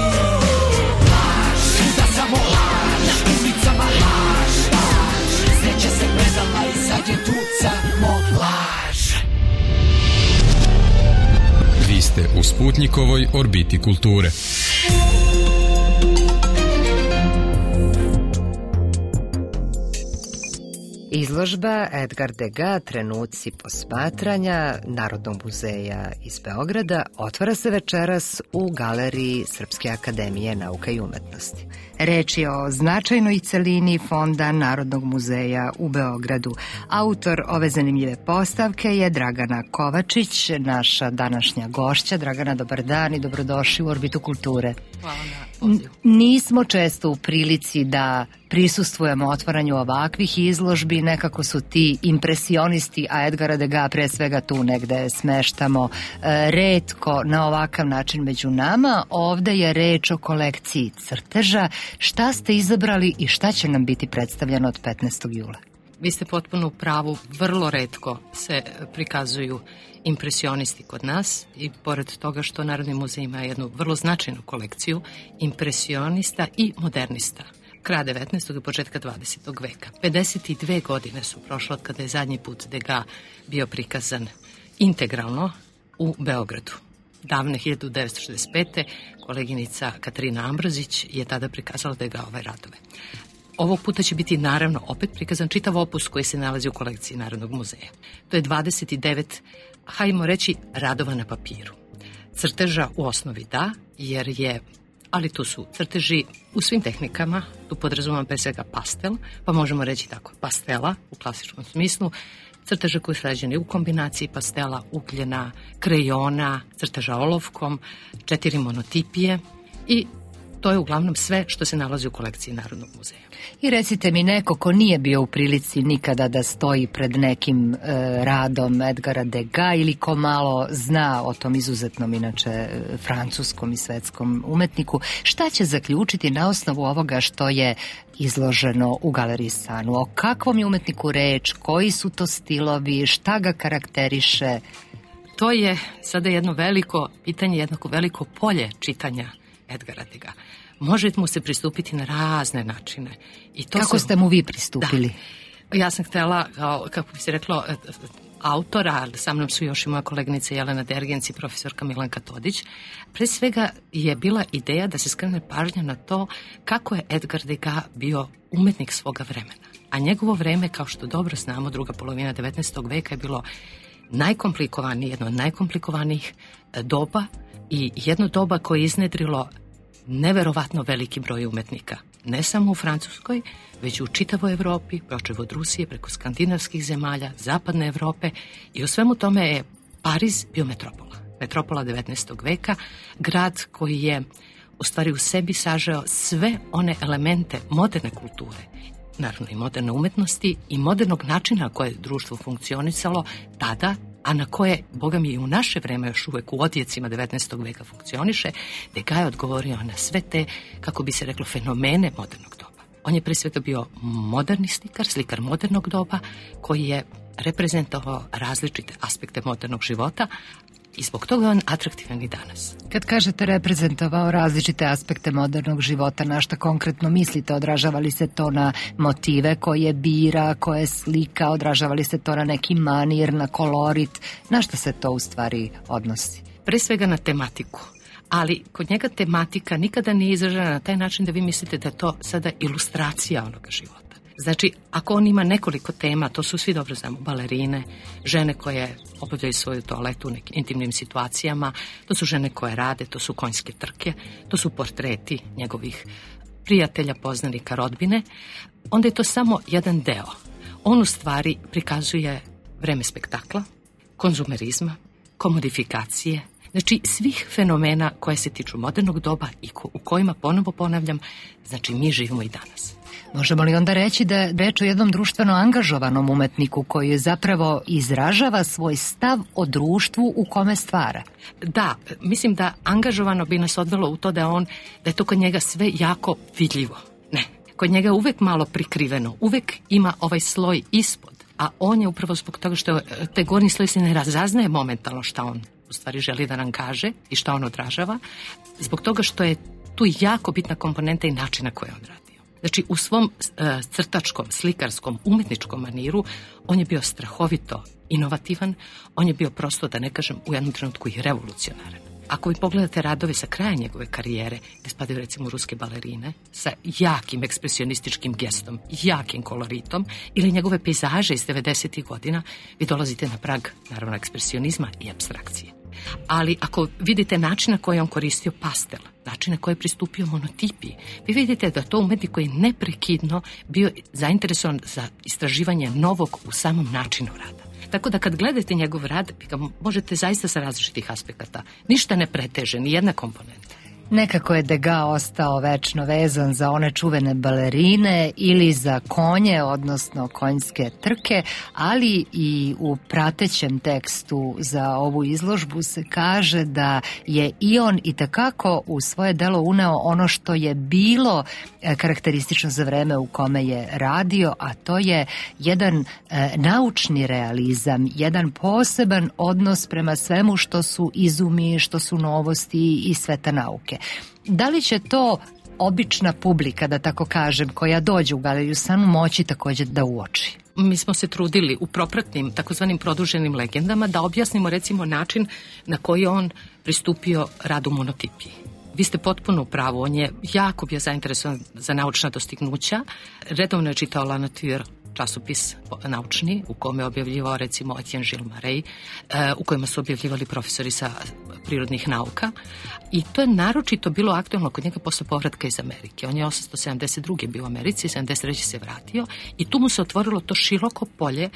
Laž, da samo laž, na ulicama laž, laž. Sreća se predala i sad je tu samo laž.
Vi ste u Sputnikovoj orbiti kulture.
Izložba Edgar Degas Trenuci posmatranja Narodnog muzeja iz Beograda otvara se večeras u galeriji Srpske akademije nauka i umetnosti. Reč je o značajnoj celini Fonda Narodnog muzeja u Beogradu. Autor ove zanimljive postavke je Dragana Kovačić, naša današnja gošća. Dragana, dobar dan i dobrodošli u Orbitu kulture.
Hvala na pozivu.
Nismo često u prilici da prisustvujemo otvaranju ovakvih izložbi, nekako su ti impresionisti, a Edgara Degas pre svega tu negde smeštamo e, retko na ovakav način među nama. Ovde je reč o kolekciji crteža. Šta ste izabrali i šta će nam biti predstavljeno od petnaestog jula?
Vi ste potpuno u pravu, vrlo retko se prikazuju impresionisti kod nas i pored toga što Narodni muzej ima jednu vrlo značajnu kolekciju impresionista i modernista kraja devetnaestog i početka dvadesetog veka. pedeset dve godine su prošle od kada je zadnji put Degas bio prikazan integralno u Beogradu. Davne hiljadu devetsto šezdeset pete koleginica Katarina Ambrozić je tada prikazala Degasove radove. Ovog puta će biti naravno opet prikazan čitav opus koji se nalazi u kolekciji Narodnog muzeja. To je dvadeset devet, hajmo reći, radova na papiru. Crteža u osnovi da, jer je ali tu su crteži u svim tehnikama, tu podrazumijem pre svega pastel, pa možemo reći tako, pastela u klasičnom smislu, crteže koji su rađeni u kombinaciji pastela, ugljena, krejona, crteža olovkom, četiri monotipije i to je uglavnom sve što se nalazi u kolekciji Narodnog muzeja.
I recite mi, neko ko nije bio u prilici nikada da stoji pred nekim e, radom Edgara Degas ili ko malo zna o tom izuzetnom, inače, e, francuskom i svetskom umetniku, šta će zaključiti na osnovu ovoga što je izloženo u Galeriji Sanu? O kakvom je umetniku reč, koji su to stilovi, šta ga karakteriše?
To je sada jedno veliko pitanje, jednako veliko polje čitanja Edgara Degas. Može mu se pristupiti na razne načine. I to
Kako
se...
ste mu vi pristupili?
Da. Ja sam htjela, kako bi se reklo, autora, ali sa mnom su još i moja koleginica Jelena Dergenc i profesorka Milanka Todić. Pre svega je bila ideja da se skrene pažnja na to kako je Edgar Degas bio umetnik svoga vremena. A njegovo vreme, kao što dobro znamo, druga polovina devetnaestog veka je bilo najkomplikovanije, jedno od najkomplikovanijih doba i jedno doba koje je iznedrilo neverovatno veliki broj umetnika. Ne samo u Francuskoj, već u čitavoj Evropi, počev od Rusije, preko skandinavskih zemalja, zapadne Evrope i u svemu tome je Pariz bio metropola. Metropola devetnaestog veka, grad koji je u stvari u sebi sažeo sve one elemente moderne kulture, naravno i moderne umetnosti i modernog načina koje je društvo funkcionisalo tada, a na koje, boga mi, i u naše vreme još uvek u odjecima devetnaestog veka funkcioniše, Degas je odgovorio na sve te, kako bi se reklo, fenomene modernog doba. On je pre svega bio moderni slikar, slikar modernog doba, koji je reprezentovao različite aspekte modernog života, i zbog toga je on atraktivan i danas.
Kad kažete reprezentovao različite aspekte modernog života, na šta konkretno mislite? Odražava li se to na motive koje bira, koje slika, odražava li se to na neki manir, na kolorit? Na šta se to u stvari odnosi?
Pre svega na tematiku. Ali kod njega tematika nikada nije izražena na taj način da vi mislite da je to sada ilustracija onoga života. Znači, ako on ima nekoliko tema, to su svi dobro znamo, balerine, žene koje obavljaju svoju toaletu u nekim intimnim situacijama, to su žene koje rade, to su konjske trke, to su portreti njegovih prijatelja, poznanika, rodbine, onda je to samo jedan deo. On u stvari prikazuje vreme spektakla, konzumerizma, komodifikacije, znači svih fenomena koje se tiču modernog doba i ko, u kojima, ponovo ponavljam, znači mi živimo i danas.
Možemo li onda reći da je reč o jednom društveno angažovanom umetniku koji zapravo izražava svoj stav o društvu u kome stvara?
Da, mislim da angažovano bi nas odvelo u to da, on, da je to kod njega sve jako vidljivo. Ne, kod njega je uvek malo prikriveno, uvek ima ovaj sloj ispod, a on je upravo zbog toga što te gornji sloj se ne razaznaje momentalno šta on u stvari želi da nam kaže i šta on odražava, zbog toga što je tu jako bitna komponenta i načina koje on radi. Znači, u svom uh, crtačkom, slikarskom, umetničkom maniru on je bio strahovito inovativan, on je bio prosto, da ne kažem, u jednom trenutku i revolucionaran. Ako vi pogledate radove sa kraja njegove karijere, gde spadaju recimo ruske balerine, sa jakim ekspresionističkim gestom, jakim koloritom, ili njegove pejzaže iz devedesetih godina, vi dolazite na prag, naravno, ekspresionizma i apstrakcije. Ali ako vidite način na koji on koristio pastel, način na koji je pristupio monotipiji, vi vidite da to umetnik koji je neprekidno bio zainteresovan za istraživanje novog u samom načinu rada. Tako da kad gledate njegov rad, vi ga možete zaista sa različitih aspekata. Ništa ne preteže, ni jedna komponenta.
Nekako je Degas ostao večno vezan za one čuvene balerine ili za konje, odnosno konjske trke, ali i u pratećem tekstu za ovu izložbu se kaže da je i on itekako u svoje delo uneo ono što je bilo karakteristično za vreme u kome je radio, a to je jedan e, naučni realizam, jedan poseban odnos prema svemu što su izumi, što su novosti i sveta nauke. Da li će to obična publika, da tako kažem, koja dođe u Galeriju Sanu, moći također da uoči?
Mi smo se trudili u propratnim, takozvanim produženim legendama, da objasnimo recimo način na koji on pristupio radu monotipiji. Vi ste potpuno u pravu, on je jako bio zainteresovan za naučna dostignuća, redovno je čitao La Nature časopis naučni u kome je objavljivao recimo Etienne Gilles Marey, u kojima su objavljivali profesori sa prirodnih nauka i to je naročito bilo aktualno kod njega posle povratka iz Amerike. On je osamsto sedamdeset druge bio u Americi, sedamdeset treće se vratio i tu mu se otvorilo to široko polje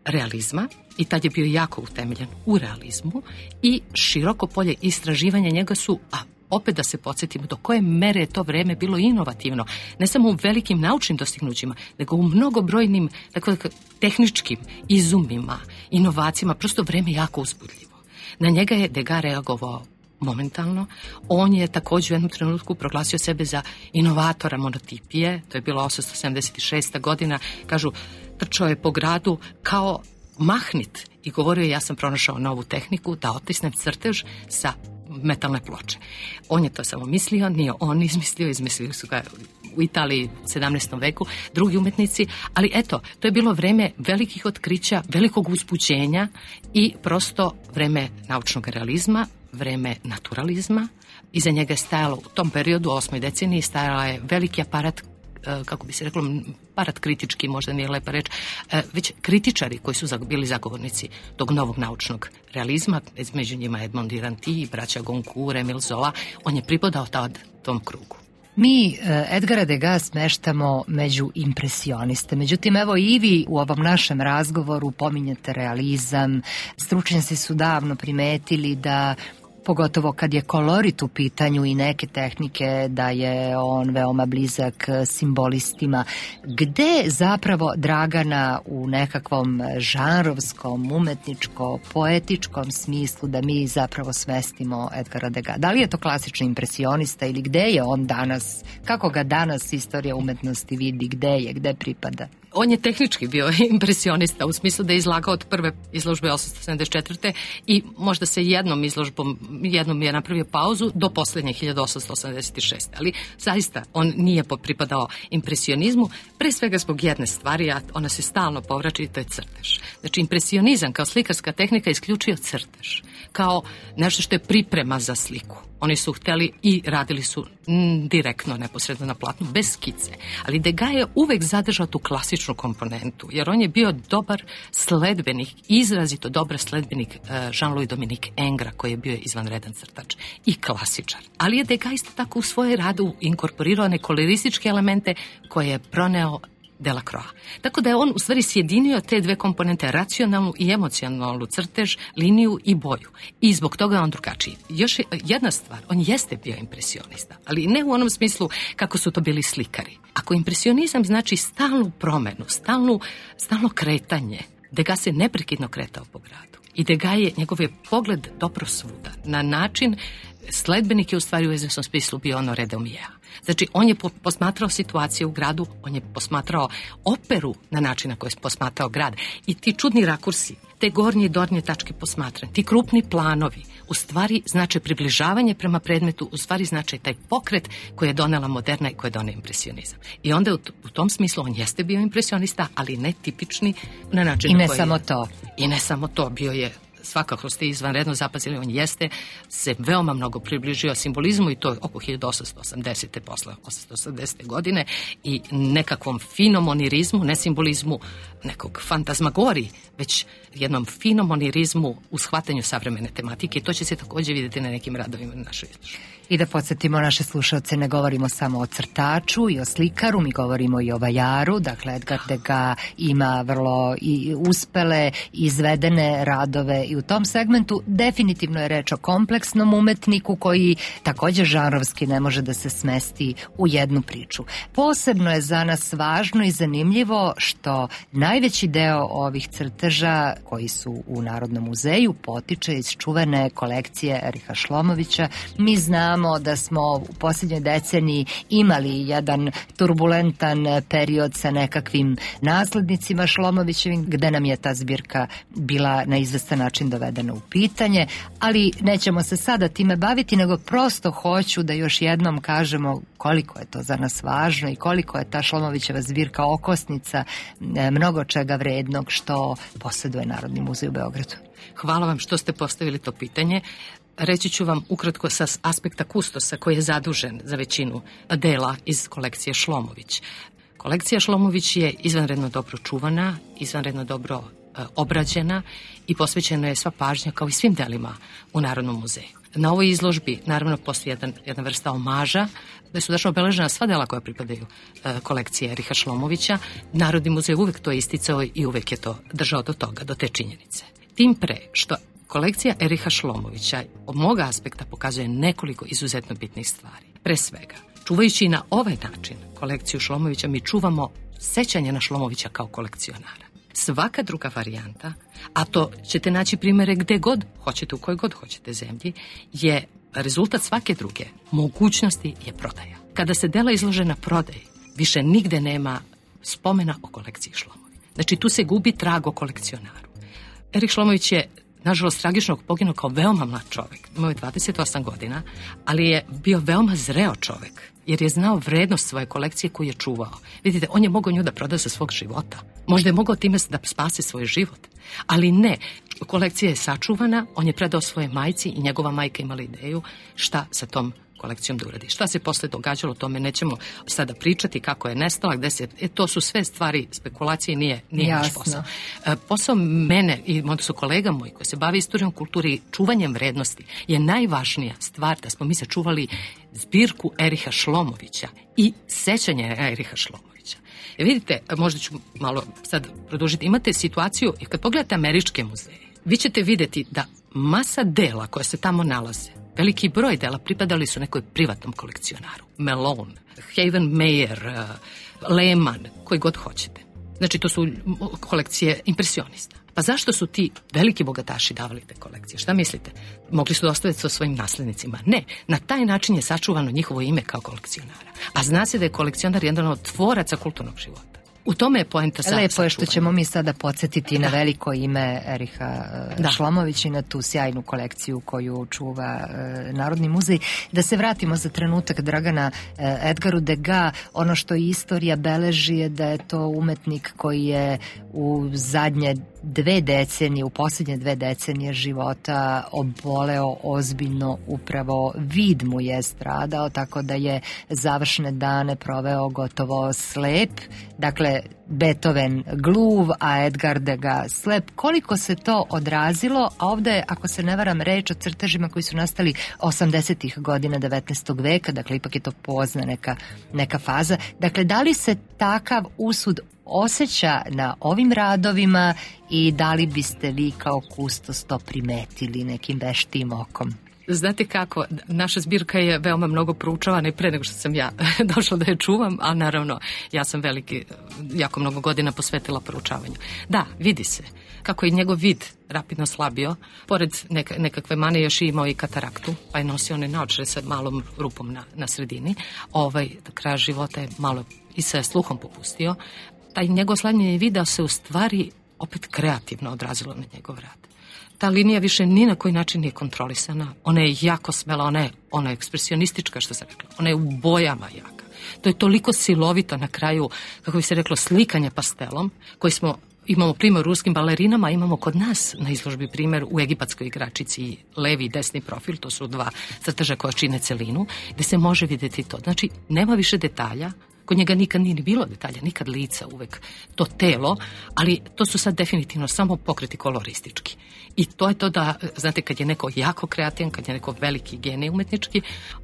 realizma i tad je bio jako utemeljen u realizmu i široko polje istraživanja njega su, a opet da se podsjetimo do koje mere je to vreme bilo inovativno, ne samo u velikim naučnim dostignućima, nego u mnogobrojnim dakle, tehničkim izumima, inovacijama, prosto vreme jako uzbudljivo. Na njega je Degas reagovao momentalno. On je također u jednom trenutku proglasio sebe za inovatora monotipije, to je bilo osamsto sedamdeset šesta godina, kažu, trčao je po gradu kao mahnit i govorio je ja sam pronašao novu tehniku da otisnem crtež sa metalne ploče. On je to samo mislio, nije on izmislio, izmislili su ga u Italiji u sedamnaestom veku drugi umetnici, ali eto, to je bilo vreme velikih otkrića, velikog uzbuđenja i prosto vreme naučnog realizma, vreme naturalizma. Iza njega je stajalo u tom periodu, u osmoj deceniji, stajala je veliki aparat, kako bi se reklo, aparat kritički, možda nije lepa reč, već kritičari koji su bili zagovornici tog novog naučnog realizma, među njima Edmond Duranty, braća Goncourt, Emile Zola, on je pripadao tad tom krugu.
Mi Edgara Degas smeštamo među impresioniste. Međutim, evo i vi u ovom našem razgovoru pominjete realizam. Stručnjaci su davno primetili da pogotovo kad je kolorit u pitanju i neke tehnike, da je on veoma blizak simbolistima. Gde zapravo Dragana u nekakvom žanrovskom, umetničko-poetičkom smislu da mi zapravo smestimo Edgara Degas? Da li je to klasični impresionista ili gde je on danas? Kako ga danas istorija umetnosti vidi? Gde je? Gde pripada?
On je tehnički bio impresionista u smislu da je izlagao od prve izložbe osamsto sedamdeset četvrte i možda se jednom izložbom, jednom je napravio pauzu do posljednje hiljadu osamsto osamdeset šeste. Ali zaista on nije pripadao impresionizmu, pre svega zbog jedne stvari, a ona se stalno povraća i to je crtež. Znači impresionizam kao slikarska tehnika isključio crtež kao nešto što je priprema za sliku. Oni su hteli i radili su mm, direktno, neposredno na platnu, bez skice. Ali Degas je uvek zadržao tu klasičnu komponentu, jer on je bio dobar sledbenik, izrazito dobar sledbenik uh, Jean-Louis Dominique Ingres, koji je bio izvanredan crtač i klasičar. Ali je Degas isto tako u svoj radu inkorporirao one kolorističke elemente koje je proneo Delacroix. Tako da je on u stvari sjedinio te dve komponente, racionalnu i emocionalnu crtež, liniju i boju. I zbog toga je on drugačiji. Još jedna stvar, on jeste bio impresionista, ali ne u onom smislu kako su to bili slikari. Ako impresionizam znači stalnu promenu, stalnu, stalno kretanje, Degas se neprekidno kretao po gradu. I Degas je, njegov je pogled dobro svuda. Na način, sledbenik je u stvari u izvesnom smislu bio ono Redomija. Znači, on je posmatrao situaciju u gradu, on je posmatrao operu na način na koji je posmatrao grad. I ti čudni rakursi, te gornje i donje tačke posmatranja, ti krupni planovi, u stvari znače približavanje prema predmetu, u stvari znače taj pokret koji je donela moderna i koji je donela impresionizam. I onda u tom smislu on jeste bio impresionista, ali ne tipični na način
I ne
koji
samo
je,
to.
I ne samo to, bio je, svakako ste izvanredno zapazili, on jeste se veoma mnogo približio simbolizmu i to oko hiljadu osamsto osamdesete posle osamsto osamdesete godine i nekakvom finom onirizmu, ne simbolizmu nekog fantazmagoriji, već jednom finom onirizmu u shvatanju savremene tematike i to će se također vidjeti na nekim radovima na našoj izložbi.
I da podsjetimo naše slušalce, ne govorimo samo o crtaču i o slikaru, mi govorimo i o vajaru, dakle Edgar Degas ima vrlo i uspele izvedene radove i u tom segmentu definitivno je reč o kompleksnom umetniku koji također žanrovski ne može da se smesti u jednu priču. Posebno je za nas važno i zanimljivo što najveći deo ovih crteža koji su u Narodnom muzeju potiče iz čuvene kolekcije Eriha Šlomovića. Mi znamo da smo u posljednjoj deceniji imali jedan turbulentan period sa nekakvim naslednicima Šlomovićevim, gde nam je ta zbirka bila na izvestan način dovedena u pitanje, ali nećemo se sada time baviti, nego prosto hoću da još jednom kažemo koliko je to za nas važno i koliko je ta Šlomovićeva zbirka okosnica mnogo čega vrednog što posjeduje Narodni muzej u Beogradu.
Hvala vam što ste postavili to pitanje. Reći ću vam ukratko sa aspekta kustosa koji je zadužen za većinu dela iz kolekcije Šlomović. Kolekcija Šlomović je izvanredno dobro čuvana, izvanredno dobro e, obrađena i posvećena je sva pažnja kao i svim delima u Narodnom muzeju. Na ovoj izložbi naravno postoji jedan, jedna vrsta omaža, da su dašno obeležena sva dela koja pripadaju e, kolekcije Eriha Šlomovića. Narodni muzej uvek to isticao i uvek je to držao do toga, do te činjenice. Tim pre što kolekcija Eriha Šlomovića od moga aspekta pokazuje nekoliko izuzetno bitnih stvari. Pre svega, čuvajući na ovaj način kolekciju Šlomovića, mi čuvamo sećanje na Šlomovića kao kolekcionara. Svaka druga varijanta, a to ćete naći primere gde god hoćete, u kojoj god hoćete zemlji, je rezultat svake druge mogućnosti je prodaja. Kada se dela izlože na prodaji, više nigde nema spomena o kolekciji Šlomovića. Znači, tu se gubi trag o kolekcionaru. Erih Šlomović je, nažalost, tragično poginuo kao veoma mlad čovek. Imao je dvadeset osam godina, ali je bio veoma zreo čovek, jer je znao vrednost svoje kolekcije koju je čuvao. Vidite, on je mogao nju da proda za svog života. Možda je mogao time da spase svoj život. Ali ne, kolekcija je sačuvana, on je predao svoje majci i njegova majka imala ideju šta sa tom kolekcijom da uradi. Šta se posle događalo, o tome nećemo sada pričati, kako je nestala, gde se... E, to su sve stvari spekulacije, nije, nije naš posao. E, posao mene i možda su kolega moji koji se bave istorijom kulture i čuvanjem vrednosti je najvažnija stvar da smo mi sačuvali zbirku Eriha Šlomovića i sećanje Eriha Šlomovića. E, vidite, možda ću malo sad produžiti, imate situaciju, kad pogledate američke muzeje, vi ćete videti da masa dela koja se tamo nalaze, veliki broj dela pripadali su nekoj privatnom kolekcionaru. Malone, Haven Mayer, uh, Lehman, koji god hoćete. Znači, to su kolekcije impresionista. Pa zašto su ti veliki bogataši davali te kolekcije? Šta mislite? Mogli su da ostaviti sa svojim naslednicima? Ne. Na taj način je sačuvano njihovo ime kao kolekcionara. A zna se da je kolekcionar jedan od tvoraca kulturnog života. U tome je poenta sa
Lepo je što ćemo mi sada podsjetiti da. na veliko ime Eriha da. Šlomovića i na tu sjajnu kolekciju koju čuva e, Narodni muzej. Da se vratimo za trenutak, Dragana, e, Edgaru Degas. Ono što istorija beleži je da je to umetnik koji je u zadnje dve decenije, u posljednje dve decenije života oboleo ozbiljno, upravo vid mu je stradao, tako da je završne dane proveo gotovo slep. Dakle, Beethoven gluv, a Edgar Degas slep. Koliko se to odrazilo, a ovde, ako se ne varam, reč o crtežima koji su nastali osamdesetih godina devetnaestog veka, dakle, ipak je to pozna neka, neka faza. Dakle, da li se takav usud osjeća na ovim radovima i da li biste vi kao kustos to primetili nekim veštim okom?
Znate kako, naša zbirka je veoma mnogo proučavana i pre nego što sam ja došla da je čuvam, a naravno ja sam veliki, jako mnogo godina posvetila proučavanju. Da, vidi se kako je njegov vid rapidno slabio, pored neka, nekakve mane još i imao i kataraktu, pa je nosio one naočare sa malom rupom na, na sredini. Ovaj, do kraja života je malo i sa sluhom popustio. Taj njegov slanjanje vida se u stvari opet kreativno odrazilo na njegov rad. Ta linija više ni na koji način nije kontrolisana. Ona je jako smela, ona je, ona je ekspresionistička, što sam rekla. Ona je u bojama jaka. To je toliko silovito na kraju, kako bi se reklo, slikanje pastelom, koji smo, imamo primjer u ruskim balerinama, imamo kod nas na izložbi primjer u egipatskoj igračici levi i desni profil, to su dva crteža koja čine celinu, gde se može vidjeti to. Znači, nema više detalja, kod njega nikad nije ni bilo detalja, nikad lica, uvek to telo, ali to su sad definitivno samo pokreti koloristički. I to je to da, znate, kad je neko jako kreativan, kad je neko veliki genij umetnički,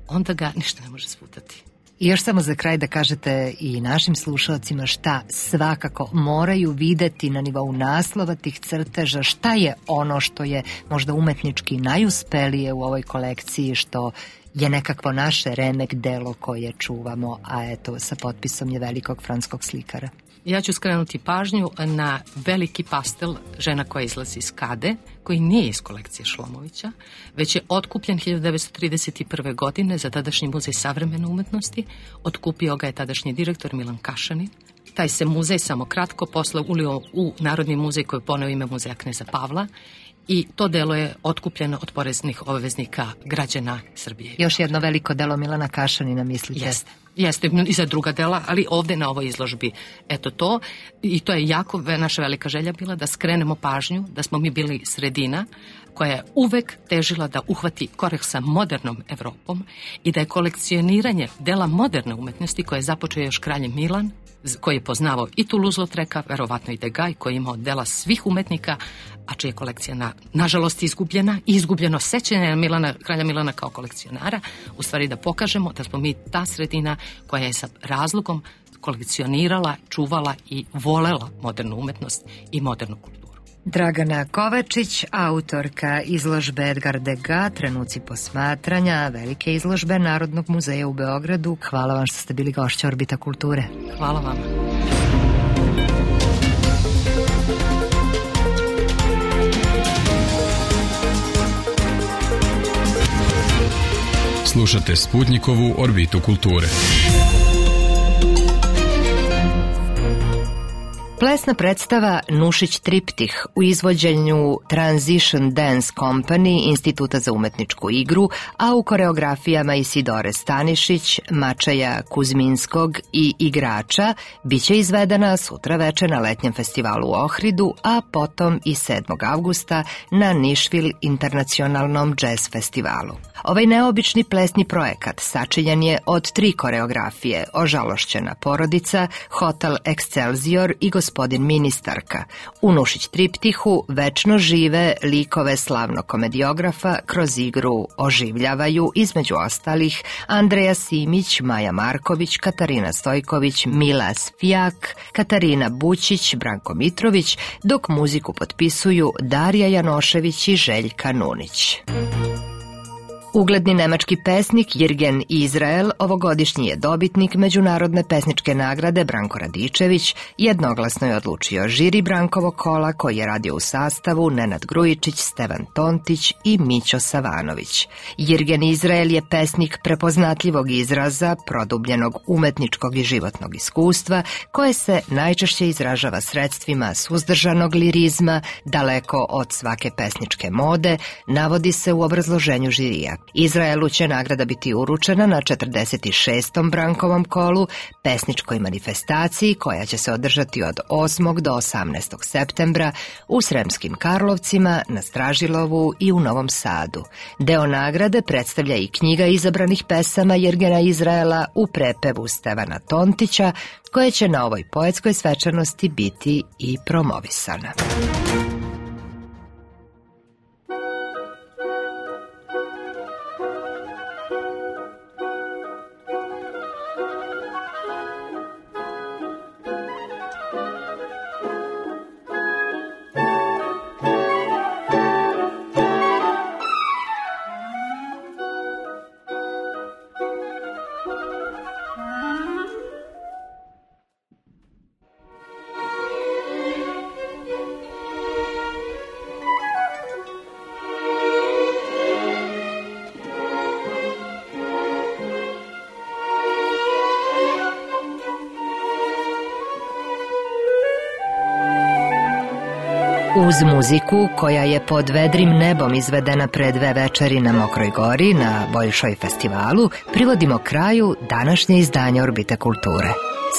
onda ga ništa ne može sputati.
I još samo za kraj da kažete i našim slušalcima šta svakako moraju videti na nivou naslova tih crteža, šta je ono što je možda umetnički najuspelije u ovoj kolekciji, što je nekakvo naše remek delo koje čuvamo, a eto, sa potpisom je velikog francuskog slikara.
Ja ću skrenuti pažnju na veliki pastel Žena koja izlazi iz kade, koji nije iz kolekcije Šlomovića, već je otkupljen hiljadu devetsto trideset prve. godine za tadašnji muzej savremene umetnosti. Otkupio ga je tadašnji direktor Milan Kašanin. Taj se muzej samo kratko posle ulio u Narodni muzej koji je poneo ime muzeja kneza Pavla i to delo je otkupljeno od poreznih obveznika građana Srbije.
Još jedno veliko delo Milana Kašanina, mislite?
Jeste. Jeste i za druga dela, ali ovde na ovoj izložbi, eto to, i to je jako naša velika želja bila da skrenemo pažnju, da smo mi bili sredina koja je uvek težila da uhvati korak sa modernom Evropom i da je kolekcioniranje dela moderne umetnosti koje je započeo još kralj Milan, koji je poznavao i Toulouse-Lautreka, verovatno i Degas, koji je imao dela svih umetnika, a čija je kolekcija na, nažalost izgubljena i izgubljeno sećanje Milana, kralja Milana kao kolekcionara, u stvari da pokažemo da smo mi ta sredina koja je sa razlogom kolekcionirala, čuvala i volela modernu umetnost i modernu kulturu.
Dragana Kovačić, autorka izložbe Edgar Degas, trenuci posmatranja, velike izložbe Narodnog muzeja u Beogradu. Hvala vam što ste bili gošća Orbita kulture.
Hvala vam.
Slušate Sputnikovu Orbitu kulture.
Plesna predstava Nušić triptih u izvođenju Transition Dance Company Instituta za umetničku igru, a u koreografijama Isidore Stanišić, Mačeja Kuzminskog i igrača, biće izvedena sutra veče na letnjem festivalu u Ohridu, a potom i sedmog avgusta na Nišvil internacionalnom jazz festivalu. Ovaj neobični plesni projekat sačinjen je od tri koreografije: Ožalošćena porodica, Hotel Excelsior i Gospodin ministarka. U Nušić triptihu večno žive likove slavnog komediografa kroz igru oživljavaju, između ostalih, Andreja Simić, Maja Marković, Katarina Stojković, Mila Sfijak, Katarina Bućić, Branko Mitrović, dok muziku potpisuju Darija Janošević i Željka Nunić. Ugledni nemački pesnik Jirgen Izrael ovogodišnji je dobitnik Međunarodne pesničke nagrade Branko Radičević, jednoglasno je odlučio žiri Brankovog kola koji je radio u sastavu Nenad Grujičić, Stevan Tontić i Mićo Savanović. Jirgen Izrael je pesnik prepoznatljivog izraza, produbljenog umetničkog i životnog iskustva, koje se najčešće izražava sredstvima suzdržanog lirizma, daleko od svake pesničke mode, navodi se u obrazloženju žirija. Izraelu će nagrada biti uručena na četrdeset šestom Brankovom kolu, pesničkoj manifestaciji koja će se održati od osmog do osamnaestog septembra u Sremskim Karlovcima, na Stražilovu i u Novom Sadu. Deo nagrade predstavlja i knjiga izabranih pesama Jirgena Izraela u prepevu Stevana Tontića, koja će na ovoj poetskoj svečanosti biti i promovisana. Uz muziku, koja je pod vedrim nebom izvedena pre dve večeri na Mokroj gori, na Boljšoj festivalu, privodimo kraju današnje izdanje Orbite kulture.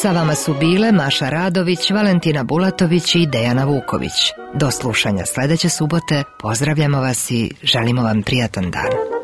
Sa vama su bile Maša Radović, Valentina Bulatović i Dejana Vuković. Do slušanja sledeće subote, pozdravljamo vas i želimo vam prijatan dan.